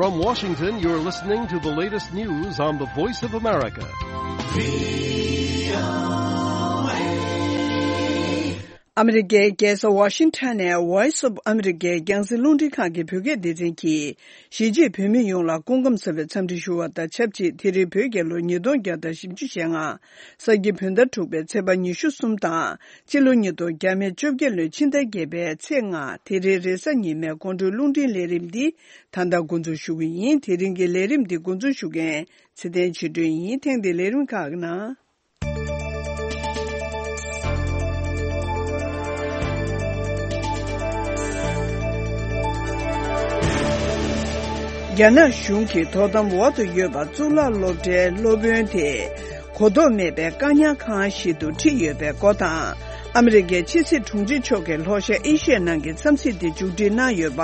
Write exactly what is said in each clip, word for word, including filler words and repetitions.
From Washington, you're listening to the latest news on the Voice of America. ཨ་མི་རི་ཀའི་རྒྱལ་ས་ཝ་ཤིང་ཊོན་ནས་Voice of America རྒྱང་སྲིང་རླུང་འཕྲིན་ཁང་གི་བོད་སྐད་སྡེ་ཚན་གྱིས། གཞིས་བྱེས་བོད་མི་ཡོངས་ལ་སྐུ་ཁམས་བཟང་བའི་འཚམས་འདྲི་ཞུ་བ་དང་ཆབས་ཅིག་དེ་རིང་བོད་རྒྱལ་ལོ་ཉིས་སྟོང་བརྒྱ་དང་བཞི་བཅུ་ཞེ་ལྔ། ས་ཁྱི་བོད་ཟླ་དྲུག་པའི་ཚེས་པ་ཉི་ཤུ་གསུམ་དང་། སྤྱི་ལོ་ཉིས་སྟོང་བརྒྱ་མེད་བཅོ་བརྒྱད་ལོའི་ཕྱི་ཟླ་བརྒྱད་པའི་ཚེས་ལྔ། དེ་རིང་རེས་གཟའ་ཉི་མའི་དགོང་དྲོའི་རླུང་འཕྲིན་ལས་རིམ་འདི་ད་ལྟ་འགོ་འཛུགས་ཞུ་གི་ཡིན། དེ་རིང་གི་ལས་རིམ་འདི་འགོ་འཛུགས་ཞུ་མཁན་ཚེ་བརྟན་ཆོས་སྒྲོན་ཡིན། ཐེངས་འདིའི་ལས་རིམ་ཁག་གི་ནང་། རྒྱ་ནག་གཞུང་གིས་དོ་དམ་འོག་ཏུ་ཡོད་པ་གཙུག་ལག་སློབ་གྲྭའི་སློབ་དཔོན་དེ་གོ་རྟོགས་མེད་པའི་བཀག་ཉར་ཁང་ཞིག་ཏུ་ཁྲིད་ཡོད་པའི་སྐོར་དང་། ཨ་མི་རི་ཀའི་ཕྱི་སྲིད་དྲུང་ཆེ་མཆོག་གིས་ལྷོ་ཤར་ཨེ་ཤི་ཡའི་ནང་གི་འཚམས་གཟིགས་དེ་མཇུག་སྒྲིལ་གནང་ཡོད་པ།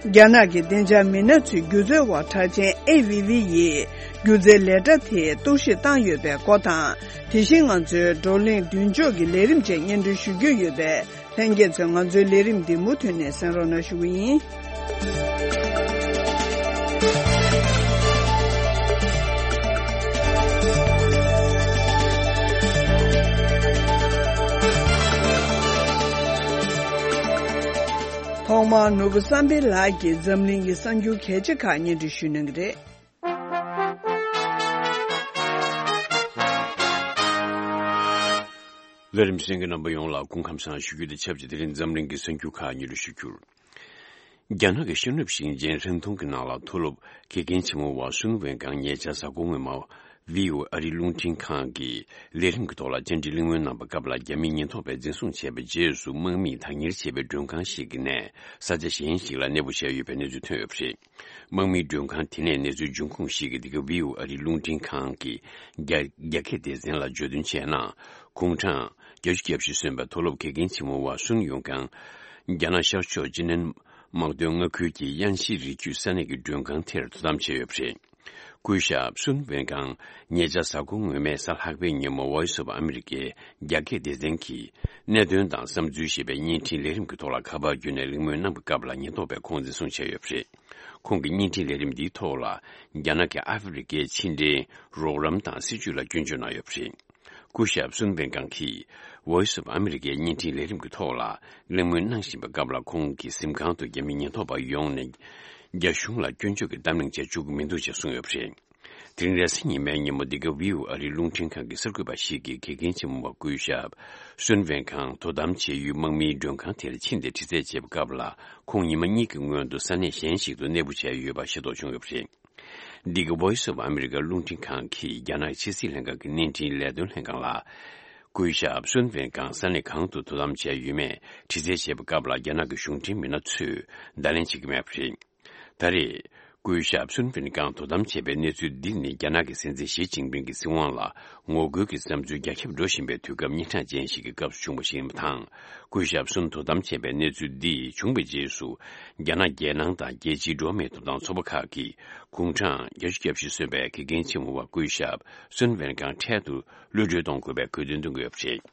རྒྱ་ནག་གི་བདེ་འཇགས་མི་སྣ་ཚོའི་སྒྱུ་རྩལ་བ་གྲགས་ཅན་ཨེ་ཝི་ཝི་ཡིས་སྒྱུ་རྩལ་ལས་གྲྭ་དེ་གཏོར་བཤིག་བཏང་ཡོད་པའི་སྐོར་དང་། དེ་བཞིན་ང་ཚོའི་བགྲོ་གླེང་མདུན་ལྕོག་གི་ལས་རིམ་བཅས་སྙན་སྒྲོན་ཞུ་རྒྱུ་ཡོད་པས། ལྷན་རྒྱས་ཚོས་ང་ཚོའི་ལས་རིམ་འདི་མུ་མཐུད་ནས་གསན་རོགས་གནང་ཞུ་གི་ཡིན། ཐོག་མར་ནོར་བུ་བསམ་འཕེལ་ལགས་ཀྱིས་འཛམ་གླིང་གི་གསར་འགྱུར་གལ་ཆེ་ཁག་སྙན་སྒྲོན་ཞུ་གནང་གི་རེད། ལས་རིམ་གསན་མཁན་རྣམ་པ་ཡོངས་ལ་སྐུ་ཁམས་བཟང་ཞུ་རྒྱུ་དང་ཆབས་ཅིག་དེ་རིང་འཛམ་གླིང་གི་གསར་འགྱུར་ཁག་སྙན་སྒྲོན་ཞུ་རྒྱུར། རྒྱ་ནག་གི་ཤེས་རབ་ཞིང་ཆེན་ཧྲན་ཏུང་གི་ནང་ལ་མཐོ་སློབ་དགེ་རྒན་ཆེན་མོ་བ་སུན་ཝེན་ཀང་ཉེ་ཆར་གཟའ་འཁོར་སྔོན་མ་བྷི་ཨོ་ཨེ་ཨ་རིའི་རླུང་འཕྲིན་ཁང་གི་ལས་རིམ་གྱི་ཐོག་ལ་བཅར་འདྲི་གླེང་མོལ་གནང་པའི་སྐབས་ལ། རྒྱ་མིའི་ཉེན་རྟོག་པས་འཛིན་བཟུང་བྱས་པའི་རྗེས་སུ་དམག་མིས་བདག་གཉེར་བྱས་པའི་མགྲོན་ཁང་ཞིག་གི་ནས་ས་ཆ་གཞན་ཞིག་ལ་གནས་སྤོ་བྱས་ཡོད་པའི་གནས་ཚུལ་ཐོན་ཡོད་པ་རེད། དམག་མིའི་མགྲོན་ཁང་དེ་ནས་གནས་ཚུལ་འབྱུང་ཁུངས་ཤིག་གིས་འདི་ག་བྷི་ཨོ་ཨེ་ཨ་རིའི་རླུང་འཕྲིན་ཁང་གི་རྒྱ་རྒྱ་སྐད་སྡེ་ཚན་ལ་བརྗོད་དོན་བྱས་ན། དགུང་གྲངས་བརྒྱད་ཅུ་གྱ་བཞི་སོན་པའི་མཐོ་སློབ་དགེ་རྒན་ཆེན་མོ་བ་སུན་ཡུང་ཀང་རྒྱ་ནག་ཤར་ཕྱོགས་ཅི་ནན་དམག་དོན་མངའ་ཁུལ་གྱི་དབྱང་ཤིན་རི་རྒྱུད་ས་གནས་ཀྱི་མགྲོན་ཁང་དེར་དོ་དམ་བྱས་ཡོད་པ་རེད། སྐུ་ཞབས་སུན་ཝེན་ཀང་ཉེ་ཆར་གཟའ་འཁོར་སྔོན་མའི་གཟའ་ལྷག་པའི་ཉིན་མོ་Voice of Americaའི་རྒྱ་སྐད་སྡེ་ཚན་གྱི་གནད་དོན་དང་བསམ་ཚུལ་ཞེས་པའི་བརྙན་འཕྲིན་ལས་རིམ་གྱི་ཐོག་ལ་ཁ་པར་བརྒྱུད་ནས་གླེང་མོལ་གནང་པའི་སྐབས་ལ་ཉེན་རྟོག་པས་ཁོང་འཛིན་བཟུང་བྱས་ཡོད་པ་རེད། ཁོང་གི་བརྙན་འཕྲིན་ལས་རིམ་འདིའི་ཐོག་ལ་རྒྱ་ནག་གི་ཨ་ཧྥེ་རི་ཀའི་ཕྱི་འབྲེལ་རོགས་རམ་དང་སྲིད་ཇུས་ལ་སྐྱོན་བརྗོད་གནང་ཡོད་པ་རེད། སྐུ་ཞབས་སུན་ཝེན་ཀང་གིས་Voice of Americaའི་བརྙན་འཕྲིན་ལས་རིམ་གྱི་ཐོག་ལ་གླེང་མོལ་གནང་བཞིན་པའི་སྐབས་ལ། ཁོང་གི་གཟིམ་ཁང་དུ་རྒྱ་མིའི་ཉེན་རྟོག་པ་ཡོང་ནས་རྒྱ་གཞུང་ལ་སྐྱོན་བརྗོད་ཀྱི་གཏམ་གླེང་བྱེད་བཅུག་གི་མི་འདུག་ཅེས་གསུངས་ཡོད་པ་རེད། དེ་རིང་རེས་གཟའ་ཉི་མའི་ཉིན་མོ་འདི་ག་བྷི་ཨོ་ཨེ་ཨ་རིའི་རླུང་འཕྲིན་ཁང་གི་གསར་འགོད་པ་ཞིག་གིས་དགེ་རྒན་ཆེན་མོ་བ་སྐུ་ཞབས་སུན་ཝེན་ཀང་དོ་དམ་བྱེད་ཡུལ་དམག་མིའི་མགྲོན་ཁང་དེར་ཕྱིན་ཏེ་དྲི་རྩད་བྱས་པའི་སྐབས་ལ། ཁོང་ཉི་མ་གཉིས་ཀྱི་སྔོན་དུ་ས་གནས་གཞན་ཞིག་ཏུ་གནས་སྤོ་བྱས་ཡོད་པ་ཤེས་རྟོགས་བྱུང་ཡོད་པ་རེད། འདི་ག་Voice of America རླུང་འཕྲིན་ཁང་གིས་རྒྱ་ནག་ཕྱི་སྲིད་ལྷན་ཁང་གི་བརྙན་འཕྲིན་ལས་དོན་ལྷན་ཁང་ལ། སྐུ་ཞབས་སུན་ཝེན་ཀང་ས་གནས་གང་དུ་དོ་དམ་བྱས་ཡོད་མེད་དྲི་རྩད་བྱས་པའི་སྐབས་ལ། རྒྱ་ནག་གི་གཞུང་འབྲེལ་མི་སྣ་ཚོས་བརྡ་ལན་བྱེད་ཀྱི་མེད་པ་རེད། ད་རེས་སྐུ་ཞབས་སུན་ཝེན་ཀང་དོ་དམ་བྱས་པའི་གནས་ཚུལ་འདི་ནི་རྒྱ་ནག་གི་སྲིད་འཛིན་ཞི་ཅིན་ཕིང་གི་སྲིད་དབང་ལ་ངོ་རྒོལ་གྱི་བསམ་ཚུལ་རྒྱ་ཁྱབ་འགྲོ་བཞིན་པའི་དུས་སྐབས་སྙན་གྲགས་ཅན་ཞིག་གི་སྐབས་སུ་བྱུང་བ་ཞིག་ཡིན་པ་དང་། སྐུ་ཞབས་སུན་དོ་དམ་བྱས་པའི་གནས་ཚུལ་འདི་བྱུང་བའི་རྗེས་སུ། རྒྱ་ནག་རྒྱལ་ནང་དང་རྒྱལ་སྤྱིའི་འགྲོ་བ་མིའི་ཐོབ་ཐང་ཚོགས་པ་ཁག་གིས་དགུང་གྲངས་བརྒྱད་ཅུ་གྱ་བཞི་སོན་པའི་དགེ་རྒན་ཆེན་མོ་བ་སྐུ་ཞབས་སུན་ཝེན་ཀང་འཕྲལ་དུ་གློད་གྲོལ་གཏོང་དགོས་པའི་དགོས་འདུན་བཏོན་གྱི་ཡོད་པ་རེད།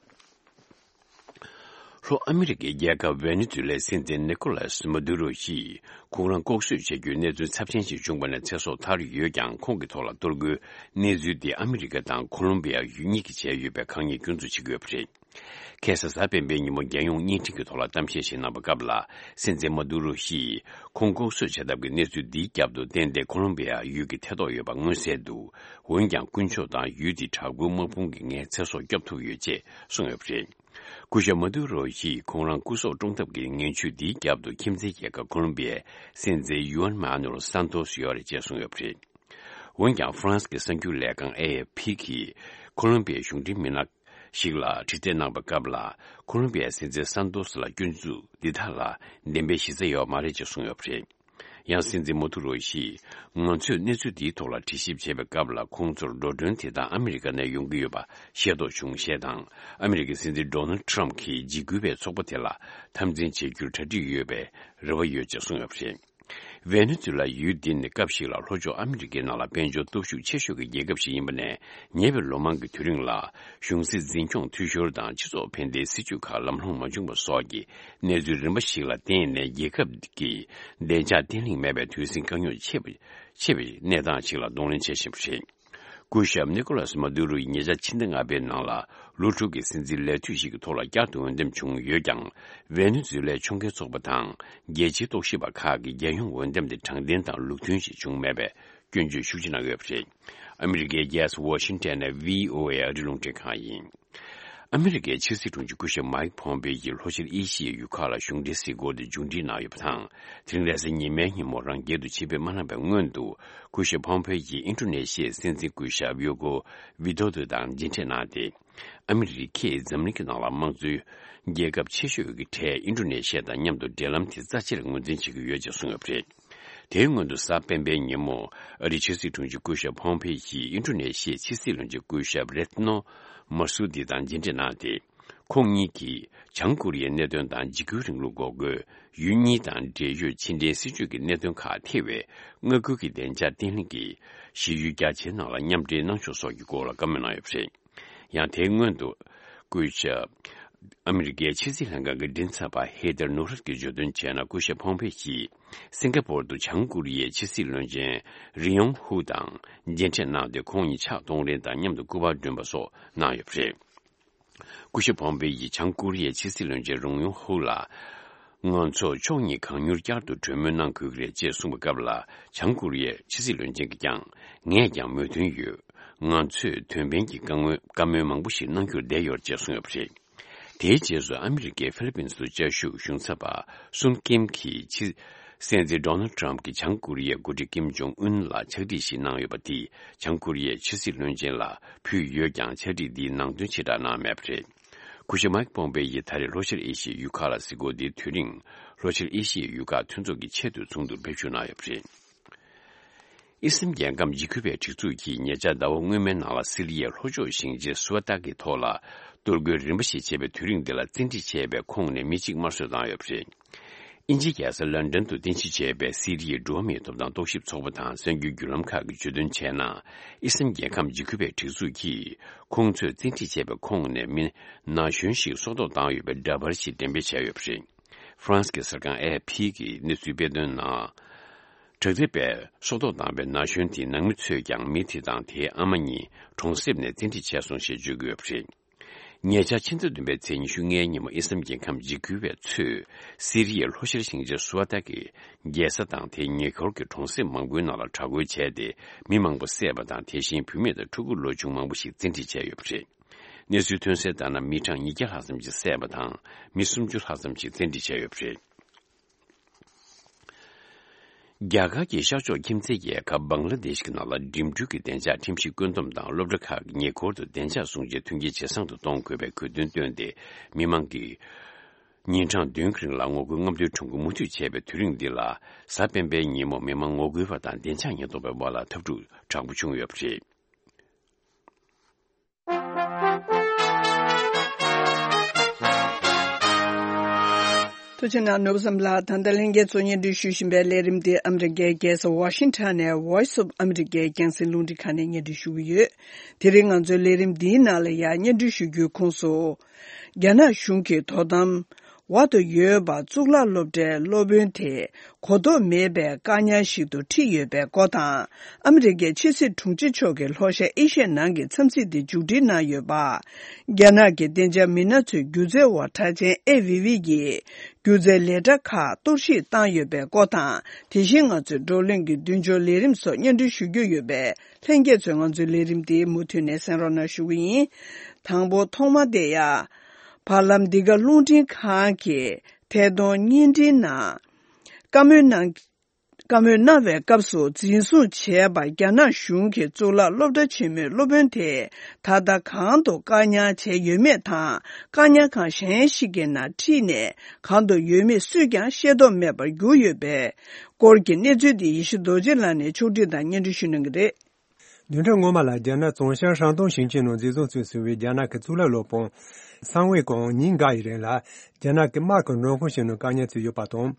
ལྷོ་ཨ་མི་རི་ཀའི་རྒྱལ་ཁབ་ཝེ་ནེ་ཛུ་ལའི་སྲིད་འཛིན་ནི་ཀོ་ལཱས་མ་དུ་རོ་ཡིས་ཁོང་རང་ལྐོག་གསོད་བྱ་རྒྱུའི་གནས་ཚུལ་ཚབས་ཆེན་ཞིག་བྱུང་བ་ནས་ཚེ་སྲོག་ཐར་ཡོད་ཀྱང་། ཁོང་གི་ཐོག་ལ་གཏོར་རྒོལ་གནས་ཚུལ་དེ་ཨ་མི་རི་ཀ་དང་ཁོ་ལོམ་བི་ཡ་ཡུལ་གཉིས་ཀྱིས་བྱས་ཡོད་པའི་ཁག་ཉེས་སྐྱོན་འཛུགས་བྱེད་ཀྱི་ཡོད་པ་རེད། ཁ་སང་གཟའ་སྤེན་པའི་ཉིན་མོ་རྒྱལ་ཡོངས་བརྙན་འཕྲིན་གྱི་ཐོག་ལ་གཏམ་བཤད་ཞིག་གནང་པའི་སྐབས་ལ། སྲིད་འཛིན་མ་དུ་རོ་ཡིས་ཁོང་ལྐོག་གསོད་བྱ་ཐབས་ཀྱི་གནས་ཚུལ་འདིའི་རྒྱབ་ཏུ་གཏན་གཏན་ཁོ་ལོམ་བི་ཡ་ཡུལ་གྱི་ཐེ་གཏོགས་ཡོད་པ་མངོན་གསལ་འདུག་འོན་ཀྱང་དཀོན་མཆོག་དང་ཡུལ་དེའི་དྲག་པོའི་དམག་དཔུང་གིས་ངའི་ཚེ་སྲོག་སྐྱོབ་ཐུབ་ཡོད་ཅེས་གསུངས་ཡོད་པ་རེད། སྐུ་ཞབས་མ་དུ་རོ་ཡིས་ཁོང་རང་སྐུ་སྲོག་བཀྲོངས་ཐབས་ཀྱི་ངན་ཇུས་འདིའི་རྒྱབ་ཏུ་ཁྱིམ་མཚེས་རྒྱལ་ཁབ་ཁོ་ལོམ་བི་ཡའི་སྲིད་འཛིན་ཡུ་ཨན་མཱ་ནུ་ཨེལ་སན་ཏོས་ཡོད་རེད་ཅེས་གསུངས་ཡོད་པ་རེད། འོན་ཀྱང་ཧྥ་རན་སི་གི་གསར་འགྱུར་ལས་ཁང་ཨེ་ཨེཕ་ཕི་གིས་ཁོ་ལོམ་བི་ཡའི་གཞུང་འབྲེལ་མི་སྣ་ཞིག་ལ་དྲི་རྩད་གནང་པའི་སྐབས་ལ། ཁོ་ལོམ་བི་ཡའི་སྲིད་འཛིན་སན་ཏོས་ལ་སྐྱོན་འཛུགས་འདི་དག་ལ་བདེན་པའི་གཞི་རྩ་ཡོད་མ་རེད་ཅེས་གསུངས་ཡོད་པ་རེད། ཡང་སྲིད་འཛིན་མ་དུ་རོ་ཡིས་ང་ཚོས་གནས་ཚུལ་འདིའི་ཐོག་ལ་དྲི་ཞིབ་བྱས་པའི་སྐབས་ལ། ཁོང་ཚོར་འགྲོ་གྲོན་དེ་དག་ཨ་མི་རི་ཀ་ནས་ཡོང་གི་ཡོད་པ་ཤེས་རྟོགས་བྱུང་ཞེས་དང་། ཨ་མི་རི་ཀའི་སྲིད་འཛིན་ཌོ་ནལ་ཌི་ཊརམ་ཕི་གིས་འཇིགས་སྐུལ་བའི་ཚོགས་པ་དེ་ལ་འཐབ་འཛིང་བྱེད་རྒྱུར་གྲ་སྒྲིག་ཡོད་པའི་རེ་བ་ཡོད་ཅེས་གསུངས་ཡོད་པ་རེད། ཝེ་ནེ་ཛུ་ལ་ཡུལ་འདི་ནི་སྐབས་ཤིག་ལ་ལྷོ་ཕྱོགས་ཨ་མི་རི་ཀའི་ནང་ལ་དཔལ་འབྱོར་སྟོབས་ཤུགས་ཆེ་ཤོས་ཀྱི་རྒྱལ་ཁབ་ཞིག་ཡིན་པ་ནས། ཉེ་བའི་ལོ་མང་གི་དུས་རིང་ལ་གཞུང་སྲིད་འཛིན་སྐྱོང་འཐུས་ཤོར་དང་སྤྱི་ཚོགས་ཕན་བདེའི་སྲིད་ཇུས་ཁག་ལམ་ལྷོང་མ་བྱུང་བ་སོགས་ཀྱི་གནས་ཚུལ་རིམ་པ་ཞིག་ལ་བརྟེན་ནས། རྒྱལ་ཁབ་ཀྱི་བདེ་འཇགས་བརྟན་ལྷིང་མེད་པའི་དུས་ཟིང་དཀའ་རྙོག་ཆེ་བ་ཆེ་བའི་གནས་སྟངས་ཤིག་ལ་གདོང་ལེན་བྱེད་བཞིན་པ་རེད། སྐུ་ཞབས་ནི་ཀོ་ལཱས་མ་དུ་རུ་ཡིས་ཉེ་ཆར་ཕྱི་ཟླ་ལྔ་པའི་ནང་ལ་ལོ་དྲུག་གི་སྲིད་འཛིན་ལས་དུས་ཤིག་གི་ཐོག་ལ་བསྐྱར་དུ་འོས་འདེམས་བྱུང་ཡོད་ཀྱང་། ཝེ་ནེ་ཛུ་ལའི་ཕྱོགས་འགལ་ཚོགས་པ་དང་རྒྱལ་སྤྱིའི་རྟོག་ཞིབ་པ་ཁག་གིས་རྒྱལ་ཡོངས་འོས་འདེམས་དེ་དྲང་བདེན་དང་ལུགས་མཐུན་ཞིག་བྱུང་མེད་པའི་སྐྱོན་བརྗོད་ཤུགས་ཆེ་གནང་ཡོད་པ་རེད། ཨ་མི་རི་ཀའི་རྒྱལ་ས་ཝ་ཤིང་ཊོན་ནས་ཝི་ཨོ་ཨེ་ཨ་རིའི་རླུང་འཕྲིན་ཁང་ཡིན། ཨ་མི་རི་ཀའི་ཕྱི་སྲིད་དྲུང་ཆེ་སྐུ་ཞབས་མའིག་ཕོམ་པེ་ཡིས་ལྷོ་ཤར་ཨེ་ཤི་ཡའི་ཡུལ་ཁག་ལ་གཞུང་འབྲེལ་གཟིགས་སྐོར་དེ་མཇུག་སྒྲིལ་གནང་ཡོད་པ་དང་། དེ་རིང་རེས་གཟའ་ཉི་མའི་ཉིན་མོ་རང་རྒྱལ་དུ་ཆེད་ཕེབས་མ་གནང་བའི་སྔོན་དུ། སྐུ་ཞབས་ཕོམ་པེ་ཡིས་ཨིན་ཌོ་ནེ་ཤི་ཡའི་སྲིད་འཛིན་སྐུ་ཞབས་ཡོ་ཀོ་ཝི་དོ་དོ་དང་མཇལ་འཕྲད་གནང་སྟེ། ཨ་མི་རི་ཀས་འཛམ་གླིང་གི་ནང་ལ་དམངས་གཙོའི་རྒྱལ་ཁབ་ཆེ་ཤོས་ཀྱི་གྲས་ཨིན་ཌོ་ནེ་ཤི་ཡ་དང་མཉམ་དུ་འབྲེལ་ལམ་དེ་རྩ་ཆེར་ངོས་འཛིན་བྱེད་ཀྱི་ཡོད་ཅེས་གསུངས་ཡོད་པ་རེད། དེའི་སྔོན་དུ་གཟའ་སྤེན་པའི་ཉིན་མོ། ཨ་རིའི་ཕྱི་སྲིད་དྲུང་ཆེ་སྐུ་ཞབས་ཕོམ་ཕེ་ཡིས་ཨིན་ཌོ་ནེ་ཤི་ཡའི་ཕྱི་སྲིད་བློན་ཆེན་སྐུ་ཞབས་རེད་ནོ་མར་སུ་དི་དང་མཇལ་འཕྲད་གནང་སྟེ། ཁོང་གཉིས་ཀྱིས་བྱང་ཀོ་རི་ཡའི་གནད་དོན་དང་འཇིགས་སྐུལ་རིང་ལུགས་འགོག་རྒོལ། ཡུལ་གཉིས་དང་འབྲེལ་ཡོད་ཕྱི་འབྲེལ་སྲིད་ཇུས་ཀྱི་གནད་དོན་ཁག་ཐེ་བའི་མངའ་ཁུལ་གྱི་བདེ་འཇགས་བརྟན་ལྷིང་གི་གཞི་ཡུལ་རྒྱ་ཆེའི་ནང་ལ་མཉམ་འབྲེལ་གནང་ཕྱོགས་སོགས་ཀྱི་སྐོར་ལ་བཀའ་མོལ་གནང་ཡོད་པ་རེད། ཡང་དེའི་སྔོན་དུ། སྐུ་ཞབས། ཨ་མི་རི་ཀའི་ཕྱི་སྲིད་ལྷན་ཁང་གི་མགྲིན་ཚབ་པ་ཧེ་ཐར་ནུ་རད་ཀྱིས་བརྗོད་དོན་བྱས་ན། སྐུ་ཞབས་ཕོམ་ཕེ་ཡིས་སིང་ག་པོར་དུ་བྱང་ཀོ་རི་ཡའི་ཕྱི་སྲིད་བློན་ཆེན་རི་ཡོང་ཧུ་དང་མཇལ་འཕྲད་གནང་སྟེ། ཁོང་གཉིས་ཕྱག་གཏོང་རེས་དང་མཉམ་དུ་སྐུ་པར་བསྒྲོན་པ་སོགས་གནང་ཡོད་པ་རེད། སྐུ་ཞབས་ཕོམ་ཕེ་ཡིས་བྱང་ཀོ་རི་ཡའི་ཕྱི་སྲིད་བློན་ཆེན་རུང་ཡོང་ཧུ་ལ། ང་ཚོ་ཕྱོགས་གཉིས་གང་མྱུར་བསྐྱར་དུ་གྲོས་མོལ་གནང་དགོས་ཀྱི་རེད་ཅེས་གསུངས་པའི་སྐབས་ལ། བྱང་ཀོ་རི་ཡའི་ཕྱི་སྲིད་བློན་ཆེན་གྱིས་ཀྱང་། ངས་ཀྱང་མོས་མཐུན་ཡོད། ང་ཚོས་དོན་ཕན་གྱི་བཀའ་མོལ་བཀའ་མོལ་མང་པོ་ཞིག་གནང་རྒྱུར་བསྡད་ཡོད་ཅེས་གསུངས་ཡོད་པ་རེད། དེའི་རྗེས་སུ་ཨ་མི་རི་ཀའི་ཧྥི་ལི་པིན་སུ་བཅའ་བཞུགས་གཞུང་ཚབ་པ་སུན་ཀིམ་གྱིས་ཕྱི་སྲིད་འཛིན་ཌོ་ནལ་ཊམ་གྱིས་བྱང་ཀོ་རི་ཡའི་འགོ་ཁྲིད་ཀིམ་ཇོང་ཨུན་ལ་ཕྱག་བྲིས་ཤིག་གནང་ཡོད་པ་དེ། བྱང་ཀོ་རི་ཡའི་ཕྱི་སྲིད་བློན་ཆེན་ལ་ཕུལ་ཡོད་ཀྱང་། ཕྱག་བྲིས་འདིའི་ནང་དོན་ཕྱིར་བསྒྲགས་གནང་མེད་པ་རེད། སྐུ་ཞབས་མའིག་པོམ་པེ་ཡིས་ད་རེས་ལྷོ་ཤར་ཨེ་ཤི་ཡའི་ཡུལ་ཁག་ལ་གཟིགས་སྐོར་འདིའི་དུས་རིང་། ལྷོ་ཤར་ཨེ་ཤི་ཡའི་ཡུལ་ཁག་མཐུན་ཚོགས་ཀྱི་ཆེས་མཐོའི་ཚོགས་འདུར་ཕེབས་བསུ་གནང་ཡོད་པ་རེད། ཨི་སི་རལ་རྒྱལ་ཁམས་འཇིགས་སྐུལ་བའི་སྒྲིག་འཛུགས་ཀྱིས་ཉེ་ཆར་ཟླ་བ་སྔོན་མའི་ནང་ལ་སི་རི་ཡའི་ལྷོ་ཕྱོགས་ཞིང་ཆེན་སུ་ཝ་ཏཱ་གི་ཐོག་ལ་གཏོར་རྒོལ་རིམ་པ་ཞིག་བྱས་པའི་དུས་རིང་འདི་ལ་བཙན་ཁྲིད་བྱས་པའི་ཁོངས་ནས་མི་གཅིག་དམར་གསོད་བཏང་ཡོད་པ་རེད། དབྱིན་ཇིའི་རྒྱལ་ས་ལན་ཀྲན་དུ་རྟེན་གཞི་བྱས་པའི་སི་རི་ཡའི་འགྲོ་བ་མིའི་ཐོབ་ཐང་རྟོག་ཞིབ་ཚོགས་པ་དང་གསར་འགྱུར་བརྒྱུད་ལམ་ཁག་གིས་བརྗོད་དོན་བྱས་ན། ཨི་སི་རལ་རྒྱལ་ཁམས་འཇིགས་སྐུལ་བའི་སྒྲིག་འཛུགས་ཀྱིས་ཁོང་ཚོས་བཙན་ཁྲིད་བྱས་པའི་ཁོངས་ནས་མི་ན་གཞོན་ཞིག་སྲོག་ཐོག་བཏང་ཡོད་པའི་འདྲ་པར་ཞིག་འགྲེམས་སྤེལ་བྱས་ཡོད་པ་རེད། ཧྥ་རན་སི་གི་གསར་ཁང་ཨེ་ཨེཕ་ཕི་གིས་གནས་ཚུལ་སྤེལ་དོན་ནང་། དྲག་འདེད་པས་སྲོག་ཐོག་བཏང་བའི་ན་གཞོན་དེའི་ནང་མི་ཚོས་ཀྱང་མི་དེ་དང་དེའི་ཨ་མ་གཉིས་གྲོང་གསེབ་ནས་བཙན་ཁྲིད་བྱས་སོང་ཞེས་བརྗོད་ཀྱི་ཡོད་པ་རེད། ཉེ་ཆར་ཕྱི་ཟླ་བདུན་པའི་ཚེས་ཉི་ཤུ་ལྔའི་ཉིན་མོ་ཨི་སི་རལ་རྒྱལ་ཁམས་འཇིགས་སྐུལ་བས་ཚོས་སི་རི་ཡའི་ལྷོ་ཤར་ཞིང་ཆེན་སུ་ཝ་ཏཱ་གི་རྒྱལ་ས་དང་དེའི་ཉེ་འཁོར་གྱི་གྲོང་གསེབ་མང་པོའི་ནང་ལ་དྲག་རྒོལ་བྱས་ཏེ། མི་མང་པོ་བསད་པ་དང་། དེ་བཞིན་བུད་མེད་དང་ཕྲུ་གུ་ལོ་ཆུང་མང་པོ་ཞིག་བཙན་ཁྲིད་བྱས་ཡོད་པ་རེད། གནས་ཚུལ་ཐོན་གསལ་ལྟར་ན། མི་གྲངས་ཉིས་བརྒྱ་ལྷག་ཙམ་ཞིག་བསད་པ་དང་། མི་སུམ་ཅུ་ལྷག་ཙམ་ཞིག་བཙན་ཁྲིད་བྱས་ཡོད་པ་རེད། རྒྱ་གར་གྱི་ཤར་ཕྱོགས་ཁྱིམ་མཚེས་རྒྱལ་ཁབ་བང་ལ་དེཤ་གི་ནང་ལ་འགྲིམ་འགྲུལ་གྱི་བདེ་འཇགས་ཁྲིམས་གཞི་བཀོད་འདོམས་དང་སློབ་གྲྭ་ཁག་གི་ཉེ་འཁོར་དུ་བདེ་འཇགས་སྲུང་བྱའི་མཐུན་རྐྱེན་ཇེ་བཟང་དུ་གཏོང་དགོས་པའི་དགོས་འདུན་བཏོན་ཏེ། མི་མང་གིས་ཉིན་གྲངས་བདུན་གྱི་རིང་ལ་ངོ་རྒོལ་རྔམ་སྟོན་ཁྲོམ་སྐོར་མུ་མཐུད་བྱས་པའི་དུས་རིང་འདི་ལ། གཟའ་སྤེན་པའི་ཉིན་མོ་མི་མང་ངོ་རྒོལ་བ་དང་བདེ་འཇགས་ཉེན་རྟོག་པའི་དབར་ལ་འཐབ་འཁྲུག་དྲག་པོ་བྱུང་ཡོད་པ་རེད། ཐུགས་རྗེ་གནང་། ནོར་བུ་བསམ་ལགས། ད་ལྟ་ལྷན་རྒྱས་ཚོ་སྙན་སྒྲོན་ཞུ་བཞིན་པའི་ལས་རིམ་འདི་ཨ་མི་རི་ཀའི་རྒྱལ་ས་ཝ་ཤིང་ཊོན་ནས་Voice of America རྒྱང་སྲིང་རླུང་འཕྲིན་ཁང་ནས་སྙན་སྒྲོན་ཞུ་གི་ཡོད། དེ་རིང་ང་ཚོའི་ལས་རིམ་འདིའི་ནང་ལ་ཡང་སྙན་སྒྲོན་ཞུ་རྒྱུའི་ཁོངས་སུ། རྒྱ་ནག་གཞུང་གི་དོ་དམ་འོག་ཏུ་ཡོད་པ་གཙུག་ལག་སློབ་གྲྭའི་སློབ་དཔོན་དེ། གོ་རྟོགས་མེད་པའི་བཀག་ཉར་ཞིག་ཏུ་ཁྲིད་ཡོད་པའི་སྐོར་དང་། ཨ་མི་རི་ཀའི་ཕྱི་སྲིད་དྲུང་ཆེ་མཆོག་གིས་ལྷོ་ཤར་ཨེ་ཤི་ཡའི་ནང་གི་འཚམས་གཟིགས་དེ་མཇུག་སྒྲིལ་གནང་ཡོད་པ། རྒྱ་ནག་གི་བདེ་འཇགས་མི་སྣ་ཚོའི་སྒྱུ་རྩལ་བ་གྲགས་ཅན་ཨེ་ཝི་ཝི་ཡིས་སྒྱུ་རྩལ་ལས་གྲྭ་ཁག་གཏོར་བཤིག་བཏང་ཡོད་པའི་སྐོར་དང་། དེ་བཞིན་ང་ཚོའི་བགྲོ་གླེང་གི་མདུན་སྐྱོད་ལས་རིམ་སོགས་སྙན་སྒྲོན་ཞུ་རྒྱུ་ཡོད་པས། ལྷན་རྒྱས་ཚོས་ང་ཚོའི་ལས་རིམ་འདི་མུ་མཐུད་ནས་གསན་རོགས་གནང་ཞུ་གི་ཡིན། དང་པོ་ཐོག་མ་དེ་ཡང་། བར་ལམ་འདི་ག་རླུང་འཕྲིན་ཁང་གི་ཐད་གཏོང་བརྙན་འཕྲིན་ནང་བཀའ་མོལ་གནང་། བཀའ་མོལ་གནང་བའི་སྐབས་སུ་འཛིན་བཟུང་བྱས་པ་རྒྱ་ནག་གཞུང་གི་གཙུག་ལག་སློབ་གྲྭ་ཆེན་མོའི་སློབ་དཔོན་དེ་ད་ལྟ་གང་དུ་བཀག་ཉར་བྱས་ཡོད་མེད་དང་། བཀག་ཉར་ཁང་གཞན་ཞིག་གི་ནང་ཁྲིད་ནས་གང་དུ་ཡོད་མེད་སུས་ཀྱང་ཤེས་རྟོགས་མེད་པར་གྱུར་ཡོད་པའི་སྐོར་གྱི་གནས་ཚུལ་དེ་ཡེ་ཤེས་རྡོ་རྗེ་ལགས་ནས་ཕྱོགས་སྒྲིག་དང་སྙན་སྒྲོན་ཞུ་གནང་གི་རེད། བདུན་ཕྲག་སྔོན་མ་ལ་རྒྱ་ནག་ཙུང་ཤན་ཧྲན་ཏུང་ཞིང་ཆེན་ནང་འཛིན་བཟུང་བྱས་ཟིན་པའི་རྒྱ་ནག་གི་གཙུག་ལག་སློབ་དཔོན་ཚང་ཝེ་ཀོང་ཉིན་འགའ་ཡི་རིང་ལ་རྒྱ་ནག་གི་དམག་གི་མགྲོན་ཁང་ཞིག་ནང་བཀག་ཉར་བྱས་ཡོད་པ་དང་།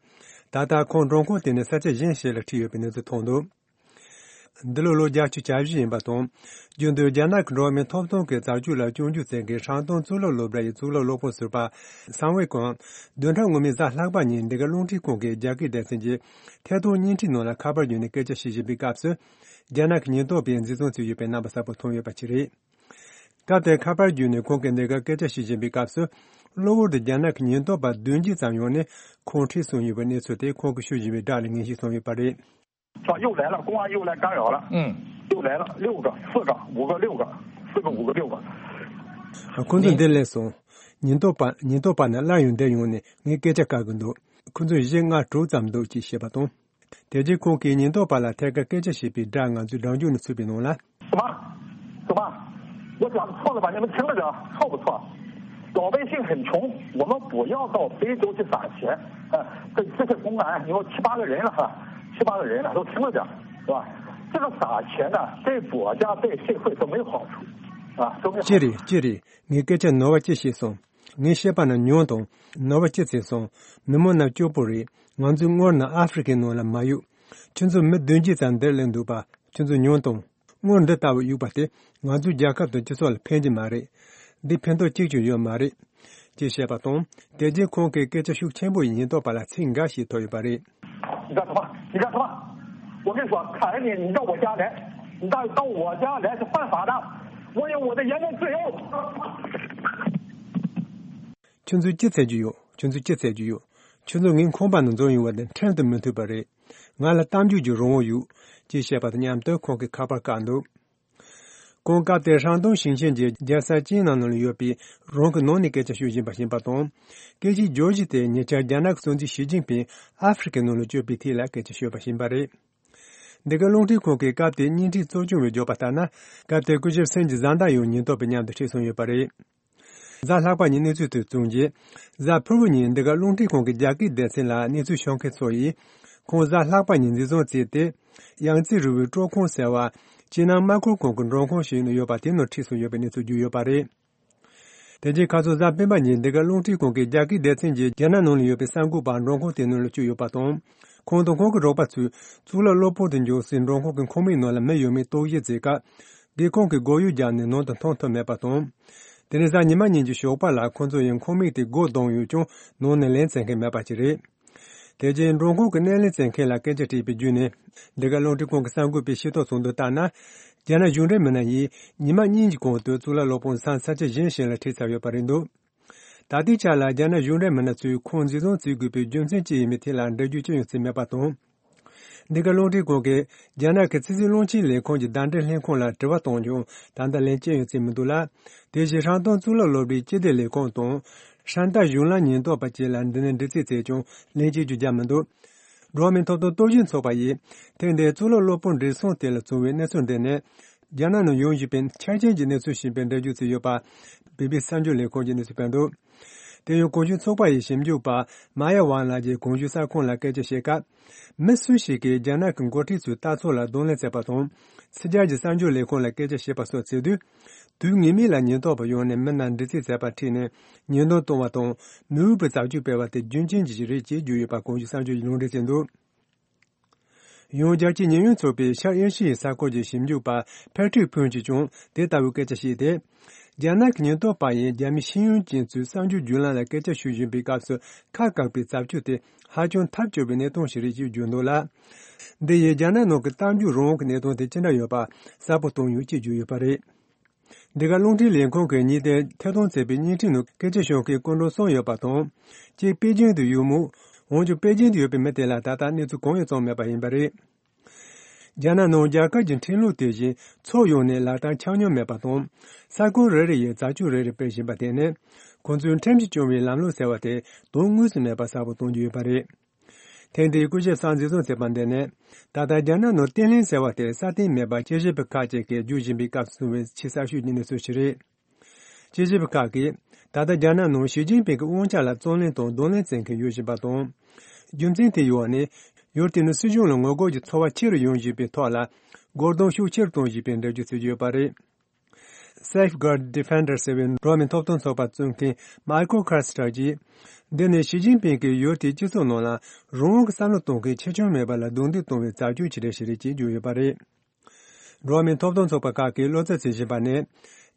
ད་ལྟ་ཁོང་མགྲོན་ཁང་དེ་ནས་ས་ཆ་གཞན་ཞིག་ལ་ཁྲིད་ཡོད་པའི་གནས་ཚུལ་ཐོན་འདུག། འདི་ལོ་ལོ་བརྒྱད་ཅུ་གྱ་བཞི་ཡིན་པ་དང་། རྒྱུན་དུ་རྒྱ་ནག་གི་འགྲོ་བ་མིའི་ཐོབ་ཐང་གི་རྩ་ཆོད་ལ་སྐྱོན་བརྗོད་མཛད་མཁན་ཧྲང་ཏུང་གཙུག་ལག་སློབ་གྲྭ་ཡི་གཙུག་ལག་སློབ་དཔོན་ཟུར་པ་སང་ཝེ་ཀོང་བདུན་ཕྲག་སྔོན་མའི་གཟའ་ལྷག་པ་ཉིན་འདི་ག་རླུང་འཕྲིན་ཁང་གི་རྒྱ་སྐད་སྡེ་ཚན་གྱི་ཐད་གཏོང་བརྙན་འཕྲིན་ནང་ལ་ཁ་པར་བརྒྱུད་ནས་སྐད་ཆ་བཤད་བཞིན་པའི་སྐབས་སུ། རྒྱ་ནག་གི་ཉེན་རྟོག་པས་འཛིན་བཟུང་བྱས་ཡོད་པའི་རྣམ་པ་གསལ་པོ་ཐོན་ཡོད་པ་ཞིག་རེད། སྐབས་དེར་ཁ་པར་བརྒྱུད་ནས་ཁོང་གིས་འདི་ག་སྐད་ཆ་བཤད་བཞིན་པའི་སྐབས་སུ། གློ་བུར་དུ་རྒྱ་ནག་གི་ཉེན་རྟོག་པ་བདུན་བརྒྱ་ཙམ་ཡོང་ནས་ཁོང་ཁྲིད་སོང་ཡོད་པའི་གནས་ཚུལ་དེ་ཁོང་གིས་ཞུ་བཞིན་པའི་སྒྲ་ལས་ངེས་ཤེས་སོང་ཡོད་པ་རེད། 说又来了，公安又来干扰了。嗯，又来了六个、四个、五个、六个，四个、五个、六个。 ཁོང་ཚོ་འདིར་སླེབས་སོང་། ཉེན་རྟོག་པ་ཉེན་རྟོག་པ་རྣམས་སླར་ཡང་འདིར་ཡོང་ནས་ངས་སྐད་ཆ་བཀག་གི་འདུག། ཁོང་ཚོ་བཞི་ལྔ་དྲུག་ཙམ་འདུག་ཅེས་བཤད་པ་དང་། དེ་རྗེས་ཁོང་གིས་ཉེན་རྟོག་པ་ལ་ཐད་ཀར་སྐད་ཆ་བཤད་པའི་སྒྲ་ང་ཚོའི་སྒྲ་འཇུག་ནས་ཚུད་པའི་ནང་ལ། 什么？什么？我讲错了吧？你们听了讲错不错？老百姓很穷，我们不要到非洲去撒钱。呃，这这些公安，你有七八个人了哈，七八个人了，都听了讲，是吧？这个撒钱呢，对国家对社会都没有好处，啊，都没有好处。 ཅི་རེད་ཅི་རེད། ངས་སྐད་ཆ་ནོར་བ་ཅི་བཤད་སོང་། ངས་བཤད་པ་ན་ཉོན་དང་། ནོར་བ་ཅི་ཚིག་སོང་། མི་མང་རྣམས་སྐྱོ་པོ་རེད། ང་ཚོའི་སྔོན་ན་ཨ་ཧྥེ་རི་ཁའི་ནང་ལ་མ་གཡུག། ཁྱོད་ཚོ་མི་བདུན་བརྒྱ་ཙམ་འདིར་སླེབས་འདུག་པ། ཁྱོད་ཚོ་ཉོན་དང་། སྔོན་འདི་ལྟ་བུ་གཡུག་པ་དེ་ང་ཚོའི་རྒྱལ་ཁབ་དང་སྤྱི་ཚོགས་ལ་ཕན་གྱི་མ་རེད། འདི་ཕན་ཐོགས་གཅིག་ཀྱང་ཡོད་མ་རེད། ཅེས་བཤད་པ་དང་། དེ་རྗེས་ཁོང་གིས་སྐད་ཆ་ཤུགས་ཆེན་པོ་ཡིས་ཉེན་རྟོག་པ་ལ་ཚིག་འགའ་ཞིག་ཐོབ་ཡོད་པ་རེད། 你干什么？你干什么？我跟你说，看人家你到我家来，你到到我家来是犯法的，我有我的言论自由。 ཁྱོད་ཚོས་ཅི་འཚོལ་རྒྱུ་ཡོད། ཁྱོད་ཚོས་ཅི་འཚོལ་རྒྱུ་ཡོད། ཁྱོད་ཚོ་ངའི་ཁང་པ་ནང་འཛུལ་ཡོང་བ་དེ་ཁྲིམས་དང་མི་མཐུན་པ་རེད། ང་ལ་གཏམ་བརྗོད་ཀྱི་རང་དབང་ཡོད། ཅེས་བཤད་པ་དང་མཉམ་དུ་ཁོང་གིས་ཁ་པར་བཀག་འདུག། ཁོང་སྐབས་དེར་ཧྲང་ཏུང་ཞིང་ཆེན་གྱི་རྒྱལ་ས་ཅིན་ནན་ནང་ལ་ཡོད་པའི་རང་གི་ནང་ནས་སྐད་ཆ་ཤོད་བཞིན་པ་ཡིན་པ་དང་། སྐད་ཆའི་བརྗོད་གཞི་དེ་ཉེ་ཆར་རྒྱ་ནག་གི་སྲིད་འཛིན་ཞི་ཅིན་ཕིང་ཨ་ཧྥེ་རི་ཁའི་ནང་ལ་བསྐྱོད་པའི་ཐད་ལ་སྐད་ཆ་ཤོད་པ་ཡིན་པ་རེད། འདི་ག་རླུང་འཕྲིན་ཁང་གིས་སྐབས་དེའི་བརྙན་འཕྲིན་གཙོ་སྐྱོང་བས་བརྗོད་པ་ལྟར་ན། སྐབས་དེར་སྐུ་ཞབས་སུན་གྱི་བཟའ་ཟླ་ཡང་ཉེན་རྟོག་པའི་མཉམ་དུ་ཁྲིད་སོང་ཡོད་པ་རེད། གཟའ་ལྷག་པ་ཉིན་གནས་ཚུལ་དེ་བཙུགས་རྗེས། གཟའ་ཕུར་བུ་ཉིན་འདི་ག་རླུང་འཕྲིན་ཁང་གི་རྒྱ་སྐད་སྡེ་ཚན་ལ་གནས་ཚུལ་ཤོད་མཁན་ཚོ་ཡིས། ཁོང་གཟའ་ལྷག་པ་ཉིན་འཛིན་བཟུང་བྱས་ཏེ། ཡང་ཙི་རི་བོའི་སྤྲོ་ཁང་ཟེར་བ། ཅི་ནང་དམག་ཁུལ་ཁང་གི་མགྲོན་ཁང་ཞིག་ནང་ཡོད་པ་དེ་ནང་ཁྲིད་སོང་ཡོད་པའི་གནས་ཚུལ་བརྗོད་ཡོད་པ་རེད། དེ་རྗེས་ཁ་སང་གཟའ་སྤེན་པ་ཉིན་འདི་ག་རླུང་འཕྲིན་ཁང་གི་རྒྱ་སྐད་སྡེ་ཚན་གྱིས་རྒྱ་ནག་ནང་ལ་ཡོད་པའི་གསར་འགོད་པ་མགྲོན་ཁང་དེ་ནང་ལ་བསྐྱོད་ཡོད་པ་དང་། ཁོང་དང་ཁོང་གི་རོགས་པ་ཚོས་གཙུག་ལག་སློབ་དཔོན་དུ་འགྱུར་སའི་མགྲོན་ཁང་གི་ཁང་མིག་ནང་ལ་མི་ཡོད་མེད་རྟོག་ཞིབ་བྱེད་སྐབས། སྒེའུ་ཁུང་གི་སྒོ་ཡོལ་བརྒྱབ་ནས་ནང་དུ་མཐོང་ཐུབ་མེད་པ་དང་། དེ་ནས་གཟའ་ཉི་མ་ཉིན་གྱི་ཞོགས་པ་ལ་ཁོང་ཚོ་ཡང་ཁང་མིག་དེ་སྒོ་བརྡུངས་ཡོད་ཀྱང་ནང་ནས་ལན་བཙལ་མཁན་མེད་པ་ཅིག་རེད། དེ་རྗེས་མགྲོན་ཁང་གི་སྣེ་ལེན་བྱེད་མཁན་ལ་སྐད་ཆ་དྲིས་པའི་བརྒྱུད་ནས། འདི་ག་རླུང་འཕྲིན་ཁང་གི་གསར་འགོད་པས་ཤེས་རྟོགས་བྱུང་དོན་ལྟར་ན། རྒྱ་ནག་གཞུང་འབྲེལ་མི་སྣ་ཡིས་ཉི་མ་གཉིས་ཀྱི་གོང་དུ་གཙུག་ལག་སློབ་དཔོན་སང་ས་ཆ་གཞན་ཞིག་ལ་ཁྲིད་ཚར་ཡོད་པ་རེད་འདུག། ད་ལྟའི་ཆ་ལ་རྒྱ་ནག་གཞུང་འབྲེལ་མི་སྣ་ཚོས་ཁོང་འཛིན་བཟུང་བྱེད་དགོས་པའི་རྒྱུ་མཚན་ཅི་ཡིན་མིན་ཐད་ལ་འགྲེལ་བརྗོད་ཅི་ཡང་བྱས་མེད་པ་དང་། འདི་ག་རླུང་འཕྲིན་ཁང་གིས་རྒྱ་ནག་གི་ཕྱི་སྲིད་བློན་ཆེན་ལས་ཁུངས་ཀྱི་ཟླ་སྒྲིལ་ལྷན་ཁང་ལ་དྲི་བ་བཏང་ཀྱང་ད་ལྟ་ལན་ཅི་ཡང་བྱས་མི་འདུག་ལ། དེ་བཞིན་ཧྲང་ཏུང་གཙུག་ལག་སློབ་གྲྭའི་སྤྱི་བདེ་ལས་ཁུངས་དང་། ཧྲན་ཏ་གཞུང་ལམ་ཉེན་རྟོག་པ་བཅས་ལ་འདི་ནས་འདྲི་རྩད་བྱས་ཀྱང་ལན་གཅིག་ཀྱང་བརྒྱབ་མི་འདུག། འགྲོ་བ་མིའི་ཐོབ་ཐང་རྟོག་ཞིབ་ཚོགས་པ་ཡིས་ཐེངས་འདིའི་གཙུག་ལག་སློབ་དཔོན་བྲེལ་ཟིང་དེ་ལ་བྱུང་བའི་གནས་ཚུལ་འདི་ནི། རྒྱ་ནག་ནང་ཡོང་བཞིན་པའི་ཆ་རྐྱེན་གྱི་གནས་ཚུལ་ཞིག་ཡིན་པའི་འགྲེལ་བརྗོད་བྱས་ཡོད་པ། བི་བི་སི་གསར་འགྱུར་ལས་ཁང་གིས་གནས་ཚུལ་སྤེལ་འདུག། དེ་ཡང་གོང་ཞུས་ཚོགས་པ་ཡི་ཞིབ་འཇུག་པ་མཱ་ཡ་ཝང་ལགས་ཀྱིས་གོང་ཞུས་གསར་ཁང་ལ་སྐད་ཆ་བཤད་སྐབས། མི་སུ་ཞིག་གིས་རྒྱ་ནག་གི་འགོ་ཁྲིད་ཚོའི་ལྟ་ཚུལ་ལ་གདོང་ལེན་བྱས་པ་དང་། ཕྱི་རྒྱལ་གྱི་གསར་འགྱུར་ལས་ཁང་ལ་སྐད་ཆ་བཤད་པ་སོགས་བྱེད་དུས། དུས་ངེས་མེད་ལ་ཉེན་རྟོག་པ་ཡོང་ནས་མི་རྣམས་འདྲི་རྩད་བྱས་པ་ཁྲིད་ནས་ཉེས་རྡུང་གཏོང་བ་དང་། མི་འོས་པའི་བྱ་སྤྱོད་སྤེལ་བ་དེ་རྒྱུ་རྐྱེན་ཅིག་རེད་ཅེས་བརྗོད་ཡོད་པ་གོང་ཞུས་གསར་འགྱུར་གྱིས་ལུང་འདྲེན་བྱས་འདུག། ཡང་རྒྱལ་སྤྱིའི་ཉེས་ཡོད་ཚོགས་པའི་ཤར་ཨེ་ཤི་ཡའི་ས་ཁུལ་གྱི་ཞིབ་འཇུག་པ་ཕེ་ཁྲིག་ཕུན་གྱིས་ཀྱང་དེ་ལྟ་བུའི་སྐད་ཆ་བཤད་དེ། རྒྱ་ནག་གི་ཉེན་རྟོག་པ་ཡིས་རྒྱ་མིའི་ཤེས་ཡོན་ཅན་ཚོའི་གསར་འགྱུར་བརྒྱུད་ལམ་ལ་སྐད་ཆ་ཤོད་བཞིན་པའི་སྐབས་སུ་ཁ་བཀག་པའི་བྱ་སྤྱོད་དེ་ཧ་ཅང་ཐབས་སྐྱོ་བའི་གནས་སྟངས་ཤིག་རེད་ཅེས་བརྗོད་འདུག་ལ། འདི་ཡིས་རྒྱ་ནག་ནང་གི་གཏམ་རྒྱུད་རང་དབང་གི་གནས་སྟངས་དེ་ཅི་འདྲ་ཡོད་པ་གསལ་པོ་བསྟན་ཡོད་ཅེས་བརྗོད་ཡོད་པ་རེད། འདི་ག་རླུང་འཕྲིན་ལས་ཁང་གིས་ཉེ་དུས་ཐད་གཏོང་བྱས་པའི་བརྙན་འཕྲིན་ནང་སྐད་ཆ་ཤོད་མཁན་སྐུ་མགྲོན་གསུམ་ཡོད་པ་དང་། གཅིག་པེ་ཅིང་དུ་ཡོད་མོད། འོན་ཀྱང་པེ་ཅིང་དུ་ཡོད་པའི་མི་དེ་ལ་ད་ལྟ་གནས་ཚུལ་གང་ཡང་བྱུང་མེད་པ་ཡིན་པ་རེད། རྒྱ་ནག་ནང་རྒྱ་གར་གྱི་འཕྲིན་ལུགས་དེ་བཞིན་ཕྱོགས་ཡོངས་ནས་ལག་བསྟར་འཆར་མྱོང་མེད་པ་དང་། ས་ཁུལ་རེ་རེ་ཡིས་བྱ་སྤྱོད་རེ་རེ་སྤེལ་བཞིན་པ་དེ་ནི། ཁོང་ཚོས་ཁྲིམས་ཀྱིས་སྐྱོང་བའི་ལམ་ལུགས་ཟེར་བ་དེ་དོན་དངོས་སུ་མེད་པ་གསལ་པོ་གཏོང་རྒྱུ་ཡོད་པ་རེད། ཐེངས་འདིའི་སྐུ་ཞབས་སང་འཛིན་བཟུང་བྱས་པ་འདི་ནི། ད་ལྟ་རྒྱ་ནག་ནང་བརྟན་ལྷིང་ཟེར་བ་དེ་སྲ་བརྟན་མེད་པ་དཔྱད་ཞིབ་པ་ཁག་ཅིག་གིས་བརྗོད་བཞིན་པའི་སྐབས་སུ་བྱུང་བའི་ཆེས་གསར་ཤོས་ཀྱི་གནས་ཚུལ་ཞིག་རེད། དཔྱད་ཞིབ་པ་ཁག་གིས་ད་ལྟ་རྒྱ་ནག་ནང་ཞི་ཅིན་ཕིང་གི་དབང་ཆ་ལ་བརྩོན་ལེན་དང་གདོང་ལེན་བྱེད་མཁན་ཡོད་བཞིན་པ་དང་། རྒྱུ་མཚན་དེའི་འོག་ནས་ཡུལ་དེ་ནི་སྲིད་གཞུང་ལ་ངོ་རྒོལ་གྱི་ཚོར་བ་ཆེ་རུ་ཡོང་བཞིན་པའི་ཐོག་ལ་རྒོལ་རྡུང་ཤུགས་ཆེ་རུ་གཏོང་བཞིན་པའི་འགྲེལ་བརྗོད་བྱེད་ཀྱི་ཡོད་པ་རེད། Safeguard Defender ཟེར་བའི་འགྲོ་བ་མིའི་ཐོབ་ཐང་ཚོགས་པ་གཙོ་མཁན་མའི་ཁལ་ཁཱ་སི་ཊར་གྱིས། འདི་ནི་ཞི་ཅིན་ཕིང་གིས་ཡུལ་དེའི་སྤྱི་ཚོགས་ནང་ལ་རང་དབང་གི་བསམ་བློ་གཏོང་མཁན་ཆེ་ཆུང་མེད་པ་ལ་རྡུང་རྡེག་གཏོང་བའི་རྩ་ཆེན་ཅིག་རེད་ཞེས་རེ་ཅིག་བརྗོད་ཡོད་པ་རེད། འགྲོ་བ་མིའི་ཐོབ་ཐང་ཚོགས་པ་ཁག་གིས་བློ་འཚབ་བྱེད་བཞིན་པ་ནི།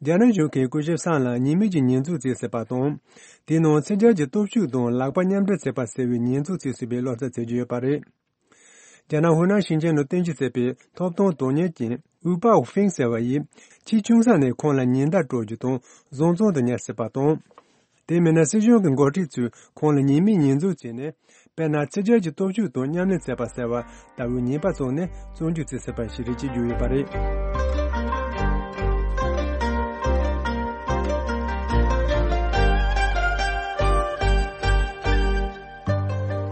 རྒྱ་ནག་གཞུང་གིས་སྐུ་ཞབས་སང་ལ་ཉེས་མེད་ཀྱི་ཉེས་འཛུགས་བྱས་ཟིན་པ་དང་། དེའི་ནང་ཕྱི་རྒྱལ་གྱི་སྟོབས་ཤུགས་དང་ལག་པ་མཉམ་འབྲེལ་བྱས་པ་ཟེར་བའི་ཉེས་འཛུགས་བྱས་ཟིན་པའི་བློ་འཚབ་བྱེད་ཀྱི་ཡོད་པ་རེད། རྒྱ་ནག་ཧུའུ་ནན་ཞིང་ཆེན་ནང་རྟེན་གཞི་བྱས་པའི་ཐོབ་ཐང་དོན་གཉེར་ཅན་ཝུའུ་པའོ་ཧྥིང་ཟེར་བ་ཡིས། ཆེས་ཆུང་ས་ནས་ཁོང་ལ་ཉེན་བརྡ་སྤྲོད་རྒྱུ་དང་བཟང་བཙོན་དུ་ཉར་སྲིད་པ་དང་། དེ་མིན་ན་སྲིད་གཞུང་གི་འགོ་ཁྲིད་ཚོས་ཁོང་ལ་ཉེས་མེད་ཉེས་འཛུགས་བྱས་ནས། དཔེར་ན་ཕྱི་རྒྱལ་གྱི་སྟོབས་ཤུགས་དང་མཉམ་ལས་བྱས་པ་ཟེར་བ་ལྟ་བུའི་ཉེས་པ་བཙུགས་ནས་བཙོན་འཇུག་བྱས་ཟིན་པ་ཞིག་རེད་ཅེས་བརྗོད་ཡོད་པ་རེད།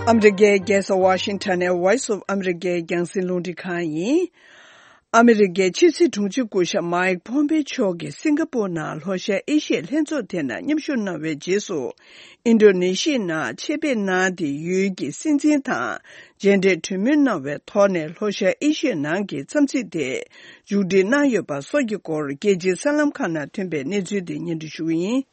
ཨ་མི་རི་ཀའི་རྒྱལ་ས་ཝ་ཤིང་ཊོན་ནས་Voice of America རྒྱང་སྲིང་རླུང་འཕྲིན་ཁང་ཡིན། ཨ་མི་རི་ཀའི་ཕྱི་སྲིད་དྲུང་ཆེ་སྐུ་ཞབས་མཱིག་ཕོམ་པེ་མཆོག་གིས་སིང་ག་པོར་ནང་ལྷོ་ཤར་ཨེ་ཤི་ཡའི་ལྷན་ཚོགས་དེ་ནང་མཉམ་ཞུགས་གནང་བའི་རྗེས་སུ། ཨིན་ཌོ་ནེ་ཤི་ཡའི་ནང་ཆེད་ཕེབས་གནང་སྟེ་ཡུལ་གྱི་སྲིད་འཛིན་དང་མཇལ་འཕྲད་གྲོས་མོལ་གནང་བའི་ཐོག་ནས་ལྷོ་ཤར་ཨེ་ཤི་ཡའི་ནང་གི་འཚམས་གཟིགས་དེ་མཇུག་སྒྲིལ་གནང་ཡོད་པ་སོགས་ཀྱི་སྐོར་རྒྱལ་སྤྱིའི་གསར་ལམ་ཁག་ནང་ཐོན་པའི་གནས་ཚུལ་དེ་སྙན་སྒྲོན་ཞུ་གི་ཡིན།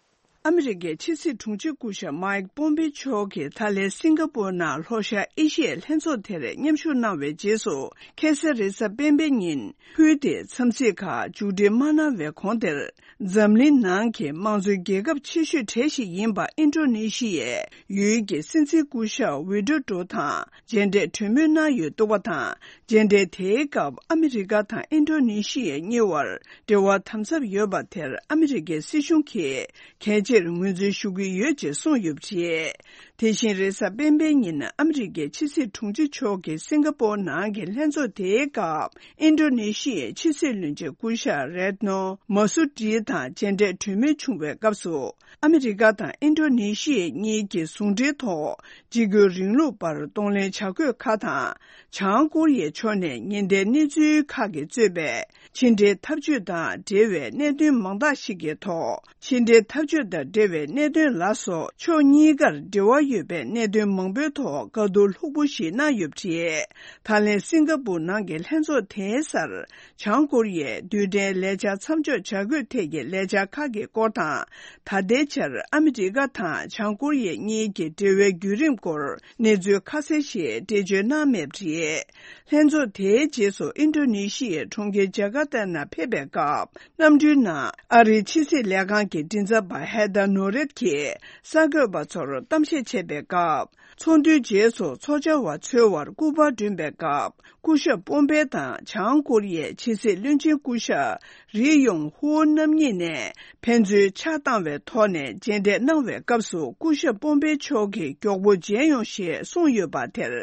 ཨ་མི་རི་ཀའི་ཕྱི་སྲིད་དྲུང་ཆེ་སྐུ་ཞབས་མཱིག་པོམ་པེ་མཆོག་གིས་ད་ལན་སིང་ག་པོར་ནང་ལྷོ་ཤར་ཨེ་ཤི་ཡའི་ལྷན་ཚོགས་དེར་མཉམ་ཞུགས་གནང་བའི་རྗེས་སུ། ཁ་སང་རེས་གཟའ་སྤེན་པའི་ཉིན་ཕུལ་ཏེ་འཚམས་གཟིགས་ཁག་མཇུག་སྒྲིལ་མ་གནང་བའི་གོང་དེར། འཛམ་གླིང་ནང་གི་དམངས་གཙོའི་རྒྱལ་ཁབ་ཆེ་ཤོས་གྲས་ཤིག་ཡིན་པ་ཨིན་ཌོ་ནེ་ཤི་ཡའི་ཡུལ་གྱི་སྲིད་འཛིན་སྐུ་ཞབས་ཝི་ཌོ་ཌོ་དང་མཇལ་འཕྲད་གྲོས་མོལ་གནང་ཡོད་འདུག་པ་དང་། མཇལ་འཕྲད་དེའི་སྐབས་ཨ་མི་རི་ཀ་དང་ཨིན་ཌོ་ནེ་ཤི་ཡ་གཉིས་བར་འབྲེལ་བ་དམ་ཟབ་ཡོད་པ་དེར་ཨ་མི་རི་ཀའི་སྲིད་གཞུང་གིས་གལ་ཆེར་ངོས་འཛིན་ཞུ་གི་ཡོད་ཅེས་གསུངས་ཡོད་པ་རེད། དེ་བཞིན་རེས་གཟའ་སྤེན་པའི་ཉིན་ཨ་མི་རི་ཀའི་ཕྱི་སྲིད་དྲུང་ཆེ་མཆོག་གིས་སིང་ག་པོར་ནང་གི་ལྷན་ཚོགས་དེའི་སྐབས་ཨིན་ཌོ་ནེ་ཤི་ཡའི་ཕྱི་སྲིད་བློན་ཆེན་སྐུ་ཞབས་རེད་ནོ་མ་སུ་ཏི་དང་མཇལ་འཕྲད་གྲོས་མོལ་བྱུང་བའི་སྐབས་སུ། ཨ་མི་རི་ཀ་དང་ཨིན་ཌོ་ནེ་ཤི་ཡ་གཉིས་ཀྱི་ཟུང་འབྲེལ་ཐོག་འཇིགས་སྐུལ་རིང་ལུགས་པར་གདོང་ལེན་བྱ་དགོས་ཁག་དང་། བྱང་ཀོ་རི་ཡའི་ཕྱོགས་ནས་ཉེན་བརྡའི་གནས་ཚུལ་ཁག་གིས་གཙོས་པའི་ཕྱི་འབྲེལ་འཐབ་ཇུས་དང་འབྲེལ་བའི་གནད་དོན་མང་དག་ཞིག་གི་ཐོག་ཕྱི་འབྲེལ་འཐབ་ཇུས་དང་འབྲེལ་བའི་གནད་དོན་ལ་སོགས་ཕྱོགས་གཉིས་ཀར་འབྲེལ་བ་ཡོད་པའི་གནད་དོན་མང་པོའི་ཐོག་བཀའ་བསྡུར་ལྷུག་པོ་ཞིག་གནང་ཡོད་པ་རེད། ད་ལན་སིང་ག་པུར་ནང་གི་ལྷན་ཚོགས་དེའི་སར། བྱང་ཀོ་རི་ཡས་རྡུལ་ཕྲན་ལས་འཆར་མཚམས་འཇོག་བྱ་དགོས་ཐད་ཀྱི་ལས་འཆར་ཁག་གི་སྐོར་དང་། ད་ལྟའི་ཆར་ཨ་མི་རི་ཀ་དང་བྱང་ཀོ་རི་ཡ་གཉིས་ཀྱི་འབྲེལ་བའི་བརྒྱུད་རིམ་སྐོར་གནས་ཚུལ་ཁ་གསལ་ཞིག་འགྲེལ་བརྗོད་གནང་མེད་པ་རེད། ལྷན་ཚོགས་དེའི་རྗེས་སུ་ཨིན་ཌོ་ནེ་ཤི་ཡའི་གྲོང་ཁྱེར་ཇ་ཀར་ཏ་ནང་ཕེབས་པའི་སྐབས། གནམ་གྲུའི་ནང་ཨ་རིའི་ཕྱི་སྲིད་ལས་ཁང་གི་མགྲིན་ཚབ་པ་ཧེ་དར་ནོ་རེད་ཀྱིས་གསར་འགོད་པ་ཚོར་གཏམ་བཤད་བྱས་པའི་སྐབས། ཚོགས་འདུའི་རྗེས་སུ་ཚོགས་བཅར་བ་འཚོལ་བར་སྐུ་པར་བསྐྲུན་པའི་སྐབས། སྐུ་ཞབས་པོམ་པེ་དང་བྱང་ཀོ་རི་ཡའི་ཕྱི་སྲིད་བློན་ཆེན་སྐུ་ཞབས་རི་ཡོང་ཧུའུ་རྣམ་གཉིས་ནས་ཕན་ཚུན་ཕྱག་བཏང་བའི་ཐོག་ནས་མཇལ་འཕྲད་གནང་བའི་སྐབས་སུ། སྐུ་ཞབས་པོམ་པེ་མཆོག་གིས་མགྱོགས་པོ་མཇལ་ཡོང་ཞེས་གསུངས་ཡོད་པ་དེར།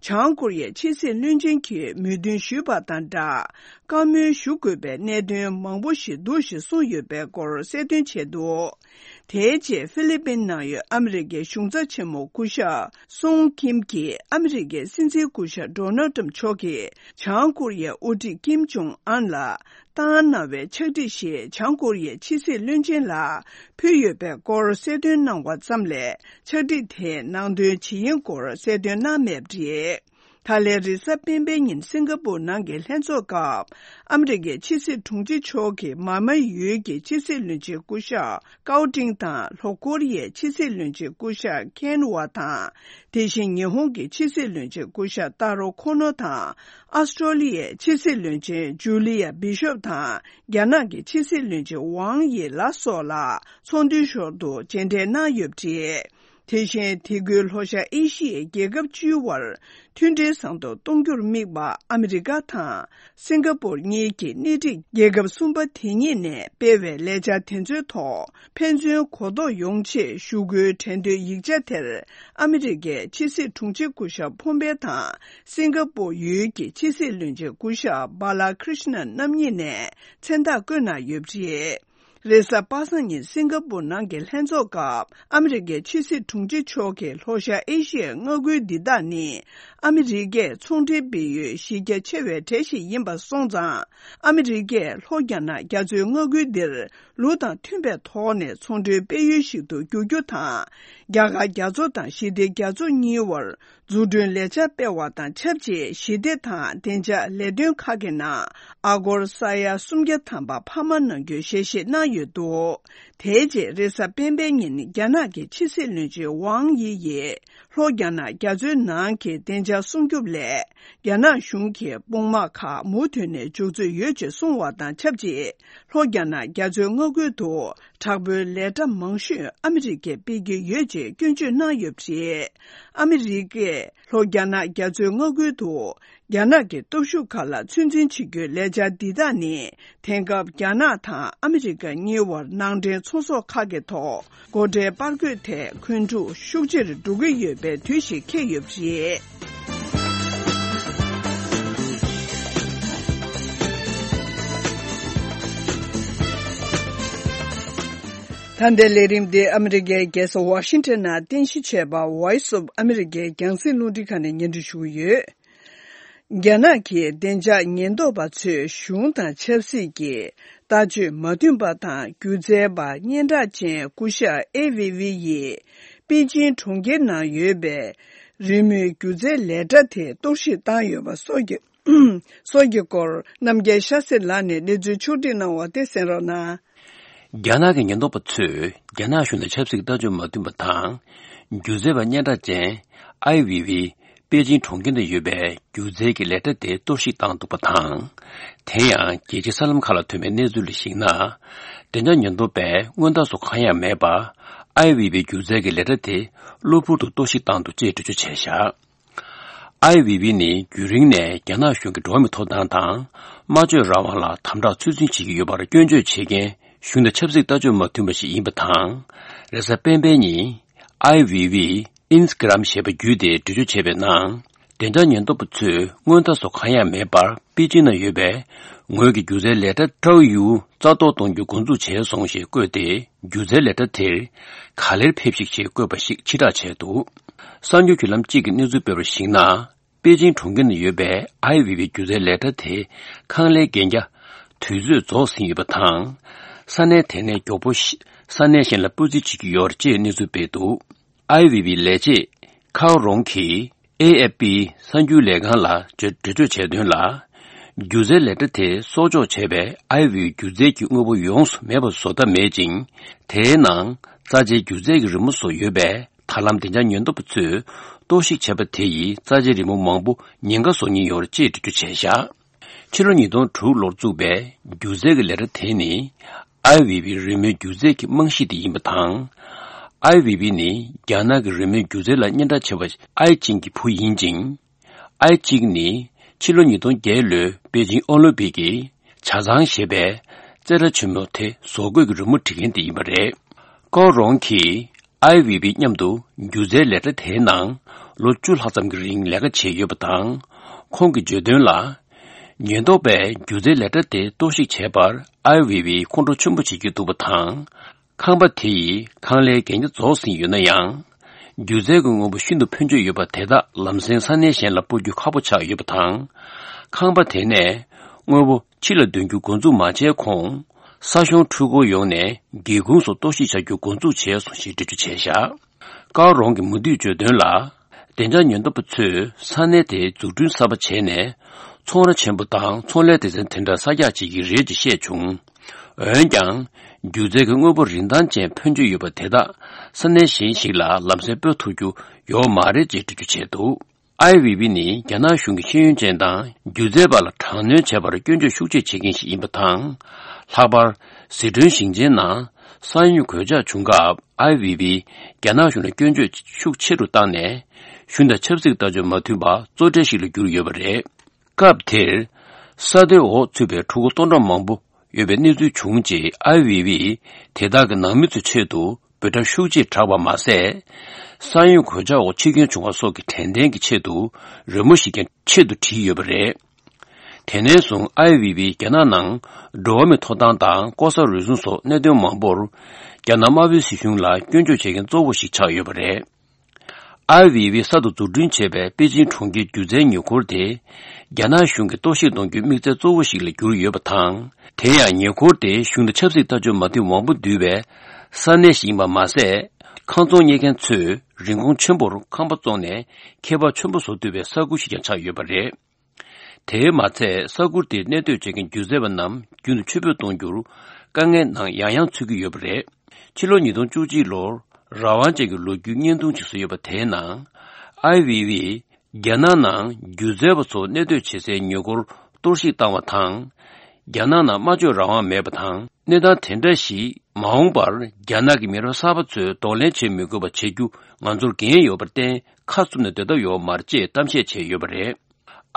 བྱང་ཀོ་རི་ཡའི་ཕྱི་སྲིད་བློན་ཆེན་གྱིས་མོས་མཐུན་ཞུས་པ་དང་སྦྲགས། བཀའ་མོལ་ཞུ་དགོས་པའི་གནད་དོན་མང་པོ་ཞིག་འདུག་ཞེས་གསུངས་ཡོད་པའི་སྐོར་གསལ་སྟོན་བྱས་འདུག་དེའི་རྗེས་ཧྥི་ལི་པིན་ནང་ཡོད་ཨ་མི་རི་ཀའི་གཞུང་ཚབ་ཆེན་མོ་སྐུ་ཞབས་སུང་ཀིམ་གྱིས་ཨ་མི་རི་ཀའི་སྲིད་འཛིན་སྐུ་ཞབས་ཌོ་ནལ་ཏྲམ་མཆོག་གིས་བྱང་ཀོ་རི་ཡའི་དབུ་ཁྲིད་ཀིམ་ཇོང་ཨན་ལ་བཏང་གནང་བའི་ཕྱག་བྲིས་ཤིག་བྱང་ཀོ་རི་ཡའི་ཕྱི་སྲིད་བློན་ཆེན་ལ་ཕུལ་ཡོད་པའི་སྐོར་གསལ་སྟོན་གནང་བ་ཙམ་ལས། ཕྱག་བྲིས་དེའི་ནང་དོན་ཇི་ཡིན་སྐོར་གསལ་སྟོན་གནང་མེད་པ་རེད། ད་ལན་རེས་གཟའ་སྤེན་པའི་ཉིན་སིང་ག་པུར་ནང་གི་ལྷན་ཚོགས་སྐབས། ཨ་མི་རི་ཀའི་ཕྱི་སྲིད་དྲུང་ཆེ་མཆོག་གིས་མཱ་མཱ་ཡུལ་གྱི་ཕྱི་སྲིད་བློན་ཆེན་སྐུ་ཞབས་ཀའོ་ཏིང་དང་། ལྷོ་ཀོ་རི་ཡའི་ཕྱི་སྲིད་བློན་ཆེན་སྐུ་ཞབས་ཁེན་ཝ་དང་། དེ་བཞིན་ཉི་ཧོང་གི་ཕྱི་སྲིད་བློན་ཆེན་སྐུ་ཞབས་ཏཱ་རོ་ཁོ་ནོ་དང་། ཨོ་སི་ཀྲོ་ལི་ཡའི་ཕྱི་སྲིད་བློན་ཆེན་ཇུ་ལི་ཡ་བི་ཤོབ་དང་། རྒྱ་ནག་གི་ཕྱི་སྲིད་བློན་ཆེན་ཝང་ཡི་ལ་སོགས་ལ་ཚོགས་འདུའི་ཞོར་དུ་མཇལ་འཕྲད་གནང་ཡོད་པ་རེད། དེ་བཞིན་དེ་ཁུལ་ལྷོ་ཤར་ཨེ་ཤི་ཡའི་རྒྱལ་ཁབ་བཅུའི་དབར་མཐུན་སྒྲིལ་བཟང་དུ་གཏོང་རྒྱུར་དམིགས་པ་ཨ་མི་རི་ཀ་དང་སིང་ག་པུར་གཉིས་ཀྱི་སྣེ་ཁྲིད་རྒྱལ་ཁབ་གསུམ་པ་དེ་གཉིས་ནས་སྤེལ་བའི་ལས་འཆར་དེ་ཚོའི་ཐོག་ཕན་ཚུན་གོ་རྟོགས་ཡོང་ཆེད་ཞུ་སྐུལ་གྲོས་འདོད་ཡིག་ཆ་དེར་ཨ་མི་རི་ཀའི་ཕྱི་སྲིད་དྲུང་ཆེ་སྐུ་ཞབས་ཕོམ་པེ་དང་སིང་ག་པུར་ཡུལ་གྱི་ཕྱི་སྲིད་བློན་ཆེན་སྐུ་ཞབས་བྷ་ལ་ཀྲིཤ་ན་རྣམ་གཉིས་ནས་མཚན་རྟགས་བཀོད་གནང་ཡོད་པ་རེད། རེས་གཟའ་པ་སངས་ཉིན་སིང་ག་པུར་ནང་གི་ལྷན་ཚོགས་སྐབས་ཨ་མི་རི་ཀའི་ཕྱི་སྲིད་དྲུང་ཆེ་མཆོག་གིས་ལྷོ་ཤར་ཨེ་ཤི་ཡའི་མངའ་ཁུལ་འདི་དག་ནི་ ཨ་མི་རི་ཀས་ཚོང་འབྲེལ་སྤེལ་ཡུལ་གཞི་རྒྱ་ཆེ་བའི་གྲས་ཤིག་ཡིན་པ་སོང་ཙང་། ཨ་མི་རི་ཀས་ལྷོ་རྒྱ་ནག་རྒྱ་མཚོའི་མངའ་ཁུལ་འདིར་ལུགས་དང་མཐུན་པའི་ཐོག་ནས་ཚོང་འབྲེལ་སྤེལ་ཡུལ་ཞིག་ཏུ་འགྱུར་རྒྱུ་དང་། རྒྱ་གར་རྒྱ་མཚོ་དང་ཞི་བདེ་རྒྱ་མཚོ་གཉིས་བར་འཛུགས་སྐྲུན་ལས་འཆར་སྤེལ་བ་དང་ཆབས་ཅིག་ཞི་བདེ་དང་བདེ་འཇགས་ལས་དོན་ཁག་གི་ནང་ཨ་སྒོར་ས་ཡ་སུམ་བརྒྱ་ཐམ་པ་འཕར་མ་གནང་རྒྱུའི་ཞལ་བཞེས་གནང་ཡོད་འདུག་དེའི་རྗེས་རེས་གཟའ་སྤེན་པའི་ཉིན་རྒྱ་ནག་གི་ཕྱི་སྲིད་བློན་ཆེན་ཝང་དབྱི་ཡིས་ལྷོ་རྒྱ་ནག་རྒྱ་མཚོའི་ནང་གི་བདེ་འཇགས་སྲུང་སྐྱོབ་སླད། རྒྱ་ནག་གཞུང་གི་དཔུང་དམག་ཁག་མུ་མཐུད་ནས་འཇུག་རྩིས་ཡོད་ཅེས་གསུངས་བ་དང་ཆབས་ཅིག་ལྷོ་རྒྱ་ནག་རྒྱ་མཚོའི་མངའ་ཁུལ་དུ་དྲག་པོའི་ལས་གྲྭ་མང་ཤོས་ཨ་མི་རི་ཀས་སྤེལ་གྱི་ཡོད་ཅེས་སྐྱོན་བརྗོད་གནང་ཡོད་པ་རེད། ཨ་མི་རི་ཀས་ལྷོ་རྒྱ་ནག་རྒྱ་མཚོའི་མངའ་ཁུལ་དུ་རྒྱ་ནག་གི་སྟོབས་ཤུགས་ཁག་ལ་ཚོད་འཛིན་བྱེད་རྒྱུའི་ལས་འཆར་འདི་དག་ནི། དེང་སྐབས་རྒྱ་ནག་དང་ཨ་མི་རི་ཀ་གཉིས་བར་ནང་འདྲེན་ཚོང་ཟོག་ཁག་གི་ཐོག་སྒོ་ཁྲལ་སྤར་དགོས་ཐད་འཁོན་འཁྲུག་ཤུགས་ཆེར་འགྲོ་གི་ཡོད་པའི་དུས་ཤིག་འཁེལ་ཡོད་པ་རེད། ད་ལྟའི་ལས་རིམ་འདི་ཨ་མི་རི་ཀའི་རྒྱལ་ས་ཝ་ཤིང་ཊོན་ནང་རྟེན་གཞི་བྱས་པ་Voice of America་རྒྱང་སྲིང་རླུང་འཕྲིན་ཁང་ནས་སྙན་སྒྲོན་ཞུ་གི་ཡོད། རྒྱ་ནག་གི་བདེ་འཇགས་ཉེན་རྟོག་པ་ཚོས་གཞུང་དང་ཆབ་སྲིད་ཀྱི་ལྟ་སྤྱོད་མ་མཐུན་པ་དང་སྒྱུ་རྩལ་པ་སྙན་གྲགས་ཅན་སྐུ་ཞབས་ཨེ་ཝི་ཝི་ཡིས་པེ་ཅིང་གྲོང་ཁྱེར་ནང་ཡོད་པའི་རི་མོའི་སྒྱུ་རྩལ་ལས་གྲྭ་དེ་གཏོར་བཤིག་བཏང་ཡོད་པ་སོགས་ཀྱི་སོགས་ཀྱི་སྐོར་རྣམ་རྒྱལ་ཤཱ་སེ་ལགས་ནས་གནས་ཚུལ་ཕྱོགས་བསྒྲིགས་གནང་བ་དེ་གསན་རོགས་གནང་། རྒྱ་ནག་གི་ཉེན་རྟོག་པ་ཚོས་རྒྱ་ནག་གཞུང་དང་ཆབ་སྲིད་ཀྱི་ལྟ་སྤྱོད་མ་མཐུན་པ་དང་། སྒྱུ་རྩལ་པ་སྙན་གྲགས་ཅན་ཨའི་ཝི་ཝི་པེ་ཅིང་གྲོང་ཁྱེར་ནང་ཡོད་པའི་སྒྱུ་རྩལ་གྱི་ལས་གྲྭ་དེ་གཏོར་བཤིག་བཏང་འདུག་པ་དང་། དེ་ཡང་རྒྱལ་སྤྱིའི་གསར་ལམ་ཁག་ལ་ཐོན་པའི་གནས་ཚུལ་ལ་གཞིགས་ན། བདེ་འཇགས་ཉེན་རྟོག་པས་སྔོན་རྟགས་སུ་གང་ཡང་མེད་པར་ཨའི་ཝི་ཝིའི་སྒྱུ་རྩལ་གྱི་ལས་གྲྭ་དེ་གློ་བུར་དུ་གཏོར་བཤིག་བཏང་འདུག་ཅེས་འགྲེལ་བརྗོད་བྱས་བཞག་ཨའི་ཝི་ཝི་ནི་རྒྱུན་རིང་ནས་རྒྱ་ནག་གཞུང་གི་འགྲོ་བ་མིའི་ཐོབ་ཐང་དང་སྨྲ་བརྗོད་རང་དབང་ལ་དམ་དྲག་ཚོད་འཛིན་བྱེད་ཀྱི་ཡོད་པར་སྐྱོན་བརྗོད་བྱེད་མཁན་གཞུང་དང་ཆབ་སྲིད་ལྟ་སྤྱོད་མ་མཐུན་པ་ཞིག་ཡིན་པ་དང་། རེས་གཟའ་སྤེན་པའི་ཉིན་ཨའི་ཝི་ཝི་ཨིན་སི་ཀི་རམ་ཞེས་པ་བརྒྱུད་དེ་འགྲེལ་བརྗོད་བྱས་པའི་ནང་། བདེ་འཇགས་ཉེན་རྟོག་པ་ཚོས་སྔོན་རྟགས་སུ་གང་ཡང་མེད་པར་པེ་ཅིང་ན་ཡོད་པའི་ངོས་ཀྱི་སྒྱུ་རྩལ་ལས་གྲྭ་ཀྲའོ་ཡུའུ་རྩ་གཏོར་གཏོང་རྒྱུ་འགོ་འཛུགས་བྱས་སོང་ཞེས་བཀོད་དེ། སྒྱུ་རྩལ་ལས་གྲྭ་དེར་ག་ལེར་ཕེབས་ཤིག་ཅེས་བཀོད་པ་ཞིག་ཕྱིར་བསྒྲགས་བྱས་འདུག་གསར་འགྱུར་བརྒྱུད་ལམ་གཅིག་གིས་གནས་ཚུལ་སྤེལ་བར་གཞིགས་ན། པེ་ཅིང་གྲོང་ཁྱེར་ནང་ཡོད་པའི་ཨའི་ཝི་ཝི་སྒྱུ་རྩལ་ལས་གྲྭ་དེ་ཁང་ལས་གན་རྒྱ་དུས་ཚོད་རྫོགས་ཟིན་ཡོད་པ་དང་། ས་གནས་དེ་ནས་མགྱོགས་པོ་ཞིག་ས་གནས་གཞན་ལ་སྤོ་རྩིས་བྱེད་ཀྱི་ཡོད་ཅེས་གནས་ཚུལ་སྤེལ་འདུག་ཨའི་ཝི་ཝིའི་ལས་བྱེད་ཁའོ་རོང་གིས་ཨེ་ཨེཕ་པི་གསར་འགྱུར་ལས་ཁང་ལ་འགྲེལ་བརྗོད་བྱས་དོན་ལ། སྒྱུ་རྩལ་ལས་གྲྭ་དེ་གསོག་འཇོག་བྱས་པའི་ཨའི་ཝི་ཝིའི་སྒྱུ་རྩལ་གྱི་དངོས་པོ་ཡོངས་སུ་མེད་པ་བཟོ་ཐབས་མེད་ཅིང་། དེའི་ནང་རྩ་ཆེའི་སྒྱུ་རྩལ་གྱི་རི་མོ་སོགས་ཡོད་པས། ད་ལམ་བདེ་འཇགས་ཉེན་རྟོག་པ་ཚོས་གཏོར་བཤིག་བྱས་པ་དེ་ཡིས་རྩ་ཆེའི་རི་མོ་མང་པོ་ཉེན་ཁ་བཟོ་ཉེན་ཡོད་རེད་ཅེས་འགྲེལ་བརྗོད་བྱས་བཞག་ཕྱི་ལོ་ཉིས་སྟོང་དྲུག་ལོར་བཙུགས་པའི་སྒྱུ་རྩལ་གྱི་ལས་གྲྭ་དེ་ནི། ཨའི་ཝི་ཝིའི་རི་མོའི་སྒྱུ་རྩལ་གྱི་རྨང་གཞི་དེ་ཡིན་པ་དང་། ཨའི་ཝི་ཝི་ནི་རྒྱ་ནག་གི་རི་མོའི་སྒྱུ་རྩལ་ལ་སྙན་གྲགས་ཆེ་བ་ཨའི་ཅིང་གི་བུ་ཡིན་ཅིང་། ཨའི་ཅིང་ནི་ཕྱི་ལོ་ཉིས་སྟོང་བརྒྱད་ལོའི་པེ་ཅིང་ཨོ་ལིམ་པིག་གི་ཇ་ཚང་ཞེས་པའི་རྩེད་གྲྭ་ཆེན་མོ་དེ་བཟོ་བཀོད་ཀྱི་རི་མོ་འབྲི་མཁན་དེ་ཡིན་པ་རེད། ཀའོ་རོང་གིས་ཨའི་ཝི་ཝི་མཉམ་དུ་སྒྱུ་རྩལ་ལས་གྲྭ་དེའི་ནང་ལོ་བཅུ་ལྷག་ཙམ་གྱི་རིང་ལས་ཀ་བྱས་ཡོད་པ་དང་། ཁོང་གིས་བརྗོད་དོན་ལ། ཉེན་རྟོག་པས་སྒྱུ་རྩལ་ལས་གྲྭ་དེ་གཏོར་བཤིག་བྱས་པར་ཨའི་ཝི་ཝི་ཁོང་ཁྲོ་ཆེན་པོ་བྱེད་ཀྱི་འདུག་པ་དང་། ཁང་པ་དེ་ཡི་ཁང་ལའི་གན་རྒྱ་རྫོགས་ཟིན་ཡོད་ན་ཡང་། སྒྱུ་རྩལ་གྱི་དངོས་པོ་ཤིན་ཏུ་ཕོན་ཆེ་ཡོད་པ་དེ་དག་ལམ་སེང་ས་གནས་གཞན་ལ་སྤོ་རྒྱུ་ཁག་པོ་ཆགས་ཡོད་པ་དང་། ཁང་པ་དེ་ནས་དངོས་པོ་ཕྱི་ལ་འདོན་རྒྱུ་འགོ་འཛུགས་མ་བྱས་གོང་། ས་གཞུང་འཕྲུལ་འཁོར་ཡོང་ནས་སྒེའུ་ཁུང་སོགས་གཏོར་བཤིག་བྱ་རྒྱུ་འགོ་འཛུགས་བྱས་སོང་ཞེས་འགྲེལ་བརྗོད་བྱས་བཞག་ཀའོ་རོང་གིས་མུ་མཐུད་བརྗོད་དོན་ལ། བདེ་འཇགས་ཉེན་རྟོག་པ་ཚོས་ས་གནས་དེའི་འཛུགས་སྐྲུན་གསར་པ་བྱས་ནས། ཚོང་ར་ཆེན་པོ་དང་ཚོང་ལས་སྡེ་ཚན་དེ་འདྲ་གསར་རྒྱག་བྱེད་ཀྱི་རེད་ཅེས་བཤད་བྱུང་། འོན་ཀྱང་། སྒྱུ་རྩལ་གྱི་དངོས་པོ་རིན་ཐང་ཅན་ཕོན་ཆེ་ཡོད་པ་དེ་དག་ས་གནས་གཞན་ཞིག་ལ་ལམ་སེང་སྤོ་ཐུབ་རྒྱུ་ཡོད་མ་རེད་ཅེས་འགྲེལ་བརྗོད་བྱས་འདུག་ཨའི་ཝི་ཝི་ནི་རྒྱ་ནག་གཞུང་གི་ཤེས་ཡོན་ཅན་དང་སྒྱུ་རྩལ་པ་ལ་དྲག་གནོན་བྱས་པར་སྐྱོན་བརྗོད་ཤུགས་ཆེ་བྱེད་མཁན་ཞིག་ཡིན་པ་དང་། ལྷག་པར་ཟི་ཁྲོན་ཞིང་ཆེན་ནང་ས་ཡོམ་གོད་ཆག་བྱུང་སྐབས་ཨའི་ཝི་ཝིས་རྒྱ་ནག་གཞུང་ལ་སྐྱོན་བརྗོད་ཤུགས་ཆེ་རུ་བཏང་ནས། གཞུང་དང་ཆབ་སྲིད་ལྟ་སྤྱོད་མ་མཐུན་པ་གཙོ་གྲས་ཤིག་ལ་གྱུར་ཡོད་པ་རེད། སྐབས་དེར། ས་རྡོའི་འོག་ཚུད་པའི་ཕྲུ་གུ་སྟོང་ཕྲག་མང་པོ་ཡོད་པའི་གནས་ཚུལ་བྱུང་རྗེས་ཨའི་ཝི་ཝིས་དེ་དག་གི་ནང་མི་ཚོའི་ཆེད་དུ་འབོད་སྒྲ་ཤུགས་ཆེ་བསྒྲགས་པ་མ་ཟད། ས་ཡོམ་གོད་ཆག་འོག་འཆི་སྐྱོན་བྱུང་བ་སོགས་ཀྱི་དྲན་རྟེན་གྱི་ཆེད་དུ་རི་མོ་ཞིག་ཀྱང་ཆེད་དུ་བྲིས་ཡོད་པ་རེད། དེ་ནས་བཟུང་ཨའི་ཝི་ཝིས་རྒྱ་ནག་ནང་འགྲོ་བ་མིའི་ཐོབ་ཐང་དང་ལྐོག་ཟ་རུལ་སུངས་སོགས་གནད་དོན་མང་པོར་རྒྱ་ནག་དམར་པོའི་སྲིད་གཞུང་ལ་སྐྱོན་བརྗོད་བྱེད་མཁན་གཙོ་བོ་ཞིག་ཆགས་ཡོད་པ་རེད། ཨའི་ཝི་ཝི་གསར་དུ་འཛུགས་སྐྲུན་བྱས་པའི་པེ་ཅིང་གྲོང་ཁྱེར་སྒྱུ་རྩལ་ཉེ་འཁོར་དེ། རྒྱ་ནག་གཞུང་གིས་གཏོར་བཤིག་གཏོང་རྒྱུའི་དམིགས་ཚད་གཙོ་བོ་ཞིག་ལ་གྱུར་ཡོད་པ་དང་། དེ་ཡང་ཉེ་འཁོར་དེ་གཞུང་དང་ཆབ་སྲིད་ལྟ་སྤྱོད་མ་མཐུན་མང་པོ་འདུས་པའི་ས་གནས་ཤིག་ཡིན་པ་མ་ཟད། ཁང་བཙོང་གཉེར་མཁན་ཚོས་རིན་གོང་ཆེན་པོར་ཁང་པ་བཙོང་ནས་ཁེ་བབ་ཆེན་པོ་བཟོ་ཐུབ་པའི་ས་ཁུལ་ཞིག་ཀྱང་ཆགས་ཡོད་པ་རེད། དེས་མ་ཚད། ས་ཁུལ་དེར་གནས་སྡོད་བྱེད་མཁན་སྒྱུ་རྩལ་པ་རྣམས་རྒྱུན་དུ་ཕྱིར་འབུད་གཏོང་རྒྱུར་དཀའ་ངལ་ནང་ཡང་ཡང་ཚུད་ཀྱི་ཡོད་པ་རེད། ཕྱི་ལོ་ཉིས་སྟོང་བཅུ་གཅིག་ལོར་རང་དབང་ཅན་གྱི་ལོ་རྒྱུས་བརྙན་ཐུང་ཞིག་བཟོས་ཡོད་པ་དེའི་ནང་། ཨའི་ཝི་ཝི་རྒྱ་ནག་ནང་སྒྱུ་རྩལ་པ་ཚོ་གནས་སྡོད་བྱེད་སའི་ཉེ་འཁོར་གཏོར་བཤིག་བཏང་བ་དང་། རྒྱ་ནག་ནང་སྨྲ་བརྗོད་རང་དབང་མེད་པ་དང་། གནས་སྟངས་དེ་འདྲ་ཞིག་མ་འོངས་པར་རྒྱ་ནག་གི་མི་རབས་གསར་པ་ཚོས་གདོང་ལེན་བྱེད་མི་དགོས་པ་བྱེད་རྒྱུ་ང་ཚོར་འགན་ཡོད་པར་བརྟེན། ཁ་བཙུམ་ནས་སྡོད་ཐབས་ཡོད་མ་རེད་ཅེས་གཏམ་བཤད་བྱས་ཡོད་པ་རེད།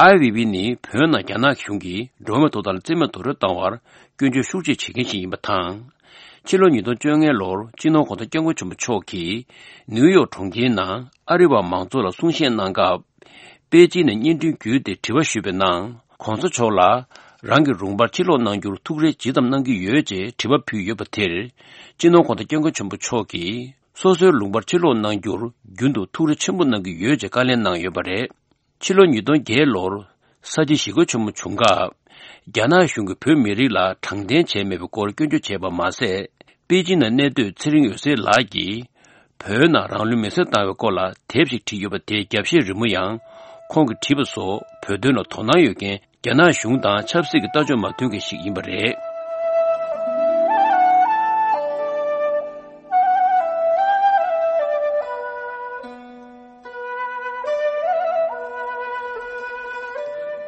ཨའི་ཝི་ཝི་ནི་བོད་ནང་རྒྱ་ནག་གཞུང་གིས་འགྲོ་བ་མིའི་ཐོབ་ཐང་ལ་བརྩི་མེད་རྡོག་རོལ་བཏང་བར་སྐྱོན་བརྗོད་ཤུགས་ཆེ་བྱེད་མཁན་ཞིག་ཡིན་པ་དང་། ཕྱི་ལོ་ཉིས་སྟོང་བཅོ་ལྔ་ལོར་སྤྱི་ནོར་གོང་ས་སྐྱབས་མགོན་ཆེན་པོ་མཆོག་གིས་ནིའུ་ཡོག་གྲོང་ཁྱེར་ནང་ཨ་རི་བ་མང་ཚོགས་ལ་གསུང་བཤད་གནང་སྐབས། པེ་ཅིན་ནས་བརྙན་འཕྲིན་བརྒྱུད་དེ་དྲི་བ་ཞུས་པའི་ནང་། གོང་ས་མཆོག་ལ་རང་གི་རུམ་པར་ཕྱིར་ལོག་གནང་རྒྱུར་ཐུགས་རེ་ཇི་ཙམ་གནང་གི་ཡོད་ཅེས་དྲི་བ་ཕུལ་ཡོད་པ་དེར། སྤྱི་ནོར་གོང་ས་སྐྱབས་མགོན་ཆེན་པོ་མཆོག་གིས་སོ་སོའི་ལུང་པར་ཕྱིར་ལོག་གནང་རྒྱུར་རྒྱུན་དུ་ཐུགས་རེ་ཆེན་པོ་གནང་གི་ཡོད་ཅེས་བཀའ་ལན་གནང་ཡོད་པ་རེད། ཕྱི་ལོ་ཉིས་སྟོང་བརྒྱད་ལོར་ས་སྐྱ་ཞི་རྒོལ་ཆེན་མོ་བྱུང་སྐབས། རྒྱ་ནག་གཞུང་གིས་བོད་མི་རིགས་ལ་དྲང་བདེན་བྱས་མེད་པའི་སྐོར་སྐྱོན་བརྗོད་བྱས་པ་མ་ཟད། པེ་ཅིན་ནང་གནས་སྡོད་ཚེ་རིང་འོད་ཟེར་ལགས་ཀྱིས། བོད་ནང་རང་ལུས་མེར་སྲེག་བཏང་བའི་སྐོར་ལ་དེབ་ཞིག་བྲིས་ཡོད་པ་དེའི་རྒྱབ་བཤད་རི་མོ་ཡང་། ཁོང་གིས་བྲིས་པ་སོགས་བོད་དོན་ལ་དོ་སྣང་ཡོད་མཁན་རྒྱ་ནག་གཞུང་དང་ཆབ་སྲིད་ཀྱི་ལྟ་སྤྱོད་མ་མཐུན་མཁན་ཞིག་ཡིན་པ་རེད།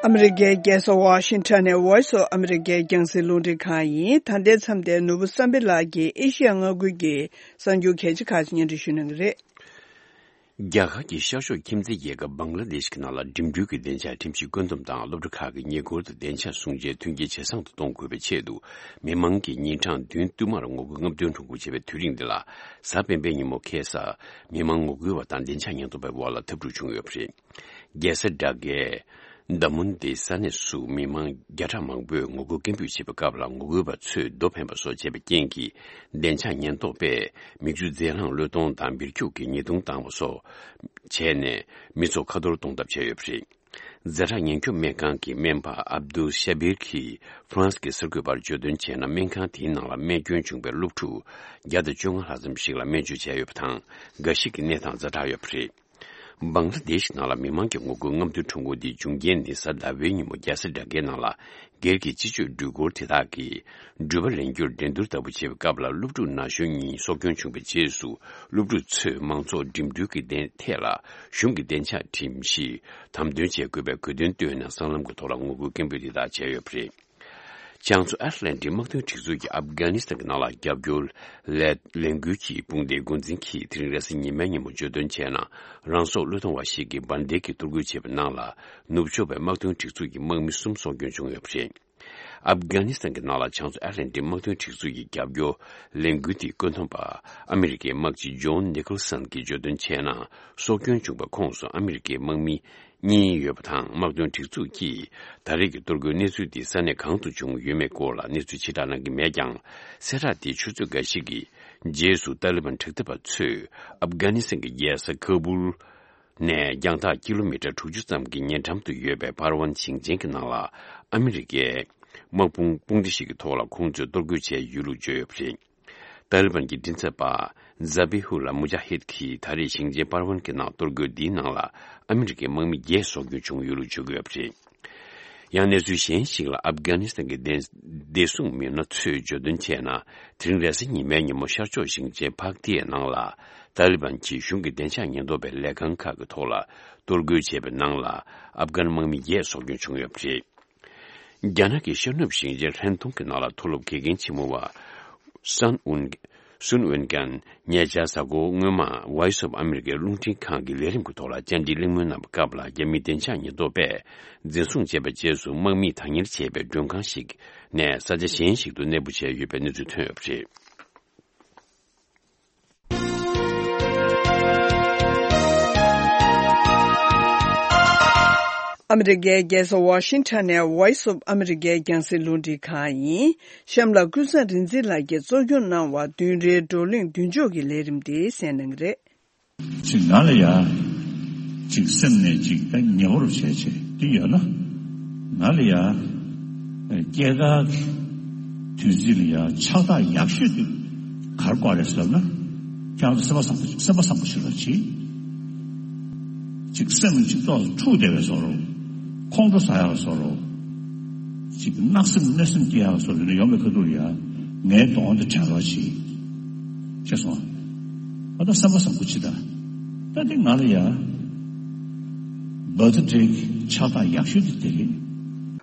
ཨ་མི་རི་ཀའི་རྒྱལ་ས་ཝ་ཤིང་ཊོན་ནས་Voice of America་རྒྱང་སྲིང་རླུང་འཕྲིན་ཁང་ཡིན། ད་ལྟའི་མཚམས་དེར་ནོར་བུ་བསམ་འཕེལ་ལགས་ཀྱིས་ཨེ་ཤི་ཡ་མངའ་ཁུལ་གྱི་གསར་འགྱུར་གལ་ཆེ་ཁག་ཅིག་སྙན་སྒྲོན་ཞུ་གནང་གི་རེད། རྒྱ་གར་གྱི་ཤར་ཕྱོགས་ཁྱིམ་མཚེས་རྒྱལ་ཁབ་བང་ལ་དེཤ་གི་ནང་ལ་འགྲིམ་འགྲུལ་གྱི་སྡིངས་ཆ་ཁྲིམས་གཞི་བཀོད་འདོམས་དང་སློབ་གྲྭ་ཁག་གི་ཉེ་འཁོར་དུ་སྡིངས་ཆ་སྲུང་བྱའི་མཐུན་རྐྱེན་ཇེ་བཟང་དུ་གཏོང་དགོས་པའི་ཆེད་དུ། མི་མང་གིས་ཉིན་གྲངས་བདུན་བསྟུད་མར་ངོ་རྒོལ་རྔམ་སྟོན་ཁྲོམ་སྐོར་བྱས་པའི་དུས་རིང་འདི་ལ། གཟའ་སྤེན་པའི་ཉིན་མོ་ཁ་སང་མི་མང་ངོ་རྒོལ་བ་དང་སྡིངས་ཆ་ཉེན་རྟོག་པའི་དབར་ལ་འཐབ་འཁྲུག་བྱུང་ཡོད་པ་རེད། རྒྱལ་ས་ཌ་ཀའི་དཱ་མུན་དི་ས་གནས་སུ་མི་མང་བརྒྱ་ཕྲག་མང་པོས་ངོ་རྒོལ་སྐད་འབོད་བྱེད་པའི་སྐབས་ལ། ངོ་རྒོལ་བ་ཚོས་རྡོ་འཕེན་པ་སོགས་བྱས་པའི་རྐྱེན་གྱིས། སྡིངས་ཆ་ཉེན་རྟོག་པས་མིག་ཆུ་རྫས་རླངས་བློས་གཏོང་དང་འབིར་ཁྱུག་གིས་ཉེས་རྡུང་བཏང་བ་སོགས་བྱས་ནས། མི་ཚོགས་ཁ་གཏོར་གཏོང་ཐབས་བྱས་ཡོད་པ་རེད། ཛ་དྲག་ཉེན་སྐྱོབ་སྨན་ཁང་གི་སྨན་པ་ཨབ་དུལ་ཤ་བིར་གྱིས་ཧྥ་རན་སི་གི་གསར་འགོད་པར་བརྗོད་དོན་བྱས་ན། སྨན་ཁང་དེའི་ནང་ལ་རྨས་སྐྱོན་བྱུང་བའི་སློབ་ཕྲུག་བརྒྱ་དང་བཅོ་ལྔ་ལྷག་ཙམ་ཞིག་ལ་སྨན་བཅོས་བྱས་ཡོད་པ་དང་། འགའ་ཞིག་གི་གནས་སྟངས་ཛ་དྲག་ཡོད་པ་རེད། བང་ལ་དེ་ཤི་ནང་ལ་མི་མང་གི་ངོ་རྒོལ་རྔམ་སྟོན་ཁྲོམ་སྐོར་འདིའི་བྱུང་རྐྱེན་ནི། གཟའ་ཟླ་བའི་ཉིན་མོ་རྒྱལ་ས་ཌ་ཀའི་ནང་ལ། སྒེར་གྱི་སྤྱི་སྤྱོད་འགྲུལ་འཁོར་དེ་དག་གིས་འགྲུལ་པ་ལེན་རྒྱུར་འགྲན་བསྡུར་ལྟ་བུ་བྱས་པའི་སྐབས་ལ། སློབ་ཕྲུག་ན་གཞོན་གཉིས་སྲོག་སྐྱོན་བྱུང་བའི་རྗེས་སུ། སློབ་ཕྲུག་ཚོས་མང་ཚོགས་འགྲིམ་འགྲུལ་གྱི་སྡེ་ཐད་ལ་གཞུང་གི་བདེ་འཇགས་ཁྲིམས་གཞི་དམ་དོན་བྱེད་དགོས་པའི་དགོས་འདུན་བཏོན་ནས། སྲང་ལམ་གྱི་ཐོག་ལ་ངོ་རྒོལ་སྐད་འབོད་དེ་དག་བྱས་ཡོད་པ་རེད། བྱང་མཚོ་ཨེཊ་ལན་ཊིག་དམག་དོན་སྒྲིག་འཛུགས་ཀྱིས་ཨབ་གྷ་ནི་སི་ཐན་གྱི་ནང་ལ་རྒྱབ་སྐྱོར་ལས་ལས་འགུལ་གྱི་དཔུང་སྡེའི་འགོ་འཛིན་གྱིས་དེ་རིང་རེས་གཟའ་ཉི་མའི་ཉིན་མོ་བརྗོད་དོན་བྱས་ན། རང་སྲོག་བློས་གཏོང་བ་ཞིག་གིས་འབར་མདེལ་གྱིས་གཏོར་རྒོལ་བྱས་པའི་ནང་ལ། ནུབ་ཕྱོགས་པའི་དམག་དོན་སྒྲིག་འཛུགས་ཀྱི་དམག་མི་གསུམ་སྲོག་སྐྱོན་བྱུང་ཡོད་པ་རེད། ཨབ་གྷ་ནི་སི་ཐན་གྱི་ནང་ལ་བྱང་མཚོ་ཨེཊ་ལན་ཊིག་དམག་དོན་སྒྲིག་འཛུགས་ཀྱི་རྒྱབ་སྐྱོར་ལས་འགུལ་དེའི་བཀོད་འདོམས་པ་ཨ་མི་རི་ཀའི་དམག་སྤྱི་ཇོན་ནི་ཀོལ་སན་གྱིས་བརྗོད་དོན་བྱས་ན། སྲོག་སྐྱོན་བྱུང་བའི་ཁོངས་སུ་ཨ་མི་རི་ཀའི་དམག་མི་གཉིས་ཡོད་པ་དང་། དམག་དོན་སྒྲིག་འཛུགས་ཀྱིས་ད་རེས་ཀྱི་གཏོར་རྒོལ་གནས་ཚུལ་དེ་ས་གནས་གང་དུ་བྱུང་ཡོད་མེད་སྐོར་ལ་གནས་ཚུལ་ཕྱིར་བསྒྲགས་གནང་གི་མེད་ཀྱང་། གསལ་བསྒྲགས་དེའི་ཆུ་ཚོད་འགའ་ཞིག་གི་རྗེས་སུ། ཏཱ་ལི་བན་དྲག་འཐབ་པ་ཚོས་ཨབ་གྷ་ནི་སི་ཐན་གྱི་རྒྱལ་ས་ཁ་བུལ་ནས་རྒྱང་ཐག་ཀི་ལོ་མི་ཊར་དྲུག་ཅུ་ཙམ་གྱི་ཉེ་འགྲམ་དུ་ཡོད་པའི་པར་ཝན་ཞིང་ཆེན་གྱི་ནང་ལ་ཨ་མི་རི་ཀའི་དམག་དཔུང་དཔུང་སྡེ་ཞིག་གི་ཐོག་ལ་ཁོང་ཚོས་གཏོར་རྒོལ་བྱས་ཡོད་ལུགས་བརྗོད་ཡོད་པ་རེད། ཏཱ་ལི་བན་གྱི་མགྲིན་ཚབ་པ་ཛ་བི་ཧུ་ལ་མུ་ཇཱ་ཧིད་ཀྱིས་ད་རེས་ཞིང་ཆེན་པར་ཝན་གྱི་ནང་གཏོར་རྒོལ་འདིའི་ནང་ལ་ཨ་མི་རི་ཀའི་དམག་མི་བརྒྱད་སྲོག་སྐྱོན་བྱུང་ཡོད་ལུགས་བརྗོད་ཀྱི་ཡོད་པ་རེད། ཡང་གནས་ཚུལ་གཞན་ཞིག་ལ། ཨབ་གྷ་ནི་སི་ཐན་གྱི་བདེ་བདེ་སྲུང་མི་སྣ་ཚོས་བརྗོད་དོན་བྱས་ན། དེ་རིང་རེས་གཟའ་ཉི་མའི་ཉིན་མོ་ཤར་ཕྱོགས་ཞིང་ཆེན་ཕག་ཏིའི་ནང་ལ་ཏཱ་ལི་བན་གྱིས་གཞུང་གི་བདེ་འཇགས་ཉེན་རྟོག་པའི་ལས་ཁང་ཁག་གི་ཐོག་ལ་གཏོར་རྒོལ་བྱས་པའི་ནང་ལ་ཨབ་གྷན་དམག་མི་བརྒྱད་སྲོག་སྐྱོན་བྱུང་ཡོད་པ་རེད། རྒྱ་ནག་གི་ཤར་ནུབ་ཞིང་ཆེན་ཧྲན་ཏུང་གི་ནང་ལ་མཐོ་སློབ་དགེ་རྒན་ཆེན་མོ་བ་སན་ཨུན། སུན་ཝེན་ཀན་ཉེ་ཆར་གཟའ་འཁོར་སྔོན་མ་Voice of America་རླུང་འཕྲིན་ཁང་གི་ལས་རིམ་གྱི་ཐོག་ལ་བཅར་འདྲི་གླེང་མོལ་གནང་བའི་སྐབས་ལ། རྒྱ་མིའི་བདེ་འཇགས་ཉེན་རྟོག་པས་འཛིན་བཟུང་བྱས་པའི་རྗེས་སུ། དམག་མིས་བདག་གཉེར་བྱས་པའི་མགྲོན་ཁང་ཞིག་ནས་ས་ཆ་གཞན་ཞིག་ཏུ་གནས་སྤོ་བྱས་ཡོད་པའི་གནས་ཚུལ་ཐོན་ཡོད་པ་རེད། ཨ་མི་རི་ཀའི་རྒྱལ་ས་ཝ་ཤིང་ཊོན་ནས་Voice of America་རྒྱང་སྲིང་རླུང་འཕྲིན་ཁང་ཡིན། གཤམ་ལ་ཀུན་བཟང་རིག་འཛིན་ལགས་ཀྱིས་གཙོ་སྐྱོང་གནང་བ་བདུན་རེའི་བགྲོ་གླེང་མདུན་ལྕོག་གི་ལས་རིམ་དེ་གསན་གནང་གི་རེད། ཅིག་ང་ལ་ཡ། ཅིག་སེམས་ནས་ཅིག་ད་ཉེ་བོར་བྱས་བྱས་དེ་ཡོད་ན། ང་ལ་ཡ། སྐྱེས་སྐར་གྱི་དུས་ཚིགས་ལ་ཡ་ཕྱག་རྟགས་ཡག་ཤོས་དེ་ག་རེ་དགོས་རེད་ཟེར་ན། ཁྱེད་རང་ཚོ་སེམས་པ་བཟང་པོ་ཞིག་སེམས་པ་བཟང་པོ་ཞིག་ལ་བྱེད། ཅིག་སེམས་ཅིག་ཏོག་ཙམ་འཁྲུག་བསྡད་པའི་བཟོ་འདྲ། ཁོང་ཁྲོ་ཟ་ཡག་བཟོ་འདྲ། ཅིག་གནག་སེམས་གནོད་སེམས་སྐྱེ་ཡག་བཟོ་འདྲ་ཡོང་བའི་ཁ་ཐུག་ལ་ཡ། ངའི་གདོང་དེ་དྲན་རོགས་བྱེད། ཤེས་སོང་། ཨ་ད་སེམས་པ་བཟང་པོ་བྱེད་ད། ད་དེ་ང་ལ་ཡ། བར་ཐི་ཌེ་གི་ཕྱག་རྟགས་ཡག་ཤོས་དེ་དེ་རེད།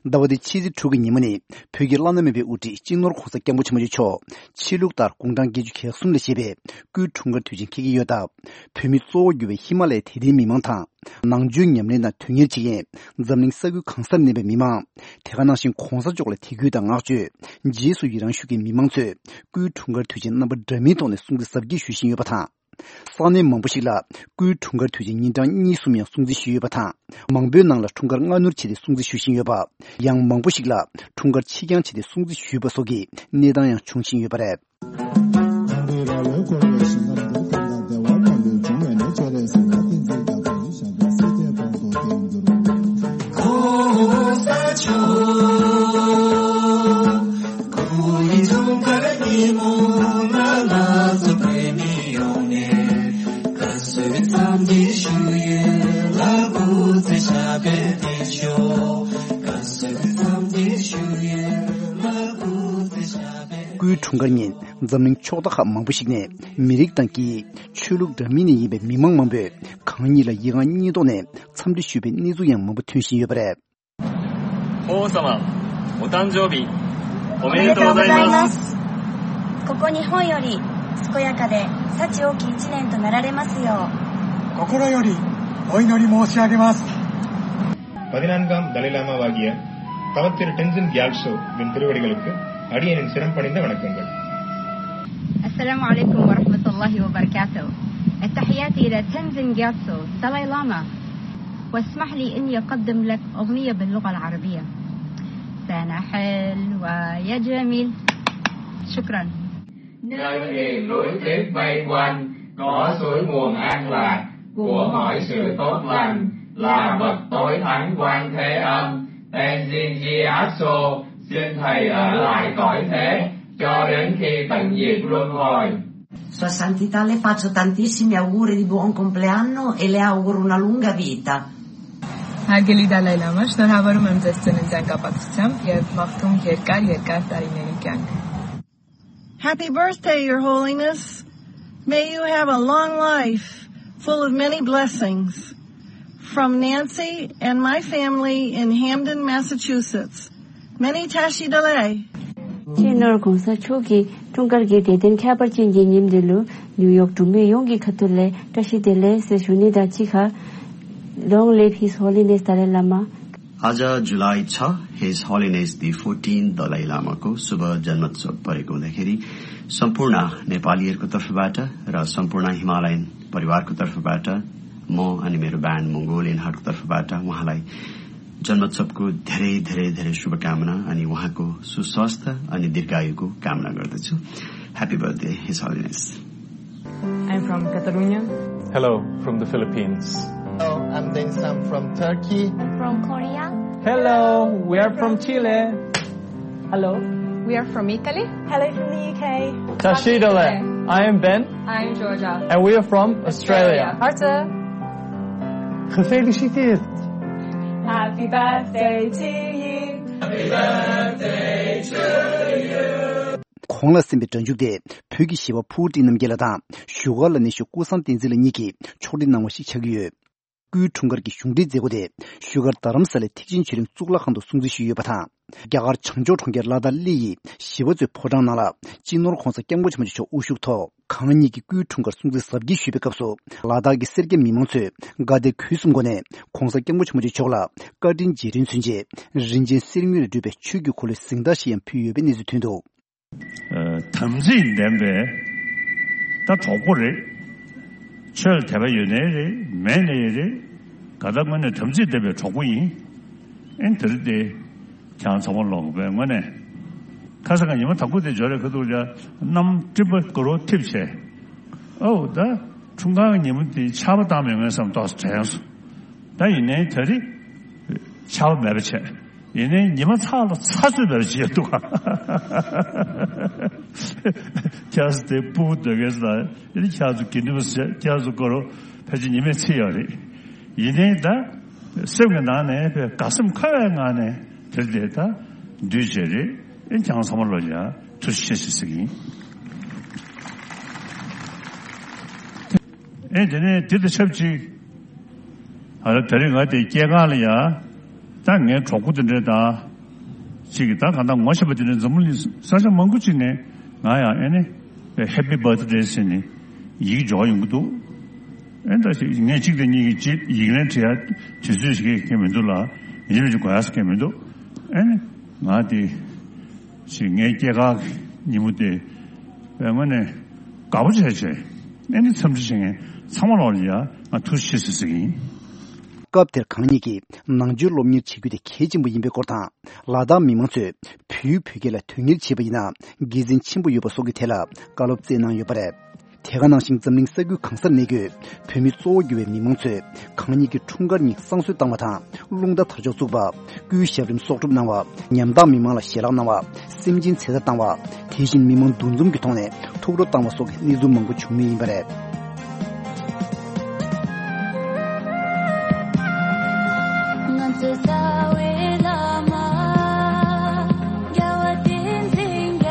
ཟླ་བ་འདིའི་ཕྱི་ཚེས་དྲུག་གི་ཉིན་མོ་ནི་བོད་ཀྱི་བླ་ན་མེད་པའི་དབུ་ཁྲིད་སྤྱི་ནོར་༸གོང་ས་༸སྐྱབས་མགོན་ཆེན་པོ་མཆོག་ཆོས་ལུགས་ལྟར་དགུང་གྲངས་བརྒྱད་ཅུ་གྱ་གསུམ་ལ་བཞེས་པའི་སྐུའི་འཁྲུངས་སྐར་དུས་ཆེན་འཁེལ་གྱི་ཡོད་སྟབས། བོད་མི་གཙོ་བོར་གྱུར་པའི་ཧི་མ་ལ་ཡའི་དད་ལྡན་མི་མང་དང་། ནང་ཆོས་ཉམས་ལེན་དང་དོན་གཉེར་བྱེད་མཁན་འཛམ་གླིང་ས་ཁུལ་གང་སར་གནས་པའི་མི་མང་། དེ་ག་ནང་བཞིན་༸གོང་ས་མཆོག་ལ་དད་གུས་དང་བསྔགས་བརྗོད། རྗེས་སུ་ཡི་རང་ཞུ་མཁན་མི་མང་ཚོས་སྐུའི་འཁྲུངས་སྐར་དུས་ཆེན་རྣམ་པ་འདྲ་མིན་ཐོག་ནས་སྲུང་བརྩི་གཟབ་རྒྱས་ཞུ་བཞིན་ཡོད་པ་དང་། ས་གནས་མང་པོ་ཞིག་ལ་སྐུའི་འཁྲུངས་སྐར་དུས་ཆེན་ཉིན་གྲངས་གཉིས་གསུམ་ཡང་སྲུང་བརྩི་ཞུས་ཡོད་པ་དང་། མང་པོའི་ནང་ལ་འཁྲུངས་སྐར་སྔ་སྣུར་བྱས་ཏེ་སྲུང་བརྩི་ཞུ་བཞིན་ཡོད་པ། ཡང་མང་པོ་ཞིག་ལ་འཁྲུངས་སྐར་ཕྱི་འགྱངས་བྱས་ཏེ་སྲུང་བརྩི་ཞུས་པ་སོགས་ཀྱི་གནས་སྟངས་ཡང་བྱུང་བཞིན་ཡོད་པ་རེད། སྐུའི་འཁྲུངས་སྐར་ཉིན་འཛམ་གླིང་ཕྱོགས་མཐའ་ཁག་མང་པོ་ཞིག་ནས་མི་རིགས་དང་སྐད་ཡིག་ཆོས་ལུགས་འདྲ་མིན་ནས་ཡིན་པའི་མི་མང་མང་པོས་གང་ཉིད་ལ་ཡིད་དབང་གཉིས་ཐོག་ནས་འཚམས་འདྲི་ཞུས་པའི་གནས་ཚུལ་ཡང་མང་པོ་ཐོན་བཞིན་ཡོད་པ་རེད། 法皇様、お誕生日、おめでとうございます。ここ日本より健やかで幸多き一年となられますよう。心よりお祈り申し上げます。 பதினான்காம் தலை லாமாவாகிய தவத்திரு டென்சின் கியால்சோவின் திருவடிகளுக்கு அடியேனின் சிரம் பணிந்த வணக்கங்கள். السلام عليكم ورحمة الله وبركاته. التحيات إلى تنزين جياتسو دالاي لاما. واسمح لي إني أقدم لك أغنية باللغة العربية. سنة حلوة يا جميل. شكرا. Nhân niềm vui Tết vây quanh, có suối nguồn an lạc của mọi sự tốt lành, là bậc tối thắng quan Thế Âm, Tenzin Gyatso, xin thầy ở lại cõi thế cho đến khi tận diệt luân hồi. Sua Santità le faccio tantissimi auguri di buon compleanno e le auguro una lunga vita. Հարգելի Դալայ Լամա, շնորհավորում եմ ձեզ ծննդյան կապակցությամբ և մաղթում երկար, երկար տարիների կյանք։ Happy birthday, Your Holiness. May you have a long life full of many blessings. From Nancy and my family in Hamden, Massachusetts. Many tashi delay. སྤྱི་ནོར་༸གོང་ས་མཆོག་གི་འཁྲུངས་སྐར་གྱི་དད་ལྡན་ཁྱད་པར་ཅན་གྱི་ཉིན་འདི་ལུ་ནིའུ་ཡོག་འབྲུག་མི་ཡོངས་ཀྱི་ཁ་ཐུག་ལས་བཀྲ་ཤིས་བདེ་ལེགས་ཟེར་ཞུ་ནི་དང་གཅིག་ཁར། Long live His Holiness Dalai Lama. आज जुलाई छ, His Holiness the fourteenth Dalai Lama को शुभ जन्मोत्सव परेको हुँदाखेरि सम्पूर्ण नेपालीहरूको तर्फबाट र सम्पूर्ण हिमालयन परिवारको तर्फबाट म अनि मेरो ब्यान्ड मङ्गोलियनहरूको तर्फबाट उहाँलाई जन्मोत्सवको धेरै, धेरै, धेरै शुभकामना अनि उहाँको सुस्वास्थ्य अनि दीर्घायुको कामना गर्दछु। Happy birthday, His Holiness. I'm from Catalonia. Hello, from the Philippines. Hello, I'm Deng Sam from Turkey. From Korea. Hello, we are from Chile. Hello. We are from Italy. Hello from the U K. Tashi Delek. I am Ben. I'm Georgia. And we are from Australia. Australia. Harta. Gefeliciteerd. Happy birthday to you. གོང་ལ་གསན་པའི་སྒྲ་འཇུག་དེ་བོད་ཀྱི་གཞས་པ་ཕུར་བུ་ཊི་རྣམ་རྒྱལ་ལགས་དང་བཞུགས་སྒར་ལ་གནས་བཞུགས་ཀུན་བཟང་བསྟན་འཛིན་ལགས་གཉིས་ཀྱིས་ཕྱོགས་སྒྲིག་གནང་བ་ཞིག་ཆགས་ཀྱི་ཡོད། སྐུའི་འཁྲུངས་སྐར་གྱི་གཞུང་འབྲེལ་མཛད་སྒོ་དེ་བཞུགས་སྒར་རྡ་རམ་ས་ལའི་ཐེག་ཆེན་ཆོས་གླིང་གཙུག་ལག་ཁང་དུ་སྲུང་བརྩི་ཞུས་ཡོད་པ་དང་། རྒྱ་གར་བྱང་ཕྱོགས་གྲོང་ཁྱེར་ལ་དྭགས་གླེ་ཡི་ཞི་བ་འཚོའི་ཕོ་བྲང་ནང་ལ་སྤྱི་ནོར་༸གོང་ས་༸སྐྱབས་མགོན་ཆེན་པོ་མཆོག་དབུ་བཞུགས་ཐོག་གང་ཉིད་ཀྱི་སྐུའི་འཁྲུངས་སྐར་སྲུང་བརྩི་གཟབ་རྒྱས་ཞུས་པའི་སྐབས་སུ། ལ་དྭགས་ཀྱི་སེར་སྐྱ་མི་མང་ཚོས་དགའ་དད་གུས་གསུམ་སྒོ་ནས་༸གོང་ས་༸སྐྱབས་མགོན་ཆེན་པོ་མཆོག་མཆོག་ལ་བཀའ་དྲིན་རྗེས་དྲན་མཚོན་ཆེད་རིན་ཆེན་གསེར་དངུལ་ལས་གྲུབ་པའི་ཆོས་ཀྱི་འཁོར་ལོའི་གཟེངས་རྟགས་ཤིག་ཡང་ཕུལ་ཡོད་པའི་གནས་ཚུལ་ཐོན་འདུག། དམ་ཚིག་ལྡན་པའི་ད་གྲོགས་པོ་རེད། ཆོས་ལ་དད་པ་ཡོད་ནའི་རེད། མེད་ནའི་རེད། ག་ད་དངོས་གནས་དམ་ཚིག་ལྡན་པའི་གྲོགས་པོ་ཡིན། ཨེ་འདིར་དེ་ཁྱེད་རང་ཚང་མ་ལོག་པའི་དངོས་གནས། ཁ་སང་ཉི་མ་དང་པོ་དེ་འབྱོར་རེ་ཁ་ཐུག་ལ་གནམ་སྤྲིན་པ་གུར་བ་འཐིབས་བྱས། ཨོ་ད་འཁྲུངས་སྐར་ཉིན་མོ་དེ་ཆར་པ་བཏང་མེད་མཁན་བསམ་ཏོག་ཙམ་དྲན་སོང་། ད་ཡིན་ནའི་ད་རེས་ཆར་པ་མེད་པ་བྱས། ཡིན་ནའི་ཉི་མ་ཚ་ལ་ཚ་ཚོད་མེད་པ་བྱས་འདུག་ག་ཁྱེད་ཚོ་དེ་སྤུ་གུ་སྡོད་མཁན་ཚོ་ལ་ཡིན་ནའི་ཁྱེད་ཚོ་དགེ་འདུན་པ་ཟེར། ཁྱེད་ཚོ་སྐོར་ཕལ་ཆེར་ཉི་མས་ཚིག་ཡོད་རེད། ཡིན་ནའི་ད་སེམས་ཀྱི་ནང་ནས་དཔེ་དགའ་སེམས་འཁོལ་བའི་ངང་ནས་དེར་དེ་ད་འདུས་བྱས་རེད། ཨེ་ཁྱེད་རང་ཚང་མ་ལོ་ཡ་ཐུགས་རྗེ་ཆེ་ཞེས་ཟེར་གྱི་ཡིན། ཨེ་དེ་ནས་དེ་དང་ཆབས་ཅིག་ཨ་ལ་དེ་རིང་ང་དེ་སྐྱེས་སྒང་ལ་ཡ། ད་ངའི་གྲོགས་པོ་དེ་འདྲས་དང་། ཅིག་གིས་ད་གང་ལྟར་ངོ་ཤེས་པ་དེ་འདྲས་འཛམ་བུ་གླིང་ས་ཆ་མང་པོ་ཅིག་ནས་ང་ཡང་ཨེ་ནི་ཧེ་པི་བྷར་ཐི་ཌེ་ཟེར་ནས་ཡིག་འབྱོར་ཡོང་གི་འདུག་ཨེ་ད་ཅིག་ངས་གཅིག་དང་གཉིས་ཀྱིས་ཅིག་ཡིག་ལན་བྲིས་ཡ་དུས་ཚོད་ཞིག་གི་མི་འདུག་ལ། ཡིན་གཅིག་མིན་གཅིག་དགོས་ཡ་ཟེར་མཁན་མི་འདུག་ཨེ་ནི་ང་དེ་ཅིག་ངའི་སྐྱེས་སྐར་གྱི་ཉིན་མོ་དེ་དཔེ་དངོས་གནས་དགའ་པོ་བྱས་བྱས། ཨེ་ནི་འཚམས་འདྲི་བྱེད་མཁན་ཚང་མ་ལོག་ལ་ཡ་ང་ཐུགས་རྗེ་ཆེ་ཟེར་ཟེར་གྱི་ཡིན། སྐབས་དེར་གང་ཉིད་ཀྱིས་ནང་ཆོས་སློབ་གཉེར་བྱེད་རྒྱུ་དེ་གལ་ཆེན་པོ་ཡིན་པའི་སྐོར་དང་། ལ་དྭགས་མི་མང་ཚོས་བོད་ཡུལ་བོད་སྐད་ལ་དོན་གཉེར་བྱེད་པ་ཡིན་ན་དགེ་མཚན་ཆེན་པོ་ཡོད་པ་སོགས་ཀྱི་ཐད་ལ་བཀའ་སློབ་སྩལ་གནང་ཡོད་པ་རེད། དེ་ག་ནང་བཞིན་འཛམ་གླིང་ས་ཁུལ་གང་སར་གནས་འཁོད་བོད་མི་གཙོ་བོ་གྱུར་བའི་མི་མང་ཚོས་གང་ཉིད་ཀྱི་འཁྲུངས་སྐར་ཉིན་བསང་གསོལ་བཏང་བ་དང་། རླུང་རྟ་དར་ལྕོག་བཙུགས་པ། སྐུའི་ཞབས་རིམ་གསོག་སྒྲུབ་གནང་བ། ཉམ་ཐག་མི་མང་ལ་ཞལ་ལག་གནང་བ། སེམས་ཅན་ཚེ་ཐར་བཏང་བ། དེ་བཞིན་མི་མང་འདུ་འཛོམས་ཀྱི་ཐོག་ནས་ཐུགས་སྤྲོ་བཏང་བ་སོགས་ཀྱི་གནས་ཚུལ་མང་པོ་བྱུང་མུས་ཡིན་པ་རེད། ང་ཚོའི་རྩ་བའི་བླ་མ་རྒྱལ་བ་བསྟན་འཛིན་རྒྱ་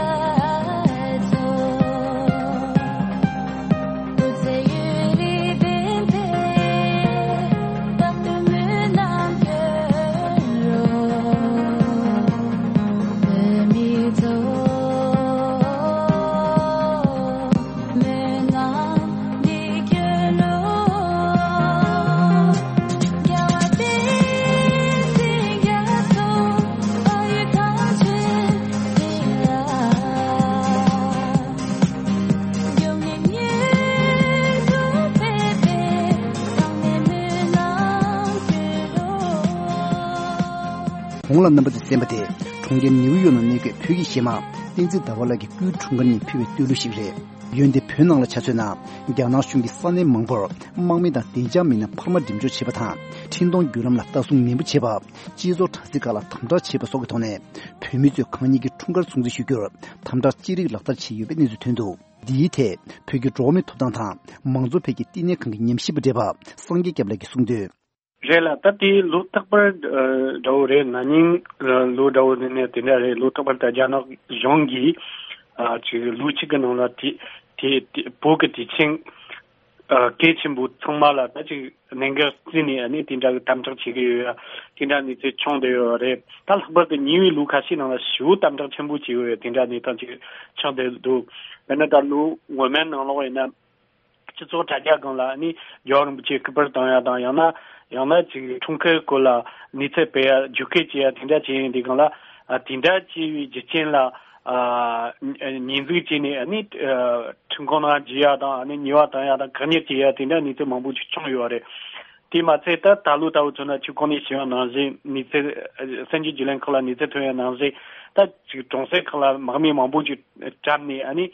མཚོ། གོང་ལ་རྣམ་པ་ཚོས་གསན་པ་དེ་གྲོང་ཁྱེར་ནིའུ་ཡོག་ནང་གནས་འཁོད་བོད་ཀྱི་གཞས་མ་བསྟན་འཛིན་ཟླ་བ་ལགས་ཀྱི་སྐུའི་འཁྲུངས་སྐར་ཉིན་ཕུལ་བའི་བསྟོད་གླུ་ཞིག་རེད། འོན་ཏེ་བོད་ནང་ལ་ཆ་མཚོན་ན་རྒྱ་ནག་གཞུང་གིས་ས་གནས་མང་པོར་དམག་མི་དང་བདེ་འཇགས་མི་སྣ་འཕར་མ་འགྲིམ་འཇོག་བྱས་པ་དང་། འཕྲིན་གཏོང་བརྒྱུད་ལམ་ལ་ལྟ་སྲུང་ནན་པོ་བྱས་པ། སྤྱི་ཚོགས་དྲ་ཚིགས་ཁག་ལ་དམ་དྲག་བྱས་པ་སོགས་ཀྱི་ཐོག་ནས་བོད་མི་ཚོས་གང་ཉིད་ཀྱི་འཁྲུངས་སྐར་སྲུང་བརྩི་ཞུ་རྒྱུར་དམ་དྲག་ཅི་རིགས་ལག་བསྟར་བྱས་ཡོད་པའི་གནས་ཚུལ་ཐོན་འདུག་འདིའི་ཐད་བོད་ཀྱི་འགྲོ་བ་མིའི་ཐོབ་ཐང་དང་མང་གཙོ་ཕལ་སྐྱེས་བསྟི་གནས་ཁང་གི་ཉམས་ཞིབ་པ་བགྲེས་པ་སངས་རྒྱས་སྐྱབས་ལགས་ཀྱིས་གསུངས་དོན། རེད་ལ། ད་དེ་ལོ་རྟག་པར་ཨ་འདྲ་བོ་རེད། ན་ནིང་ཨ་ལོ་འདྲ་བོ་ནས་ནས་དེ་འདྲ་རེད། ལོ་རྟག་པར་ད་རྒྱ་ནག་གཞུང་གིས་ཨ་ཅིག་ལོ་གཅིག་གི་ནང་ལ་དེ་དེ་དེ་བོད་ཀྱི་དུས་ཆེན་ཨ་གལ་ཆེན་པོ་ཚང་མ་ལ་ད་ཅིག་གནད་འགག་བརྩིས་ནས་ཨ་ནི་དེ་འདྲ་གི་དམ་དྲག་བྱེད་ཀྱི་ཡོད་ཡ། དེ་འདྲ་གནས་ཚུལ་བྱུང་བསྡད་ཡོད་རེད། ད་ལྷག་པར་དུ་ཉེ་བའི་ལོ་ཁ་ཤས་ནང་ལ་ཞེ་པོ་དམ་དྲག་ཆེན་པོ་བྱས་ཡོད་ཡ། དེ་འདྲ་གནས་སྟངས་ཅིག་ཆགས་བསྡད་འདུག་དཔེར་ན་ད་ལོ་སྔོན་མའི་ནང་ལོགས་ཡིན་ན། སྤྱི་ཚོགས་དྲ་རྒྱ་སྒང་ལ་ནི་རྒྱལ་བ་རིན་པོ་ཆེ་སྐུ་པར་བཏང་ཡ་དང་། ཡང་ན་ཡང་ན་ཅིག་འཁྲུངས་སྐར་སྐོར་ལ་གནས་ཚུལ་སྤེལ་ཡ་བརྗོད་སྐད་བྱེད་ཡ་དེ་འདྲ་བྱེད་ཡིན་དེ་སྒང་ལ། ཨ་དེ་འདྲ་བྱས་པའི་རྒྱུ་རྐྱེན་ལ་ཨ་ཉེས་འཛུགས་བྱས་ནས་ཨ་ནི་ཨ་ཁྲིམས་ཁང་ནང་འཇུ་ཡ་དང་། ཨ་ནི་ཉེས་པ་བཏང་ཡ་དང་། བཀག་ཉར་བྱེད་ཡ་དེ་འདྲ་གནས་ཚུལ་མང་པོ་ཅིག་བྱུང་ཡོད་རེད། དེ་མ་ཚད་ད་ད་ལོ་ལྟ་བུ་མཚོན་ན་ཁྱེད་ཁོང་ནས་ཞུ་ཡ་ནང་བཞིན་གནས་ཚུལ་ཨ་གསར་འགྱུར་བརྒྱུད་ལམ་ཁག་ལ་གནས་ཚུལ་ཐོན་ཡ་ནང་བཞིན། ད་ཅིག་གྲོང་གསེབ་ཁག་ལ་དམག་མི་མང་པོ་ཅིག་བཀྲམ་ནས་ཨ་ནི།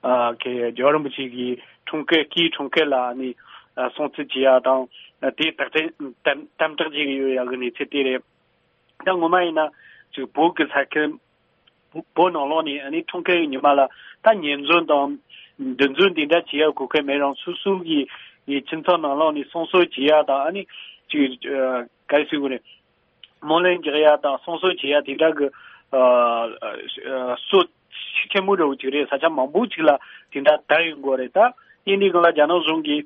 ཨ་ཁེ་རྒྱལ་བ་རིན་པོ་ཆེ་གི་འཁྲུངས་སྐར་སྐུའི་འཁྲུངས་སྐར་ལ་ནི་ཨ་སྲུང་བརྩི་བྱེད་ཡ་དང་། ཨ་དེ་དག་ཐེར་དམ་དམ་དྲག་བྱེད་ཀྱི་ཡོད་ཡ་གི་གནས་ཚུལ་དེ་རེད། ད་ངོ་མ་ཡིན་ན་ཅིག་བོད་ཀྱི་ས་ཁུལ་བོད་བོད་ནང་ལོགས་ནས་ཨ་ནི་འཁྲུངས་སྐར་གྱི་ཉི་མ་ལ་ད་ཉེས་འཛུགས་དང་འདུ་འཛོམས་དེ་འདྲ་བྱེད་ཡ་གོ་སྐབས་མེད་རུང་། སོ་སོ་གི་གི་ཁྱིམ་ཚང་ནང་ལོགས་ནས་སྲུང་བརྩི་བྱེད་ཡ་དང་། ཨ་ནི་ཅིག་ཨ་ག་རེ་ཟེར་དགོས་རེད། སྨོན་ལམ་རྒྱག་ཡ་དང་སྲུང་བརྩི་བྱེད་ཡ་དེ་འདྲ་གི་ཨ་ཨ་སྲོལ་ཤུགས་ཆེན་པོ་འདྲ་བོ་ཅིག་རེད། ས་ཆ་མང་པོ་ཅིག་ལ་དེ་འདྲ་དར་ཡོང་གི་རེད། ད་ཡིན་དུས་སྒང་ལ་རྒྱ་ནག་གཞུང་གིས་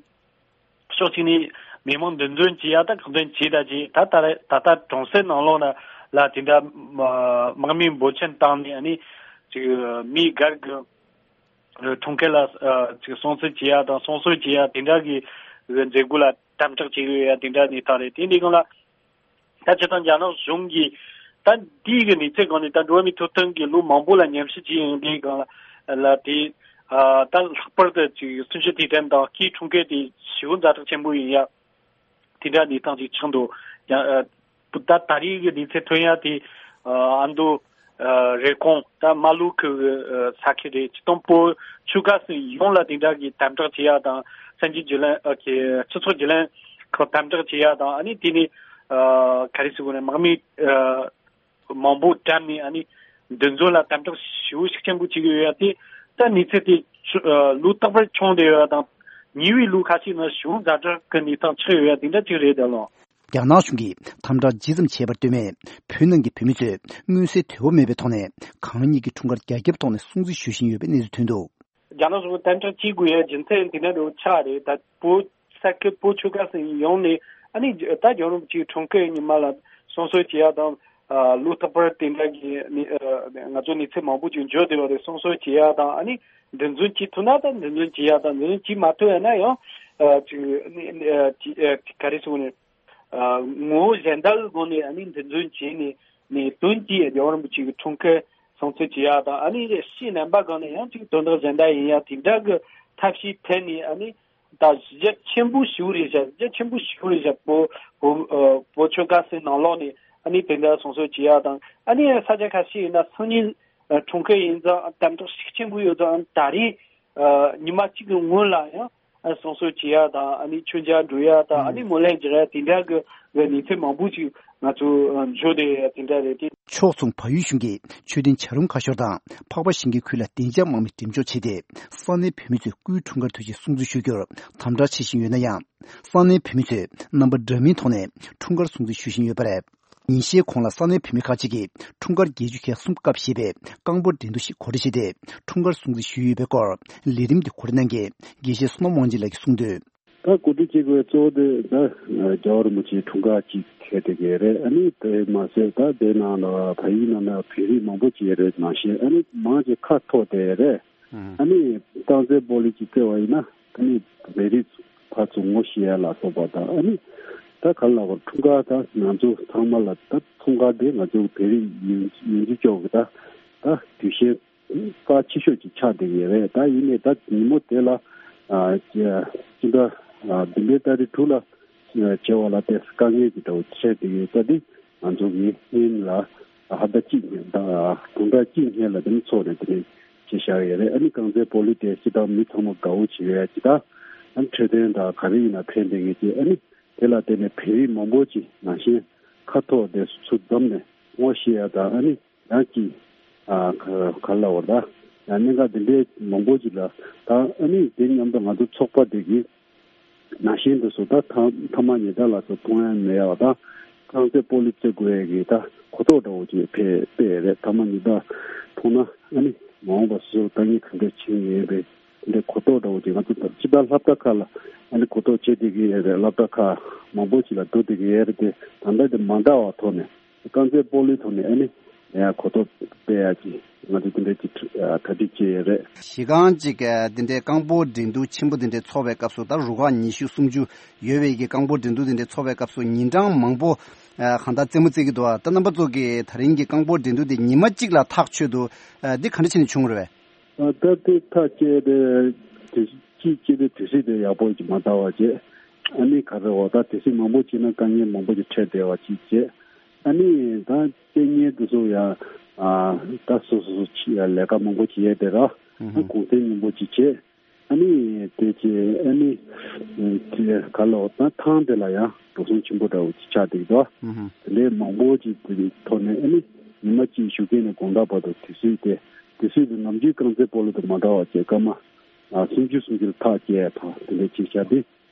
ཕྱོགས་གཅིག་ནས་མི་མང་འདུ་འཛོམས་བྱེད་ཡ་ད་གང་ཐོན་བྱས་ད་བྱས། ད་ད་རེ་ད་ལྟ་གྲོང་གསེབ་ནང་ལོགས་ན་ལ་དེ་འདྲ་དམག་མི་འབོར་ཆེན་བཏང་ནས་ཨ་ནི་ཅིག་མི་སྒེར་གྱི་འཁྲུངས་སྐར་ལ་ཅིག་སྲུང་བརྩི་བྱེད་ཡ་དང་སྲུང་བརྩི་བྱེད་ཡ་དེ་འདྲ་གི་མཛད་སྒོ་ལ་དམ་དྲག་བྱེད་ཀྱི་ཡོད་ཡ་དེ་འདྲ་གནས་སྟངས་རེད། དེ་འདི་སྒང་ལ། ད་སྤྱིར་བཏང་རྒྱ་ནག་གཞུང་གིས་ད་འདི་གི་གནས་ཚུལ་སྒང་ནས་ད་འགྲོ་བ་མིའི་ཐོབ་ཐང་གི་ལོ་མང་པོ་ལ་ཉམས་ཞིབ་བྱས་ཡོང་དུས་སྒང་ལ་ལ་དེ་ཨ་ད་ལྷག་པར་དུ་ཅིག་གསུམ་བཅུའི་དུས་དྲན་དང་སྐུའི་འཁྲུངས་སྐར་དེ་ཞེ་པོ་ཛ་དྲག་ཆེན་པོ་ཡིན་ཡ། དེ་འདྲ་གནས་སྟངས་ཅིག་ཆགས་འདུག་ཡ་ཨ་ད་ད་རེས་ཀྱི་གནས་ཚུལ་ཐོན་ཡ་དེ་ཨ་ཨ་མདོ་ཨ་རེབ་གོང་ད་རྨ་ལྷོ་ཁུལ་གྱི་ཨ་ས་ཁུལ་རེད། སྤྱིར་བཏང་བོད་ཆོལ་ཁ་གསུམ་ཡོངས་ལ་དེ་འདྲ་གི་དམ་དྲག་བྱེད་ཡ་དང་། གསར་འགྱུར་བརྒྱུད་ལམ་ཨ་ཁེ་སྤྱི་ཚོགས་བརྒྱུད་ལམ་ ཁག་དམ་དྲག་བྱེད་ཡ་དང་། ཨ་ནི་དེ་ནས་ཨ་ག་རེ་ཟེར་དགོས་རེད། དམག་མི་ཨ་མང་པོ་བཀྲམ་ནས། ཨ་ནི་འདུ་འཛོམས་ལ་དམ་དྲག་ཞེ་པོ་ཤུགས་ཆེན་པོ་བྱེད་ཀྱི་ཡོད་ཡ་དེ། ད་གནས་ཚུལ་དེ་ཨ་ལོ་རྟག་པར་བྱུང་བསྡད་ཡོད་ཡ་དང་། ཉེ་བའི་ལོ་ཁ་ཤས་ནང་ཞེ་པོ་ཛ་དྲག་གི་གནས་སྟངས་ཆགས་ཡོད་ཡ་དེ་འདྲ་ཅིག་རེད་ད་ལོ། རྒྱ་ནག་གཞུང་གིས་དམ་དྲག་ཇི་ཙམ་བྱས་པར་ལྟོས་མེད། བོད་ནང་གི་བོད་མི་ཚོས་མངོན་གསལ་དོད་པོ་མེད་པའི་ཐོག་ནས་གང་ཉིད་ཀྱི་འཁྲུངས་སྐར་རྒྱ་ཁྱབ་ཐོག་ནས་སྲུང་བརྩི་ཞུ་བཞིན་ཡོད་པའི་གནས་ཚུལ་ཐོན་འདུག། རྒྱ་ནག་གཞུང་གིས་དམ་དྲག་བྱེད་དགོས་ཡ་རྒྱུ་མཚན་དེ་འདྲ་རུ་ཆགས་རེད། ད་བོད་ས་ཁུལ་བོད་ཆོལ་ཁ་གསུམ་ཡོངས་ནས། ཨ་ནི་ད་རྒྱལ་བ་རིན་པོ་ཆེའི་འཁྲུངས་སྐར་ཉི་མ་ལ་སྲུང་བརྩི་བྱེད་ཡ་དང་། ཨ་ལོ་རྟག་པར་དེ་འདྲ་གི་ནི་ཨ་ང་ཚོ་གནས་ཚུལ་མང་པོ་ཅིག་འབྱོར་བསྡད་པ་རེད། སྲུང་བརྩི་བྱེད་ཡ་དང་། ཨ་ནི་འདུ་འཛོམས་བྱེད་ཐུབ་ན་ད་འདུ་འཛོམས་བྱེད་ཡ་དང་། འདུ་འཛོམས་བྱེད་མ་ཐུབ་ཡ་ན་ཡང་ཨ་ཅིག་ནི་ཨ་ཅིག་ཨ་ག་རེ་ཟེར་དགོས་རེད། ཨ་ངོ་བོ་གཞན་དག་གི་སྒོ་ནས་ཨ་ནི་འདུ་འཛོམས་བྱས་ནས་ནས་དོན་གྱིས་རྒྱལ་བ་རིན་པོ་ཆེ་གི་འཁྲུངས་སྐར་སྲུང་བརྩི་བྱེད་ཡ་དང་། ཨ་ནི་ཕྱིའི་རྣམ་པ་སྒང་ནས་ཡང་ཅིག་དོན་དག་གཞན་དག་ཡིན་ཡ་དེ་འདྲ་གི་ཐབས་ཤེས་འཐེན་ནས། ཨ་ནི་ད་གཞི་རྒྱ་ཆེན་པོ་ཞེ་པོ་རེད་བཞག། གཞི་རྒྱ་ཆེན་པོ་ཞེ་པོ་རེད་བཞག། བོད་བོད་ཨ་བོད་ཆོལ་ཁ་གསུམ་ནང་ལོགས་ནས་ཨ་ནི་དེ་འདྲ་སྲུང་བརྩི་བྱེད་ཡ་དང་། ཨ་ནི་ས་ཆ་ཁ་ཤས་ཡིན་ན་སང་ཉིན་ཨ་འཁྲུངས་སྐར་ཡིན་ཙང་དམ་དྲག་ཤུགས་ཆེན་པོ་ཡོད་ཙང་། ད་རེས་ཨ་ཉི་མ་གཅིག་གི་སྔོན་ལ་ཡང་ཨ་སྲུང་བརྩི་བྱེད་ཡ་དང་། ཨ་ནི་མཆོད་མཇལ་འགྲོ་ཡ་དང་། ཨ་ནི་ཨུམ། སྨོན་ལམ་རྒྱག་ཡ་དེ་འདྲ་གི་གི་གནས་ཚུལ་མང་པོ་ཞིག་ང་ཚོ་ཨ་འབྱོར་བསྡད་ཡ་དེ་འདྲ་རེད་དེ། ཕྱོགས་མཚུངས་བལ་ཡུལ་གཞུང་གིས་མཆོད་རྟེན་བྱ་རུང་ཁ་ཤོར་དང་། འཕགས་པ་ཞིང་གི་ཁུལ་ལ་བདེ་འཇགས་དམག་མི་འགྲེམས་འཇོག་བྱས་ཏེ། ས་གནས་བོད་མི་ཚོས་སྐུའི་འཁྲུངས་སྐར་དུས་ཆེན་སྲུང་བརྩི་ཞུ་རྒྱུར་དམ་དྲག་བྱེད་བཞིན་ཡོད་ན་ཡང་། ས་གནས་བོད་མི་ཚོས་རྣམ་པ་འདྲ་མིན་ཐོག་ནས་འཁྲུངས་སྐར་སྲུང་བརྩི་ཞུ་བཞིན་ཡོད་པ་རེད། ཉིན་ཤས་གོང་ལ་ས་གནས་བོད་མི་ཁག་ཅིག་གིས་འཁྲུངས་སྐར་བརྒྱད་ཅུ་གྱ་གསུམ་སྐབས་ཞེས་པའི་རྐང་སྤོལ་འགྲན་བསྡུར་ཞིག་གོ་སྒྲིག་བྱས་ཏེ། འཁྲུངས་སྐར་སྲུང་བརྩི་ཞུས་ཡོད་པའི་སྐོར་ལས་རིམ་འདི་གོ་སྒྲིག་གནང་མཁན་དགེ་བཤེས་བསོད་ནམས་དབང་ཆེན་ལགས་ཀྱིས་གསུངས་དོན། ད་གོ་སྒྲིག་བྱེད་དགོས་གཙོ་བོ་དེ་ད་རྒྱལ་བ་རིན་པོ་ཆེའི་འཁྲུངས་སྐར་ཅིག་འཁེལ་བསྡད་ཀྱི་རེད། ཨ་ནི་དེ་མ་ཟད་ད་དེ་ནང་ལ་བལ་ཡུལ་ནང་ལ་བོད་རིགས་མང་པོ་ཅིག་ཡོད་རེད། ནང་བཞིན་ཨ་ནི་མང་ཆེ་ཁ་འཐོར་བསྡད་རེད། ཨ་ནི་རྐང་རྩེད་སྤོ་ལོ་ཅིག་རྩེ་བ་ཡིན་ན་ཨ་ནི་བོད་རིགས་ཕར་ཚུར་ངོ་ཤེས་ཡ་ལ་སོགས་པ་དང་། ཨ་ནི་ད་ག་ལ་བར་འཁྲུངས་སྐར་ད་ང་ཚོ་ཚང་མ་ལ་ད་འཁྲུངས་སྐར་དེ་ང་ཚོ་བོད་རིགས་ཡོངས་ཡོངས་ཀྱི་ཕྱོགས་ཀྱི་ད་ད་དུས་ཆེན་རྩ་ཆེ་ཤོས་ཅིག་ཆགས་བསྡད་ཀྱི་རེད། ད་ཡིན་ནའི་ད་ཉིན་མོ་དེ་ལ་ཨ་ཅི་ཅི་འདྲ་ཨ་བདུན་པའི་ཏ་རིག་དྲུག་ལ་བྱེད་པ་ལ་དེ་དཀའ་ངལ་གྱི་འདྲ་བོ་འཕྲད་བསྡད་ཀྱི་ཡོད་ས་དེ་ང་ཚོ་གི་སྔོན་ལ་ཧ་ད་གཅིག་ད་དུང་ཕྲག་གཅིག་སྔོན་ལ་དེ་ནི་ཚོགས་ནས་དེ་ནས་བྱས་བཞག་ཡོད་རེད། ཨ་ནི་རྐང་རྩེད་སྤོ་ལོ་དེ་སྤྱིར་བཏང་མི་ཚང་མ་དགའ་བོ་བྱེད་ཡོད་ཅི། ད་ཨ་ནི་འཕྲོད་བསྟེན་དང་ག་རེ་ཡིན་ན་ཕན་བསྡད་ཀྱི་ཅི། ཨ་ནི་དེ་ལ་བརྟེན་ནས་བོད་རིགས་མང་པོ་ཅིག་ནང་བཞིན་ཁ་ཐོག་དེ་ཚུར་འཛོམས་ནས་ངོ་ཤེས་ཡ་དང་། ཨ་ནི་ཡང་ཅིག་ཨ་ག་ག་ལ་བར་ད་ཡང་གནད་འགག་འདི་འདྲའི་མང་པོ་ཅིག་ལ་ད་ཨ་ནི་དེ་མཉམ་དུ་ང་ཚོ་ཚོགས་པ་འདི་གི་ནང་བཞིན་དུ་སུ་ད་ཐ་ཐ་མག་ཉེས་དག་ལ་སོགས་མཐོང་ཡ་མེད་ཡ་བ་དང་། རྐང་རྩེད་སྤོ་ལོ་རྩེ་དགོས་ཡ་གི་ད་གོ་རྟོགས་འདྲ་བོ་ཅིག་སྤེལ་སྤེལ་ཡ་རེད། ཐ་མག་ཉེས་དག་མཐོང་ན་ཨ་ནི་མ་འོངས་པ་སུ་ལྟ་ངན་ག་འདྲ་བྱེད་ངེས་ཡོད་པའི་དེ་འདྲའི་གོ་རྟོགས་འདྲ་བོ་ཅིག་ང་ཚོ་ད་སྤྱི་བཏང་སློབ་གྲྭ་ཁག་ལ་ཨ་ནི་གོ་རྟོགས་བྱེད་བསྡད་ཀྱི་ཡོད་རེད། སློབ་གྲྭ་ཁག་མང་པོ་ཅིག་ལ་འགྲོ་བསྡད་ཀྱི་ཡོད་རེད་དེ། ད་ལྟ་དེ་མ་འདྲ་བ་ཐོག་ནས་རྐང་རྩེད་སྤོ་ལོའི་ཐོག་ནས་ཨ་ནི་ཡང་གོ་རྟོགས་སྤེལ་ཡ་ཅིག་ང་ཚོ་དེ་འདྲ་ཅིག་གྲ་སྒྲིག་བྱས་ཡོད་རེད། གཞི་རྐང་ཅིག་དེ་འདྲའི་རྐང་སྤོལ་འགྲན་བསྡུར་ཆེན་པོ་དེ་འདྲའི་ཚོགས་པའི་སྐབས་སུ། ད་རུ་ཁག་ཉི་ཤུ་སུམ་ཅུ་ཡོད་པའི་གི་རྐང་སྤོལ་འགྲན་བསྡུར་དེ་འདྲའི་ཚོགས་པའི་སྐབས་སུ་ཉིན་གྲངས་མང་པོ་གང་ལྟར་རྩེད་མོ་རྩེ་གི་འདུག། ད་རྣམ་པ་ཚོ་གི་ད་རིང་གི་རྐང་སྤོལ་འགྲན་བསྡུར་དེ་ཉི་མ་གཅིག་ལ་ཐག་ཆོད་འདུག། འདི་ག་འདྲ་བྱས་ནས་བྱུང་རེད་པས། ཨ་ད་དེ་ཐག་བཅད་དེ་དུས་གཅིག་བཅད་དེ་དུས་ཚོད་དེ་ཡག་པོ་ཅིག་མ་བཏང་བ་བྱས། ཨ་ནི་ག་རེ་འོ་ད་དུས་ཚོད་མང་པོ་བྱས་ན་དཀའ་ངལ་མང་པོ་ཅིག་འཕྲད་བསྡད་པ་ཅིག་བྱས། ཨ་ནི་ད་རྩེད་མཁན་དེ་ཚོ་ཡང་ཨ་ད་སོ་སོ་སོ་ཅིག་ཡང་ལས་ཀ་མང་པོ་ཅིག་ཡོད་དེ་ར། ཨ་གུང་སེང་སྙོམས་པོ་ཅིག་བྱས། ཨ་ནི་དེ་བྱས་ཨ་ནི་དེ་ག་ལ་འོ་ད་ཐང་དེ་ལ་ཡང་འགྲོ་སོང་ཆེན་པོ་འདྲ་བོ་ཅིག་ཆགས་བསྡད་ཀྱི་འདུག། དེ་འདྲའི་མང་པོ་ཅིག་དེ་ཐོག་ནས་ཨ་ནི་ཉི་མ་གཅིག་ཞོགས་ཀས་ནས་དགོང་དག་བར་དུ་དུས་ཚོད་དེ་དུས་ཚོད་དེ་ནམ་རྒྱུན་རྐང་རྩེད་སྤོ་ལོ་དང་མ་འདྲ་བ་བྱས། སྐར་མ་ཨ་སུམ་ཅུ་སུམ་ཅུ་ལ་ཐག་བཅད་ཡ་དང་དེ་འདྲ་བྱས་བཞག་སྟེ།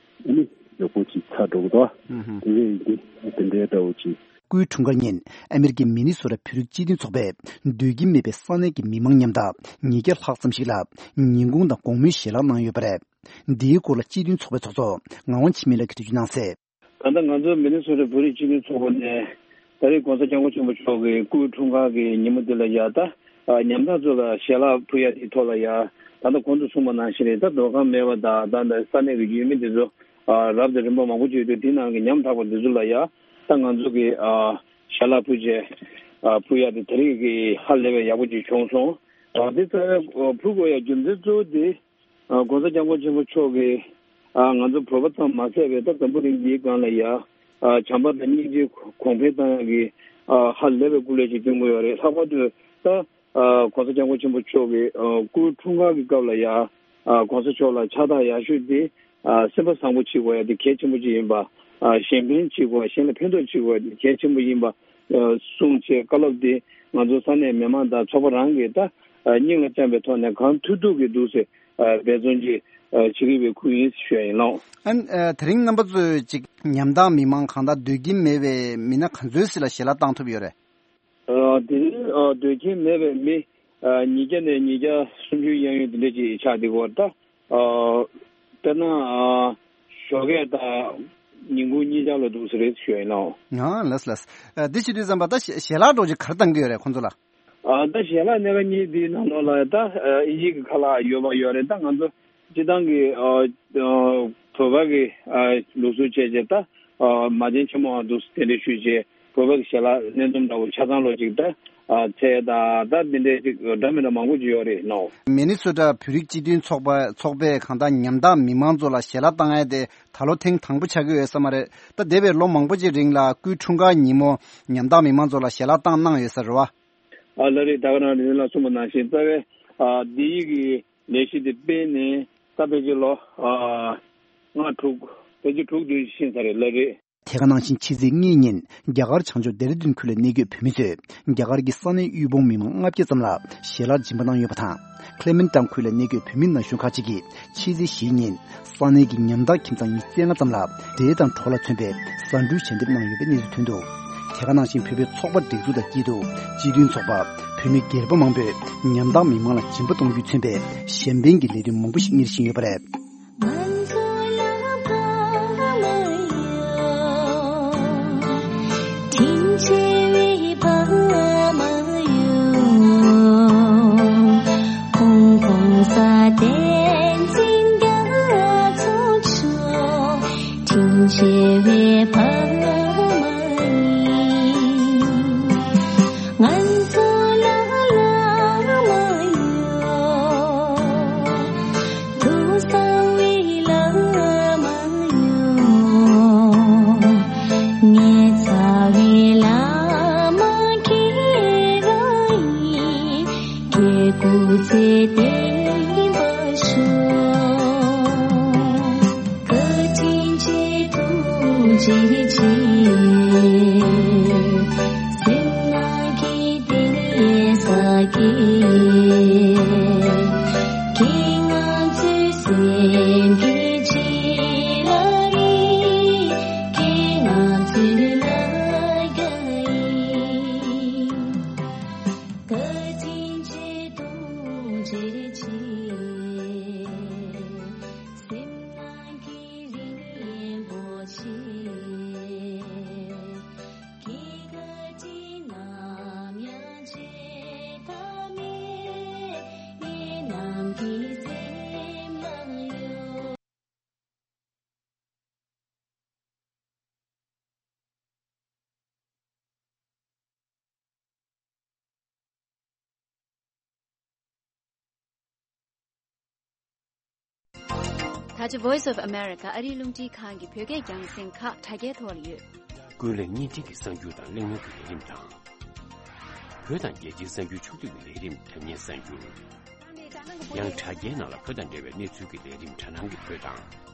ཨ་ནི་མགྱོགས་པོ་ཅིག་ཚར་འགྲོ་གི་འདུག། དེ་བས་ཡིན་ཏེ་དེ་འདྲའི་འདྲ་བོ་ཅིག། སྐུའི་འཁྲུངས་སྐར་ཉིན་ཨ་མེ་རི་ཀའི་མི་ནི་སོ་ཊ་བོད་རིགས་སྤྱི་མཐུན་ཚོགས་པས་སྡོད་ཀྱིན་མེད་པའི་ས་གནས་ཀྱི་མི་མང་མཉམ་དུ་ཉིས་བརྒྱ་ལྷག་ཙམ་ཞིག་ལ་ཉིན་གུང་དང་དགོང་མོའི་ཞལ་ལག་གནང་ཡོད་པ་རེད། འདིའི་སྐོར་ལ་སྤྱི་མཐུན་ཚོགས་པའི་ཚོགས་གཙོ་ངག་དབང་འཆི་མེད་ལགས་ཀྱིས་འགྲེལ་བརྗོད་གནང་གསལ། ད་ལྟ་ང་ཚོ་མི་ནི་སོ་ཊ་བོད་རིགས་སྤྱི་མཐུན་ཚོགས་པ་ནས་ད་རེས་༸གོང་ས་༸སྐྱབས་མགོན་ཆེན་པོ་མཆོག་གི་སྐུའི་འཁྲུངས་སྐར་གྱི་ཉིན་མོ་འདི་ལ་ཡ་ད་ཉམ་ཐག་ཚོ་ལ་ཞལ་ལག་ཕུལ་ཡ་དེའི་ཐོག་ལ་ཡ། ད་ལྟ་གོང་དུ་གསུངས་པ་ནང་བཞིན་རེད། ད་སྡོད་ཁང་མེད་པ་དང་། ད་ལྟ་ས་གནས་ཀྱི་ཡུལ་མི་འདི་ཚོ་རབ་དང་རིམ་པ་མང་པོ་ཅིག་ཡོད་དུས། དེ་ནང་གི་ཉམ་ཐག་པ་འདི་ཚོ་ལ་ཡ་ད་ང་ཚོ་གི་ཞལ་ལག་ཕུལ་བྱས་ཕུལ་ཡ་དེ་ད་རེས་ཀྱི་ཧ་ལས་པའི་ཡག་པོ་ཅིག་བྱུང་སོང་། དེ་ཚོ་ཕུལ་དགོས་ཡ་རྒྱུ་མཚན་གཙོ་བོ་དེ། ༸གོང་ས་༸སྐྱབས་མགོན་ཆེན་པོ་མཆོག་གིས་ང་ཚོ་བོད་པ་ཙམ་མ་ཟད་པའི་ད་འཛམ་བུ་གླིང་འདིའི་སྒང་ལ་ཡ་བྱམས་པ་དང་སྙིང་རྗེ་གོང་འཕེལ་བཏང་ཡག་གི་ཧ་ལས་པའི་སྐུ་ལས་ཅིག་སྟོན་གྱི་ཡོད་རེད། ལྷག་པར་དུ་ད་༸གོང་ས་༸སྐྱབས་མགོན་ཆེན་པོ་མཆོག་གི་སྐུའི་འཁྲུངས་སྐར་གྱི་སྐབས་ལ་ཡ་༸གོང་ས་མཆོག་ལ་ཕྱག་རྟགས་ཡག་ཤོས་དེ་སེམས་པ་བཟང་པོ་བྱེད་དགོས་ཡ་དེ་གལ་ཆེན་པོ་ཅིག་ཡིན་པ། གཞན་ཕན་བྱེད་དགོས་པ། གཞན་ལ་ཕན་ཐོགས་བྱེད་དགོས་པ་དེ་གལ་ཆེན་པོ་ཡིན་པ་གསུངས་བྱས། བཀའ་སློབ་དེ་ང་ཚོ་ས་གནས་མི་མང་དང་ཚོགས་པ་རང་གིས་ད་སྙིང་ལ་བཅངས་པའི་ཐོག་ནས་གང་ཐུབ་ཐུབ་ཀྱིས་འདུག་སེ་འབད་བརྩོན་ཅིག་བྱེད་ཀྱི་ཡོད་པའི་ཁུལ་ཡིན་ཞུ་ཡ་ཡིན་ལགས། ཨ་ནི་དེ་རིང་རྣམ་པ་ཚོས་ཅིག་ཉམ་ཐག་མི་མང་གང་ལྟར་སྡོད་ཀྱིན་མེད་པའི་མི་སྣ་ག་ཚོད་ཅིག་ལ་ཞལ་ལག་བཏང་ཐུབ་ཡོད་རེད། ཨ། དེ་རིང་ཨ་སྡོད་ཀྱིན་མེད་པའི་མི་ཨ་ཉིས་བརྒྱ་ནས་ཉིས་བརྒྱ་སུམ་ཅུ་གཡས་གཡོན་དེ་འདྲ་ཅིག་ཆགས་བསྡད་ཀྱི་ཡོད་རེད། ད་ཨ་དཔེར་ན་ཨ་ཞོགས་ཀས་དང་ཉིན་གུང་གཉིས་ཆར་ལ་འདུག་སེ་རེད་ཞུ་ཡ་ཡིན་ལགས། ཨ་ལགས་ལགས། ཨ་འདི་བྱེད་དུས་ཙམ་པ་ད་ཞལ་ཞལ་ལག་འདྲ་བོ་ཅིག་ག་རེ་བཏང་གི་ཡོད་རེད་ཁོང་ཚོ་ལ། ཨ་ད་ཞལ་ལག་སྣ་ཁ་གཉིས་འདིའི་ནང་ལོགས་ལ་ད་ཨ་དབྱིན་ཇི་གི་ཁ་ལག་ཡོད་པ་ཡོད་རེད། ད་ང་ཚོ་སྤྱིར་བཏང་གི་ཨ་ཨ་བོད་པ་གི་ཨ་ལུགས་སྲོལ་བྱས་རྗེས་ད་ཨ་མ་བྱན་ཆེན་མོའང་འདུག་སེ་དེ་འདྲ་ཞུས་རྗེས་བོད་པ་གི་ཞལ་ལག་སྣེ་འཛོམས་འདྲ་བོ་ཆ་ཚང་ལོ་ཅིག་ད་ཨ་ཚལ་དང་ད་འདི་འདྲའི་ཅིག་འདྲ་མི་འདྲ་མང་པོ་ཅིག་ཡོད་རེད་ནོ། མི་ནི་སོ་ཊ་བོད་རིགས་སྤྱི་མཐུན་ཚོགས་པ་ཚོགས་པས་གང་ལྟར་ཉམ་ཐག་མི་མང་ཚོ་ལ་ཞལ་ལག་བཏང་ཡ་དེ་ད་ལོ་ཐེངས་དང་པོ་ཆགས་ཀྱི་ཡོད་ས་མ་རེད། ད་འདས་པའི་ལོ་མང་པོ་ཅིག་རིང་ལ་སྐུའི་འཁྲུངས་སྐར་ཉིན་མོ་ཉམ་ཐག་མི་མང་ཚོ་ལ་ཞལ་ལག་བཏང་གནང་ཡོད་ས་རེད་བ། ཨ་ལགས་རེད། ད་ག་རང་རེད། ལ་གསུངས་པ་ནང་བཞིན་རྩ་བའི་ཨ་འདི་ཡི་གི་ལས་གཞི་འདི་སྤེལ་ནས་ད་ཕལ་ཆེར་ལོ་ཨ་ལྔ་དྲུག་ཕལ་ཆེར་དྲུག་བདུན་ཕྱིན་ཚར་རེད་ལགས་རེད། དེ་ག་ནང་བཞིན་ཕྱི་ཚེས་ལྔ་ཉིན་རྒྱ་གར་བྱང་ཕྱོགས་ལྡེ་ར་ལྡུན་ཁུལ་ལ་གནས་འཁོད་བོད་མི་ཚོས་རྒྱ་གར་གྱི་ས་གནས་དབུལ་ཕོངས་མི་མང་ལྔ་བརྒྱ་ཙམ་ལ་ཞལ་ལག་སྦྱིན་པ་གནང་ཡོད་པ་དང་། ཁི་ལེ་མེན་ཊོན་ཁུལ་ལ་གནས་འཁོད་བོད་མི་ན་གཞོན་ཁག་ཅིག་གིས་ཕྱི་ཚེས་བཞི་ཉིན་ས་གནས་ཀྱི་ཉམ་ཐག་ཁྱིམ་ཚང་ཉི་ཤུ་རྩ་ལྔ་ཙམ་ལ་འབྲས་དང་གྲོ་ལ་མཚོན་པའི་ཟ་འབྲུ་ཞལ་འདེབས་གནང་ཡོད་པའི་གནས་ཚུལ་ཐོན་འདུག་དེ་ག་ནང་བཞིན་བོད་པའི་ཚོགས་པ་སྒྲིག་འཛུགས་དང་སྐྱིད་སྡུག་སྤྱི་མཐུན་ཚོགས་པ་བོད་མི་སྒེར་པ་མང་པོས་ཉམ་ཐག་མི་མང་ལ་སྦྱིན་པ་གཏོང་རྒྱུས་མཚོན་པའི་གཞན་ཕན་གྱི་ལས་དོན་མང་པོ་ཞིག་གཉེར་བཞིན་ཡོད་པ་རེད། ང་ཚོ་ལ་ཕ་མ་ཡོད། དྲིན་ཆེ་བའི་ཕ་མ་ཡོད། ཁོང་ཁོང་ས་བསྟན་འཛིན་རྒྱ་མཚོ་མཆོག་དྲིན་ཆེ་བའི་ཕ་མ་ཡིན། ང་ཚོ་ལ་བླ་མ་ཡོད། ཐུགས་གསང་བའི་བླ་མ་ཡོད། ངེད་ཚ་བའི་བླ་མ་ཁྱེད་རང་ཡིན། སྐྱེ་དགུ་ཚེ་བརྟན་པར་ཤོག་བཀའ་དྲིན་ཆེ་ཐུགས་རྗེ་ཆེ། སེམས་ནང་གི་བདེ་ས་གི་ཁྱེད་ང་ཚོའི་སེམས་ཀྱི་བྱིན་རླབས་ཡིན། ཁྱེད་ང་ཚོའི་ལ་རྒྱ་ཡིན། བཀའ་དྲིན་ཆེ་ཐུགས་རྗེ་ཆེ། སེམས་ནང་གི་རིན་པོ་ཆེ། ཁྱེད་བཀའ་དྲིན་ནམ་ཡང་བརྗེད་ཐབས་མེད། ངེད་རྣམས་ཀྱི་སེམས་ལ་ཡོད། ད་ཆ་Voice of America ཨ་རིའི་རླུང་འཕྲིན་ཁང་གི་བོད་སྐད་རྒྱང་སྲིང་ཁག་དྲ་རྒྱའི་ཐོག་ལ་ཡོད། ཀུན་གླེང་བརྙན་འཕྲིན་གྱི་གསར་འགྱུར་དང་གླེང་མོལ་གྱི་ལས་རིམ་དང་། བོད་དང་རྒྱལ་སྤྱིའི་གསར་འགྱུར་ཕྱོགས་བསྡུས་ཀྱི་ལས་རིམ་དྲ་བརྙན་གསར་འགྱུར། ཡང་དྲ་རྒྱའི་ནང་ལ་བོད་དང་འབྲེལ་བའི་གནས་ཚུལ་གྱི་ལས་རིམ་དྲ་སྣང་གི་བོད་དང་།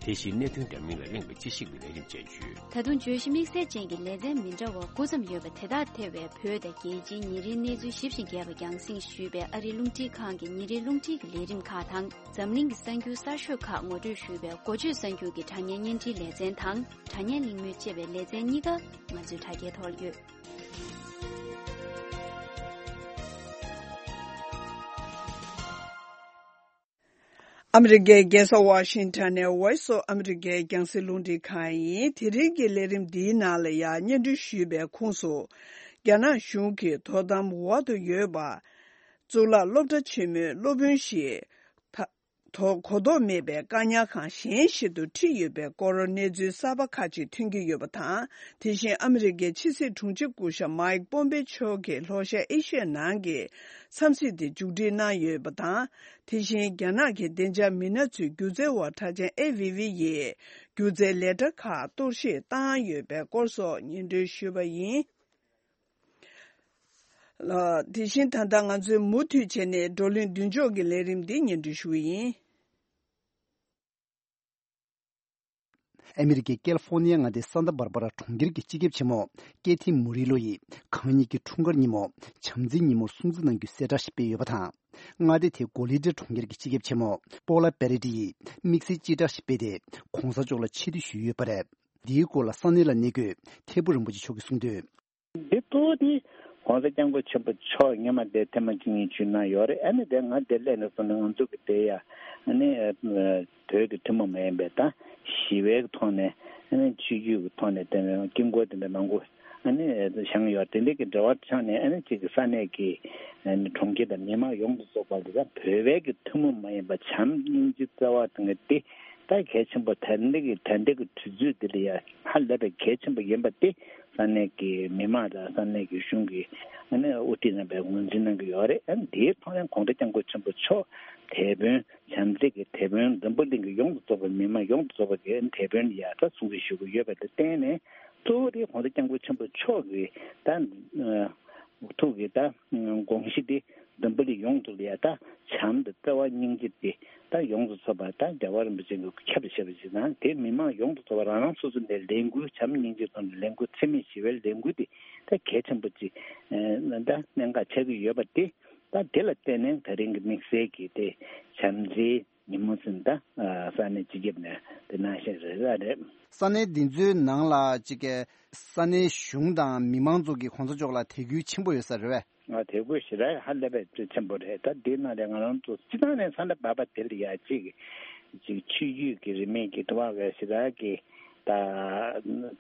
དེ་བཞིན་གནད་དོན་འདྲ་མིན་ལ་གླེང་བའི་དཔྱད་ཞིབ་ཀྱི་ལས་རིམ་བཅས་ཡོད། ད་དུང་བརྗོད་གཞི་དམིགས་བསལ་ཅན་གྱི་ལེ་ཚན་མི་འདྲ་བ་དགུ་ཙམ་ཡོད་པ་དེ་དག་ཐེ་བའི་བོད་དང་རྒྱལ་སྤྱིའི་ཉིན་རེའི་གནས་ཚུལ་ཞིབ་ཅིང་རྒྱས་པ་རྒྱང་སྲིང་ཞུས་པའི་ཨ་རིའི་རླུང་འཕྲིན་ཁང་གི་ཉིན་རེའི་རླུང་འཕྲིན་གྱི་ལས་རིམ་ཁག་དང་། འཛམ་གླིང་གི་གསར་འགྱུར་གསར་ཤོས་ཁག་ངོ་སྤྲོད་ཞུས་པའི་འགོ་བརྗོད་གསར་འགྱུར་གྱི་དྲ་བརྙན་བརྙན་འཕྲིན་ལེ་ཚན་དང་། དྲ་བརྙན་གླེང་མོལ་ཅེས་པའི་ལེ་ཚན་གཉིས་ཀ་ང་ཚོའི་དྲ་རྒྱའི་ཐོག་ཡོད། ཨ་མི་རི་ཀའི་རྒྱལ་ས་ཝ་ཤིང་ཊོན་ནས་Voice of America རྒྱང་སྲིང་རླུང་འཕྲིན་ཁང་ཡིན། དེ་རིང་གི་ལས་རིམ་འདིའི་ནང་ལ་ཡང་སྙན་སྒྲོན་ཞུས་པའི་ཁོངས་སུ། རྒྱ་ནག་གཞུང་གིས་དོ་དམ་འོག་ཏུ་ཡོད་པ། གཙུག་ལག་སློབ་གྲྭ་ཆེན་མོའི་སློབ་དཔོན་ཞིག་ད། དོ་གོ་རྟོགས་མེད་པའི་བཀག་ཉར་ཁང་གཞན་ཞིག་ཏུ་ཁྲིད་ཡོད་པའི་སྐོར་གནས་ཚུལ་གསར་པ་ཁག་ཅིག་ཐོན་གྱི་ཡོད་པ་དང་། དེ་བཞིན་ཨ་མི་རི་ཀའི་ཕྱི་སྲིད་དྲུང་ཆེ་སྐུ་ཞབས་མཱིག་པོམ་པེ་མཆོག་གིས་ལྷོ་ཤར་ཨེ་ཤི་ཡའི་ནང་གི་འཚམས་གཟིགས་དེ་མཇུག་སྒྲིལ་གནང་ཡོད་པ་དང་། དེ་བཞིན་རྒྱ་ནག་གི་བདེ་འཇགས་མི་སྣ་ཚོའི་སྒྱུ་རྩལ་བ་གྲགས་ཅན་ཨེ་ཝི་ཝི་ཡིས་སྒྱུ་རྩལ་ལས་གྲྭ་ཁག་གཏོར་བཤིག་བཏང་ཡོད་པའི་སྐོར་སོགས་སྙན་སྒྲོན་ཞུས་པ་ཡིན། ལགས། དེ་བཞིན་ད་ལྟ་ང་ཚོས་མུ་མཐུད་བྱས་ནས་བགྲོ་གླེང་མདུན་ལྕོག་གི་ལས་རིམ་འདི་སྙན་སྒྲོན་ཞུ་གི་ཡིན། ཨ་མི་རི་ཀའི་ཀེ་ལི་ཧྥོ་ནི་ཡ་མངའ་སྡེའི་སཱན་ཏཱ་བྷར་བྷ་ར་གྲོང་ཁྱེར་གྱི་སྤྱི་ཁྱབ་ཆེན་མོ་ཀེ་ཐི་མུ་རི་ལོ་ཡིས་གང་ཉིད་ཀྱི་འཁྲུངས་སྐར་ཉིན་མོ་བྱམས་བརྩེའི་ཉིན་མོར་སྲུང་བརྩི་གནང་རྒྱུའི་གསལ་བསྒྲགས་ཤིག་སྤེལ་ཡོད་པ་དང་། མངའ་སྡེ་དེའི་གོ་ལི་ཏྲི་གྲོང་ཁྱེར་གྱི་སྤྱི་ཁྱབ་ཆེན་མོ་པོ་ལ་པེ་རེ་ཏི་ཡིས་དམིགས་བསལ་སྤྱི་བསྒྲགས་ཤིག་སྤེལ་ཏེ། གོང་ས་མཆོག་ལ་ཆེ་བསྟོད་ཞུས་ཡོད་པ་རེད། འདིའི་སྐོར་ལ་ས་གནས་ལ་གནས་འཁོད་ཐད་པུ་རིན་པོ་ཆེ་མཆོག་གིས་གསུངས་དོན། འདི་གཙོ་བོ་དེ་༸གོང་ས་༸སྐྱབས་མགོན་ཆེན་པོ་མཆོག་སྔོན་མ་དེ་ཐེངས་མ་གཅིག་གཉིས་ཞུས་གནང་ཡོད་རེད། ཨ་ནི་དེ་ང་དེ་སླེབས་ནས་བཟུང་ནས་ང་ཚོ་གི་དེ་ཡ་ཨ་ནི་བོད་ཀྱི་ཐུན་མོང་མ་ཡིན་པའི་ད་ཞི་བའི་ཐོག་ནས་ཨ་ནི་ཆོས་བརྒྱུད་ཀྱི་ཐོག་ནས་དེ་དཀྱིལ་འཁོར་དེ་འདྲ་མང་པོ་ཨ་ནི་བཞེངས་ཡོད། དེ་འདྲ་གི་འབྲེལ་བ་ཆགས་ནས་ཨ་ནི་གཅིག་གི་ས་གནས་ཀྱི་ཨ་ནི་གྲོང་ཁྱེར་དང་མི་མང་ཡོངས་སུ་རྫོགས་པ་དེ་ད་བོད་པའི་གི་ཐུན་མོང་མ་ཡིན་པ་བྱམས་སྙིང་རྗེ་བརྩེ་བ་དང་དེ་ད་གལ་ཆེན་པོ། ད་ལྟ་གི་ད་ལྟ་གི་དུས་ཚོད་འདི་ལ་ཡ་ཧ་ལས་པའི་གལ་ཆེན་པོ་ཡིན་པ་དེ་ས་གནས་ཀྱི་མི་མང་དང་ས་གནས་ཀྱི་གཞུང་གིས་ཨ་ནི་དབུ་ཁྲིད་རྣམ་པས་ངོས་འཛིན་གནང་གི་ཡོད་རེད། ཨ་ནི་དེའི་ཐོག་ནས་༸གོང་ས་༸སྐྱབས་མགོན་ཆེན་པོ་མཆོག་དེད་དཔོན་བྱམས་བརྩེ་གི་དེད་དཔོན་འཛམ་བུ་གླིང་གི་ཡོངས་སུ་རྫོགས་པའི་མི་མང་ཡོངས་སུ་རྫོགས་པ་གི་དེད་དཔོན་ལ་ཡ་ད་སྲུང་བརྩི་ཞུ་གི་ཡོད་པ་དེ་བརྟེན་ནས། གཙོ་བོ་དེ་༸གོང་ས་༸སྐྱབས་མགོན་ཆེན་པོ་མཆོག་གི་ད་ཐུགས་ཀྱི་ད་དགོངས་གཞི་དེ་འཛམ་བུ་གླིང་ཡོངས་སུ་ལ་ཡ་ད་བྱམས་དང་བརྩེ་བ་སྙིང་རྗེ་དེ་ད་ཡོངས་སུ་རྫོགས་པ་ད་རྒྱལ་བ་རིན་པོ་ཆེ་གིས་ཁྱབ་བྱེད་པ་ཞིག་དང་། དེ་མི་མང་ཡོངས་སུ་རྫོགས་པ་རང་རང་སོ་སོ་ནས་ལས་འགུལ་བྱམས་སྙིང་རྗེ་ཐོག་ནས་ལས་འགུལ་འཚེ་མེད་ཞི་བའི་ལས་འགུལ་དེ་ད་གལ་ཆེན་པོ་ཅིག་ད་གནད་འགག་ཆགས་ཀྱི་ཡོད་པ་དེ། ད་དེ་ལ་བརྟེན་ནས་ད་རིང་གི་དམིགས་བསལ་གྱི་དེ་བྱམས་བརྩེའི་ཉིན་མོ་ཟིན་ད་ས་གནས་སྤྱི་ཁྱབ་ནས་དེ་གནང་བཞིན་རེད། ར་རེད། ས་གནས་འདི་ཚོའི་ནང་ལ་ཅིག་གི་ས་གནས་གཞུང་དང་མི་མང་ཚོ་གིས་གོང་ས་མཆོག་ལ་དད་གུས་ཆེན་པོ་ཡོད་ས་རེད་བས། ང་དད་གུས་ཞེ་དྲག་ཧ་ལས་པའི་ཆེན་པོ་རེད། ད་འདི་ནང་ལ་ང་རང་ཚོ་སྤྱི་བཏང་ནས་ས་གནས་བར་པ་དེ་ལ་ཡ་ཅིག་ཅིག་ཆོས་བརྒྱུད་ཀྱི་རིས་མེད་ཀྱི་དུ་བ་བས་ཞེ་དྲག་གི་ད་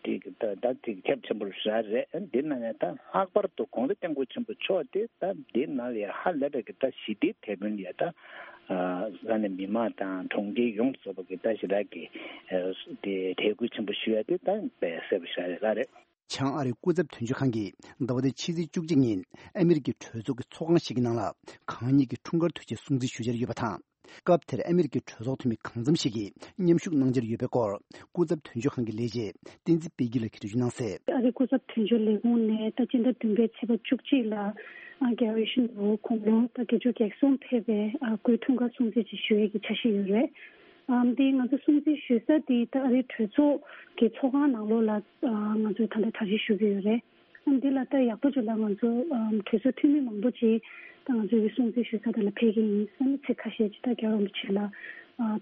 ཅིག་ད་ད་ཅིག་ཁྱབ་ཆེན་པོ་ཞེ་དྲག་རེད། འདི་ནང་ནས་ད་ལྷག་པར་དུ་༸གོང་ས་༸སྐྱབས་མགོན་ཆེན་པོ་མཆོག་དེ་ད་འདི་ནང་ལ་ཡ་ཧ་ལས་པའི་གི་ད་ཞི་བདེའི་དེད་དཔོན་ཡ་ད་ས་གནས་མི་མང་དང་གྲོང་ཁྱེར་ཡོངས་སུ་རྫོགས་པ་གི་ད་ཞེ་དྲག་གི་དེ་དད་གུས་ཆེན་པོ་ཞུ་ཡ་དེ་ད་དཔེ་གསལ་པོ་ཞེ་དྲག་རེད། ལ་རེད། བྱང་ཨ་རིའི་སྐུ་ཚབ་དོན་གཅོད་ཁང་གིས་ཟླ་བ་འདིའི་ཕྱི་ཚེས་བཅུ་གཅིག་ཉིན་ཨ་མི་རི་ཀའི་གྲོས་ཚོགས་ཀྱི་ཚོགས་ཁང་ཞིག་གི་ནང་ལ་གང་ཉིད་ཀྱི་འཁྲུངས་སྐར་དུས་ཆེན་སྲུང་བརྩི་ཞུ་འཆར་ཡོད་པ་དང་། སྐབས་དེར་ཨ་མི་རི་ཀའི་གྲོས་ཚོགས་འཐུས་མི་གང་འཚམ་ཞིག་གིས་མཉམ་ཞུགས་གནང་འཆར་ཡོད་པའི་སྐོར། སྐུ་ཚབ་དོན་གཅོད་ཁང་གི་ལས་བྱེད་བསྟན་འཛིན་དཔལ་སྐྱིད་ལགས་ཀྱིས་འགྲེལ་བརྗོད་གནང་གསལ། ཨ་རིའི་སྐུ་ཚབ་དོན་གཅོད་ལས་ཁུངས་ནས་ད་སྤྱི་ཟླ་བདུན་པའི་ཚེས་པ་བཅུ་གཅིག་ལ་ཨ་རྒྱལ་བ་ཡིད་བཞིན་ནོར་བུ་དགུང་ལོ་ད་བརྒྱད་ཅུ་གྱ་གསུམ་ཕེབས་པའི་ཨ་སྐུའི་འཁྲུངས་སྐར་སྲུང་བརྩི་ཅིག་ཞུ་ཡས་ཀྱི་འཆར་གཞི་ཡོད་རེད། ཨམ་དེ་ང་ཚོ་སྲུང་བརྩི་ཞུ་ས་དེ་ད་ཨ་རིའི་གྲོས་ཚོགས་ཀྱི་ཚོགས་ཁང་ནང་ལོགས་ལ་ཨ་ང་ཚོས་ད་ལྟ་གྲ་སྒྲིག་ཞུ་གི་ཡོད་རེད། ཨམ་དེ་ལ་ད་ཡག་པོ་ཅིག་ལ་ང་ཚོ་ཨམ་གྲོས་ཚོགས་འཐུས་མི་མང་པོ་ཅིག་ད་ང་ཚོའི་སྲུང་བརྩི་ཞུ་ས་དེ་ལ་ཕེབས་ཀྱི་ཡིན། ཨ་ནི་ཚིག་ཁ་ཤས་ཅིག་ད་རྒྱལ་བ་རིན་པོ་ཆེ་ལ་ཨ་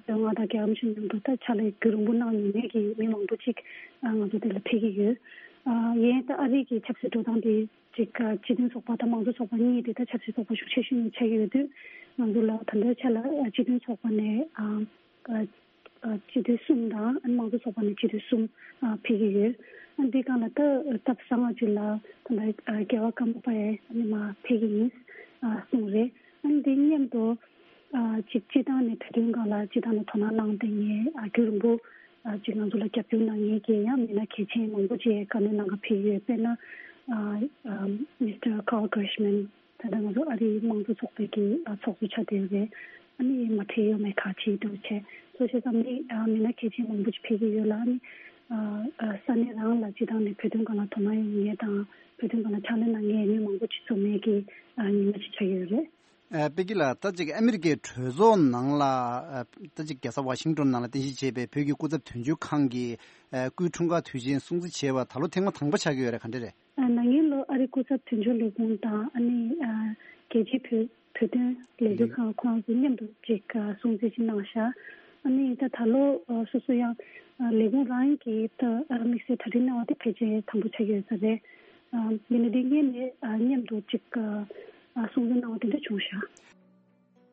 བོད་མངའ་བདག་རྒྱལ་བ་རིན་པོ་ཆེ་མཉམ་དུ་ད་ཕྱག་ལས་རྒྱུན་རིང་པོ་གནང་མྱོང་མཁན་གྱི་མི་མང་པོ་ཅིག་ཨ་ང་ཚོ་དེ་ལ་ཕེབས་ཀྱི་ཡོད། ཨ་ཡིན་ད་ཨ་རི་གི་ཆབ་སྲིད་འགྲོ་སྟངས་དེ་ཅིག་ཨ་སྤྱི་མཐུན་ཚོགས་པ་དང་དམངས་གཙོ་ཚོགས་པ་གཉིས་དེ་ད་ཆབ་སྲིད་ཚོགས་པ་ཤུགས་ཆེ་ཤོས་གཉིས་ཆགས་ཀྱི་ཡོད་དུས། ང་ཚོ་ལ་ད་ལྟའི་ཆ་ལ་ཨ་སྤྱི་མཐུན་ཚོགས་པ་ནས་ཨ་ཨ་ཨ་སྤྱི་འཐུས་གསུམ་དང་ཨ་ནི་དམངས་གཙོ་ཚོགས་པ་ནས་སྤྱི་འཐུས་གསུམ་ཨ་ཕེབས་ཀྱི་ཡོད། ཨ་འདི་སྒང་ལ་ད་སྟབས་བཟང་བ་ཅིག་ལ་ད་ལྟ་ཨ་རྒྱལ་བ་ཀརྨ་པ་ཡང་ཨ་ནི་མར་ཕེབས་ཀྱི་ཡིན་ཨ་གསུངས་རེད། ཨ་ནི་འདི་མཉམ་དུ་ཨ་ཅིག་སྤྱི་བཏང་ནས་བོད་དོན་སྒང་ལ་སྤྱི་བཏང་ནས་དོ་སྣང་གནང་བསྡད་མཁན་ཨ་རྒྱུན་རིང་པོ་ཨ་ཅིག་ང་ཚོ་ལ་རྒྱབ་སྐྱོར་གནང་མཁན་གྱི་ཡང་མི་སྣ་གལ་ཆེན་མང་པོ་ཅིག་བཀའ་མོལ་གནང་ག་ཕེབས་ཡོད། དཔེར་ན་ཨ་ཨ་Mister Carl Gershman། ད་ལྟ་ང་ཚོ་ཨ་རིའི་དམངས་གཙོ་ཚོགས་པའི་གི་ཨ་ཚོགས་གཙོ་ཆགས་བསྡད་ཡོད་རེད། ཨ་ནི་མ་ཁྲིད་ཡོད་མེད་ཁག་ཅིག་འདུག་བྱས་སོ་བྱས་ཙང་ནི་ཨ་མི་སྣ་གལ་ཆེན་མང་པོ་ཅིག་ཕེབས་ཀྱི་ཡོད་ལ། ཨ་ནི་ཨ་ཨ་ས་གནས་རང་ལ་སྤྱི་བཏང་ནས་བོད་དོན་སྒང་ལ་དོ་སྣང་ཡོད་མཁན་དང་བོད་དོན་སྒང་ལ་ཕྱག་ལས་གནང་མཁན་མི་མང་པོ་ཅིག་འཛོམས་མཁན་གྱི་ཨ་ཉི་མ་ཅིག་ཆགས་ཀྱི་ཡོད་རེད། ཨ་པེ་ཀི་ལགས། ད་ཅིག་ཨ་མི་རི་ཀའི་གྲོས་ཚོགས་ནང་ལ་ཨ་ད་ཅིག་རྒྱལ་ས་ཝ་ཤིང་ཏོན་ནང་ལ་རྟེན་གཞི་བྱས་པའི་བོད་ཀྱི་སྐུ་ཚབ་དོན་གཅོད་ཁང་གི་ཨ་སྐུའི་འཁྲུངས་སྐར་དུས་ཆེན་སྲུང་བརྩི་བྱས་པ་ད་ལོ་ཐེངས་མ་དང་པོ་ཆགས་ཀྱི་ཡོད་རེད། ག་འདྲ་རེད། ཨ་ན་ནིང་ལོ་ཨ་རི་སྐུ་ཚབ་དོན་གཅོད་ལས་ཁུངས་དང་ཨ་ནི་ཨ་རྒྱལ་སྤྱིའི་བོད་བོད་དོན་ལས་འགུལ་ཁང་ཁོ་རང་ཚོ་མཉམ་དུ་ཅིག་ཨ་སྲུང་བརྩི་ཅིག་གནང་ཤག་ཨ་ནི་ད་ད་ལོ་ཨ་སོ་སོ་ཡང་ཨ་ལས་ཁུངས་རང་གིས་ད་ཨ་དམིགས་བསལ་གྲ་སྒྲིག་གནང་བ་དེ་ཕལ་ཆེར་དང་པོ་ཆགས་ཀྱི་ཡོད་ས་རེད། ཨ་ཡིན་ན་དེ་སྔོན་ནས་ཨ་མཉམ་དུ་ཅིག་ཨ་སྲུང་བརྩི་གནང་བ་དེ་འདྲ་བྱུང་ཤག་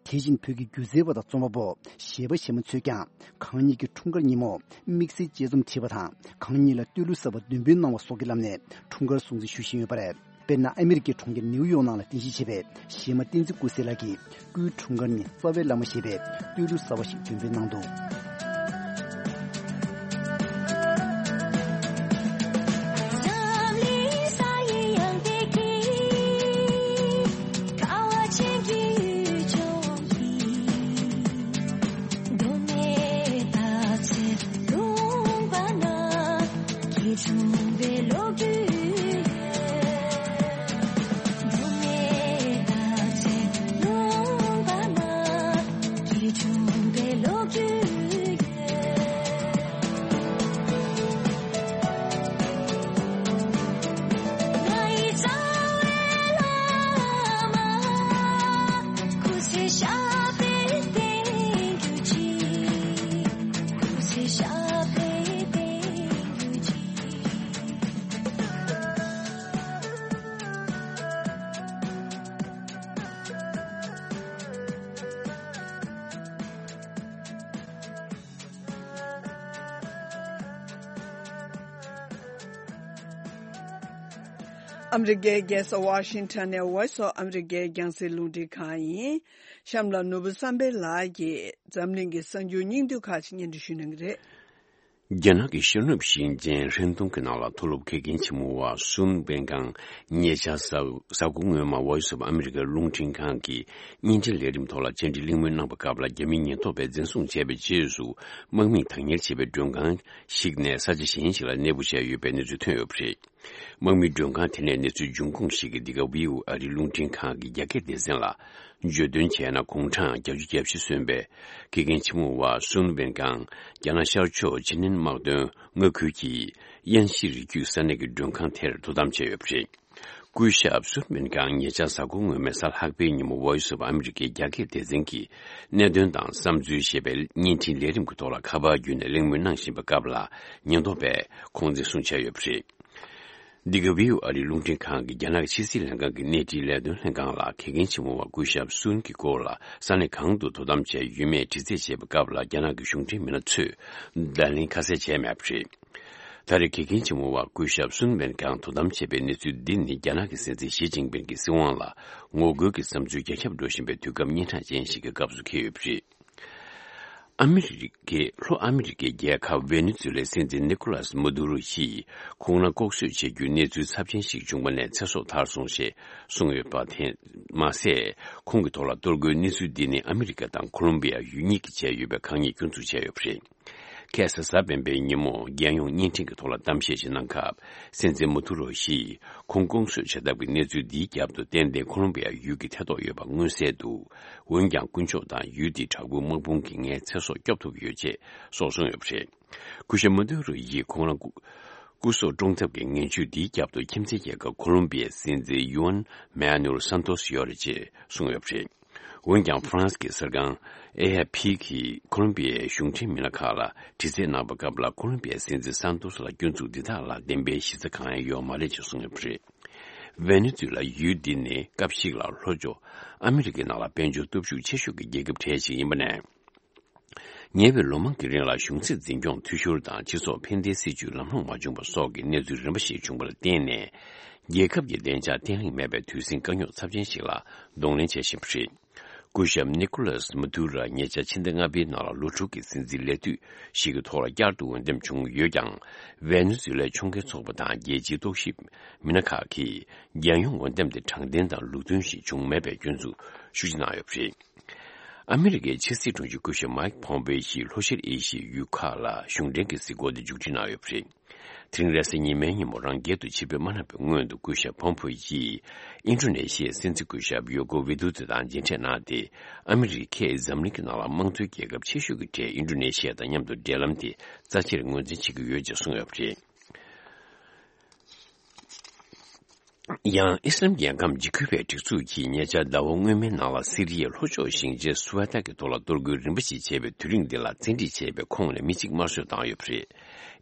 དེ་བཞིན་བོད་ཀྱི་སྒྱུ་རྩལ་བ་དང་རྩོམ་པ་པོ་གཞས་པ་གཞས་མ་ཚོས་ཀྱང་གང་ཉིད་ཀྱི་འཁྲུངས་སྐར་ཉིན་མོ་དམིགས་བསལ་དཔྱད་རྩོམ་བྲིས་པ་དང་གང་ཉིད་ལ་བསྟོད་གླུ་གསར་པ་འདོན་སྤེལ་གནང་བ་སོགས་ཀྱི་ལམ་ནས་འཁྲུངས་སྐར་སྲུང་བརྩི་ཞུ་བཞིན་ཡོད་པ་རེད། དཔེར་ན་ཨ་མི་རི་ཀའི་གྲོང་ཁྱེར་ནིའུ་ཡོག་ནང་ལ་རྟེན་གཞི་བྱས་པའི་གཞས་མ་བསྟན་འཛིན་སྐུ་སྲས་ལགས་ཀྱིས་སྐུའི་འཁྲུངས་སྐར་ཉིན་རྩ་བའི་བླ་མ་ཞེས་པའི་བསྟོད་གླུ་གསར་བ་ཞིག་འདོན་སྤེལ་གནང་འདུག་ཨ་མི་རི་ཀའི་རྒྱལ་ས་ཝ་ཤིང་ཊོན་ནས་Voice of America་རྒྱང་སྲིང་རླུང་འཕྲིན་ཁང་ཡིན། གཤམ་ལ་ནོར་བུ་བསམ་འཕེལ་ལགས་ཀྱིས་འཛམ་གླིང་གི་གསར་འགྱུར་སྙིང་བསྡུས་ཁག་ཅིག་སྙན་སྒྲོན་ཞུ་གནང་གི་རེད། རྒྱ་ནག་གི་ཤར་ནུབ་ཞིང་ཆེན་ཧྲན་ཏུང་གི་ནང་ལ་མཐོ་སློབ་དགེ་རྒན་ཆེན་མོ་བ་སུན་ཝེན་ཀང་ཉེ་ཆར་གཟའ་གཟའ་འཁོར་སྔོན་མ་Voice of America་རླུང་འཕྲིན་ཁང་གི་བརྙན་འཕྲིན་ལས་རིམ་ཐོག་ལ་བཅར་འདྲི་གླེང་མོལ་གནང་པའི་སྐབས་ལ། རྒྱ་མིའི་ཉེན་རྟོག་པས་འཛིན་བཟུང་བྱས་པའི་རྗེས་སུ། དམག་མིས་བདག་གཉེར་བྱས་པའི་མགྲོན་ཁང་ཞིག་ནས་ས་ཆ་གཞན་ཞིག་ལ་གནས་སྤོ་བྱས་ཡོད་པའི་གནས་ཚུལ་ཐོན་ཡོད་པ་རེད། དམག་མིའི་མགྲོན་ཁང་དེ་ནས་གནས་ཚུལ་འབྱུང་ཁུངས་ཤིག་གིས་འདི་ག་ཝི་ཨོ་ཨེ་རི་རླུང་འཕྲིན་ཁང་གི་རྒྱ་སྐད་སྡེ་ཚན་ལ་བརྗོད་དོན་བྱས་ན། དགུང་གྲངས་བརྒྱད་ཅུ་གྱ་བཞི་སོན་པའི་དགེ་རྒན་ཆེན་མོ་བ་སུན་ཝེན་ཀང་རྒྱ་ནག་ཤར་ཕྱོགས་ཅི་ནན་དམག་དོན་མངའ་ཁུལ་གྱི་དབྱན་ཞི་རི་རྒྱུད་ས་གནས་ཀྱི་མགྲོན་ཁང་དེར་དོ་དམ་བྱས་ཡོད་པ་རེད། སྐུ་ཞབས་སུན་ཝེན་ཀང་ཉེ་ཆར་གཟའ་འཁོར་སྔོན་མའི་གཟའ་ལྷག་པའི་ཉིན་མོ་Voice of America་རྒྱ་སྐད་སྡེ་ཚན་གྱི་གནད་དོན་དང་བསམ་ཚུལ་ཞེས་པའི་བརྙན་འཕྲིན་ལས་རིམ་གྱི་ཐོག་ལ་ཁ་པར་བརྒྱུད་ནས་གླེང་མོལ་གནང་བཞིན་པའི་སྐབས་ལ། ཉེན་རྟོག་པས་ཁོང་འཛིན་བཟུང་བྱས་ཡོད་པ་རེད། འདི་ག་ཝི་ཨོ་ཨེ་རི་རླུང་འཕྲིན་ཁང་གི་རྒྱ་ནག་གི་ཕྱི་སྲིད་ལྷན་ཁང་གི་གནས་འཕྲིན་ལས་དོན་ལྷན་ཁང་ལ་དགེ་རྒན་ཆེན་མོ་བ་སྐུ་ཞབས་སུན་གྱི་སྐོར་ལ་ས་གནས་གང་དུ་དོ་དམ་བྱས་ཡོད་མེད་དྲི་རྩད་བྱས་པའི་སྐབས་ལ། རྒྱ་ནག་གི་གཞུང་འབྲེལ་མི་སྣ་ཚོས་བརྡ་ལན་ཁ་གསལ་བྱས་མེད་པ་རེད། ད་རེས་དགེ་རྒན་ཆེན་མོ་བ་སྐུ་ཞབས་སུན་ཝེན་ཀང་དོ་དམ་བྱས་པའི་གནས་ཚུལ་འདི་ནི། རྒྱ་ནག་གི་སྲིད་འཛིན་ཞི་ཅིན་ཕིང་གི་སྲིད་དབང་ལ་ངོ་རྒོལ་གྱི་བསམ་ཚུལ་རྒྱ་ཁྱབ་འགྲོ་བཞིན་པའི་དུས་སྐབས་སྙན་གྲགས་ཅན་ཞིག་གི་སྐབས་སུ་འཁེལ་ཡོད་པ་རེད། ཨ་མི་རི་ཀའི་ལྷོ་ཨ་མི་རི་ཀའི་རྒྱལ་ཁབ་ཝེ་ནེ་ཛུ་ལའི་སྲིད་འཛིན་ནི་ཀོ་ལཱས་མ་དུ་རོ་ཡིས་ཁོང་རང་ལྐོག་གསོད་བྱེད་རྒྱུའི་གནས་ཚུལ་ཚབས་ཆེན་ཞིག་བྱུང་བ་ནས་ཚེ་སྲོག་ཐར་སོང་ཞེས་གསུངས་ཡོད་པ་དེ་མ་ཟད། ཁོང་གི་ཐོག་ལ་གཏོར་རྒོལ་གནས་ཚུལ་འདི་ནི་ཨ་མི་རི་ཀ་དང་ཁོ་ལོམ་བི་ཡ་ཡུལ་གཉིས་ཀྱིས་བྱས་ཡོད་པའི་དཀའ་ངལ་སྐྱོན་འཛུགས་བྱས་ཡོད་པ་རེད། ཁ་སང་གཟའ་སྤེན་པའི་ཉིན་མོ་རྒྱལ་ཡོངས་བརྙན་འཕྲིན་གྱི་ཐོག་ལ་གཏམ་བཤད་ཞིག་གནང་སྐབས། སྲིད་འཛིན་མ་དུ་རོ་ཡིས་ཁོང་ལྐོག་གསོད་བྱ་ཐབས་ཀྱི་གནས་ཚུལ་འདིའི་རྒྱབ་ཏུ་ཏན་ཏན་ཁོ་ལོམ་བི་ཡ་ཡུལ་གྱི་ཐེ་གཏོགས་ཡོད་པ་མངོན་གསལ་འདུག་འོན་ཀྱང་། དཀོན་མཆོག་དང་ཡུལ་དེའི་དྲག་པོའི་དམག་དཔུང་གིས་ངའི་ཚེ་སྲོག་སྐྱོབ་ཐུབ་ཡོད་ཅེས་སོགས་གསུངས་ཡོད་པ་རེད། སྐུ་ཞབས་མ་དུ་རོ་ཡིས་ཁོང་རང་སྐུ་སྐུ་སྲོག་བཀྲོངས་ཐབས་ཀྱི་ངན་ཇུས་འདིའི་རྒྱབ་ཏུ་ཁྱིམ་མཚེས་རྒྱལ་ཁབ་ཁོ་ལོམ་བི་ཡའི་སྲིད་འཛིན་ཡུའན་མེ་ནུ་ཨེལ་སན་ཏོས་ཡོད་རེད་ཅེས་གསུངས་ཡོད་པ་རེད། འོན་ཀྱང་། ཧྥ་རན་སི་གི་གསར་ཁང་ཨེ་ཨེ་ཕི་གིས་ཁོ་ལོམ་བི་ཡའི་གཞུང་འབྲེལ་མི་སྣ་ཁག་ལ་དྲི་རྩད་གནང་བའི་སྐབས་ལ། ཁོ་ལོམ་བི་ཡའི་སྲིད་འཛིན་སན་ཏོས་ལ་སྐྱོན་འཛུགས་འདི་དག་ལ་བདེན་པའི་གཞི་རྩ་གང་ཡང་ཡོད་མ་རེད་ཅེས་གསུངས་ཡོད་པ་རེད། ཝེ་ནེ་ཛུ་ལ་ཡུལ་འདི་ནི་སྐབས་ཤིག་ལ་ལྷོ་ཕྱོགས་ཨ་མི་རི་ཀའི་ནང་ལ་དཔལ་འབྱོར་སྟོབས་ཤུགས་ཆེ་ཤོས་ཀྱི་རྒྱལ་ཁབ་གྲས་ཤིག་ཡིན་པ་ནས། ཉེ་བའི་ལོ་མང་གི་རིང་ལ་གཞུང་སྲིད་འཛིན་སྐྱོང་འཐུས་ཤོར་དང་། སྤྱི་ཚོགས་ཕན་བདེའི་སྲིད་བྱུས་ལམ་ལྷོང་མ་བྱུང་བ་སོགས་ཀྱི་གནས་ཚུལ་རིམ་པ་ཞིག་བྱུང་བར་བརྟེན་ནས། རྒྱལ་ཁབ་ཀྱི་བདེ་འཇགས་བརྟན་ལྷིང་མེད་པའི་དུས་ཟིང་དཀའ་རྙོག་ཚབས་ཆེན་ཞིག་ལ་གདོང་ལེན་བྱེད་བཞིན་པ་རེད། སྐུ་ཞབས་ནི་ཀོ་ལཱས་མ་དུ་ར་ཉེ་ཆར་ཕྱི་ཟླ་ལྔ་པའི་ནང་ལ་ལོ་དྲུག་གི་སྲིད་འཛིན་ལས་དུས་ཤིག་གི་ཐོག་ལ་བསྐྱར་དུ་འོས་འདེམས་བྱུང་ཡོད་ཀྱང་། ཝེ་ནེ་ཛུ་ལའི་ཕྱོགས་འགལ་ཚོགས་པ་དང་རྒྱལ་སྤྱིའི་རྟོག་ཞིབ་མི་སྣ་ཁག་གིས། རྒྱལ་ཡོངས་འོས་འདེམས་དེ་དྲང་བདེན་དང་ལུགས་མཐུན་ཞིག་བྱུང་མེད་པའི་སྐྱོན་འཛུགས་ཤུགས་ཆེ་གནང་ཡོད་པ་རེད། ཨ་མི་རི་ཀའི་ཕྱི་སྲིད་དྲུང་ཆེ་སྐུ་ཞབས་མའིག་ཕོམ་པེ་ཡིས་ལྷོ་ཤར་ཨེ་ཤི་ཡའི་ཡུལ་ཁག་ལ་གཞུང་འབྲེལ་གྱི་གཟིགས་སྐོར་དེ་མཇུག་སྒྲིལ་གནང་ཡོད་པ་རེད། དེ་རིང་རེས་གཟའ་ཉི་མའི་ཉིན་མོ་རང་རྒྱལ་དུ་ཆིབས་བསྒྱུར་མ་གནང་བའི་སྔོན་དུ། སྐུ་ཞབས་ཕོམ་པེ་ཡིས་ཨིན་ཌོ་ནེ་ཤི་ཡའི་སྲིད་འཛིན་སྐུ་ཞབས་ཡོ་ཀོ་ཝི་དུ་ཏུ་དང་མཇལ་འཕྲད་གནང་སྟེ། ཨ་མི་རི་ཀས་འཛམ་གླིང་གི་ནང་ལ་དམངས་གཙོའི་རྒྱལ་ཁབ་ཆེ་ཤོས་ཀྱི་གྲས་ཨིན་ཌོ་ནེ་ཤི་ཡ་དང་མཉམ་དུ་འབྲེལ་ལམ་དེ་རྩ་ཆེར་ངོས་འཛིན་བྱེད་ཀྱི་ཡོད་ཅེས་གསུངས་ཡོད་པ་རེད། ཡང་། ཨི་སི་ལམ་རྒྱལ་ཁམས་འཇིགས་སྐུལ་བའི་སྒྲིག་འཛུགས་ཀྱིས་ཉེ་ཆར་ཟླ་བ་སྔོན་མའི་ནང་ལ་སི་རི་ཡའི་ལྷོ་ཕྱོགས་ཞིང་ཆེན་སུ་ཝ་ཏཱ་གི་ཐོག་ལ་གཏོར་རྒོལ་རིམ་པ་ཞིག་བྱས་པའི་དུས་རིང་འདི་ལ་བཙན་ཁྲིད་བྱས་པའི་ཁོངས་ནས་མི་གཅིག་དམར་གསོད་བཏང་ཡོད་པ་རེད།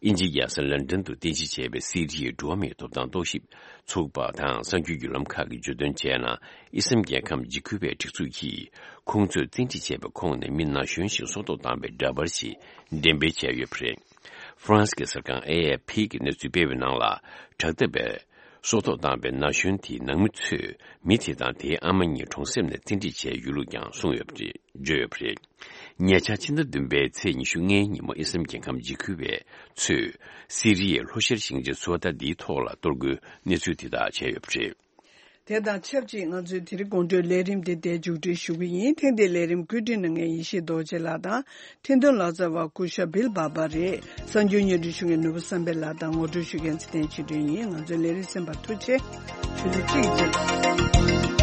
དབྱིན་ཇིའི་རྒྱལ་ས་ལན་ཀྲན་དུ་རྟེན་གཞི་བྱས་པའི་སི་རི་ཡའི་འགྲོ་བ་མིའི་ཐོབ་ཐང་རྟོག་ཞིབ་ཚོགས་པ་དང་གསར་འགྱུར་བརྒྱུད་ལམ་ཁག་གིས་བརྗོད་དོན་བྱས་ན། ཨི་སི་ལམ་རྒྱལ་ཁམས་འཇིགས་སྐུལ་བའི་སྒྲིག་འཛུགས་ཀྱིས་ཁོང་ཚོས་བཙན་ཁྲིད་བྱས་པའི་ཁོངས་ནས་མི་ན་གཞོན་ཞིག་སྲོག་ཐོག་བཏང་བའི་འདྲ་པར་ཞིག་འགྲེམས་སྤེལ་བྱས་ཡོད་པ་རེད། ཧྥ་རན་སི་གི་གསར་ཁང་ཨེ་ཨེ་ཕི་གིས་གནས་ཚུལ་སྤེལ་བའི་ནང་ལ། དྲག་འཐབ་པས་སྲོག་ཐོག་བཏང་བའི་ན་གཞོན་དེའི་ནང་མི་ཚོས་མི་དེ་དང་དེའི་ཨ་མ་གཉིས་གྲོང་གསེབ་ནས་བཙན་ཁྲིད་བྱས་ཡོད་ལུགས་ཀྱང་གསུངས་ཡོད་པ་རེད། བརྗོད་ཡོད་པ་རེད། ཉེ་ཆར་ཕྱི་ཟླ་བདུན་པའི་ཚེས་ཉི་ཤུ་ལྔའི་ཉིན་མོ་ཨི་སི་ལམ་རྒྱལ་ཁམས་འཇིགས་སྐུལ་བས་ཚོས་སི་རི་ཡའི་ལྷོ་ཤར་ཞིང་ཆེན་སུ་ཝ་ཏཱ་འདིའི་ཐོག་ལ་གཏོར་རྒོལ་གནས་ཚུལ་དེ་དག་བྱས་ཡོད་པ་རེད། དེ་དང་ཆབས་ཅིག་ང་ཚོའི་དེ་རིང་དགོང་དྲོའི་ལས་རིམ་དེ་འདིར་མཇུག་སྒྲིལ་ཞུ་གི་ཡིན། ཐེངས་འདིའི་ལས་རིམ་བཀོད་སྒྲིག་གནང་མཁན་ཡེ་ཤེས་རྡོ་རྗེ་ལགས་དང་། འཕྲིན་གཏོང་ལག་རྩལ་བ་སྐུ་ཞབས་བིལ་བྷ་བྷ་རེད། གསར་འགྱུར་སྙན་སྒྲོན་ཞུ་མཁན་ནོར་བུ་བསམ་འཕེལ་ལགས་དང་ངོ་སྤྲོད་ཞུ་མཁན་ཚེ་བརྟན་ཆོས་སྒྲོན་ཡིན། ང་ཚོའི་ལས་རིམ་གསན་པར་ཐུགས་རྗེ་ཆེ། ཆུ་ཚོད་གཅིག་རྗེས།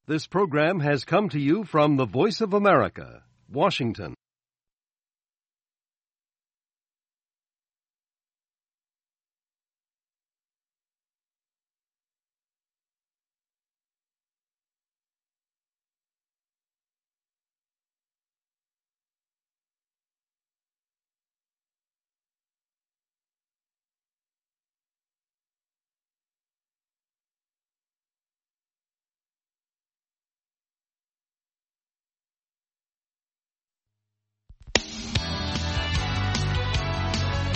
This program has come to you from the Voice of America, Washington.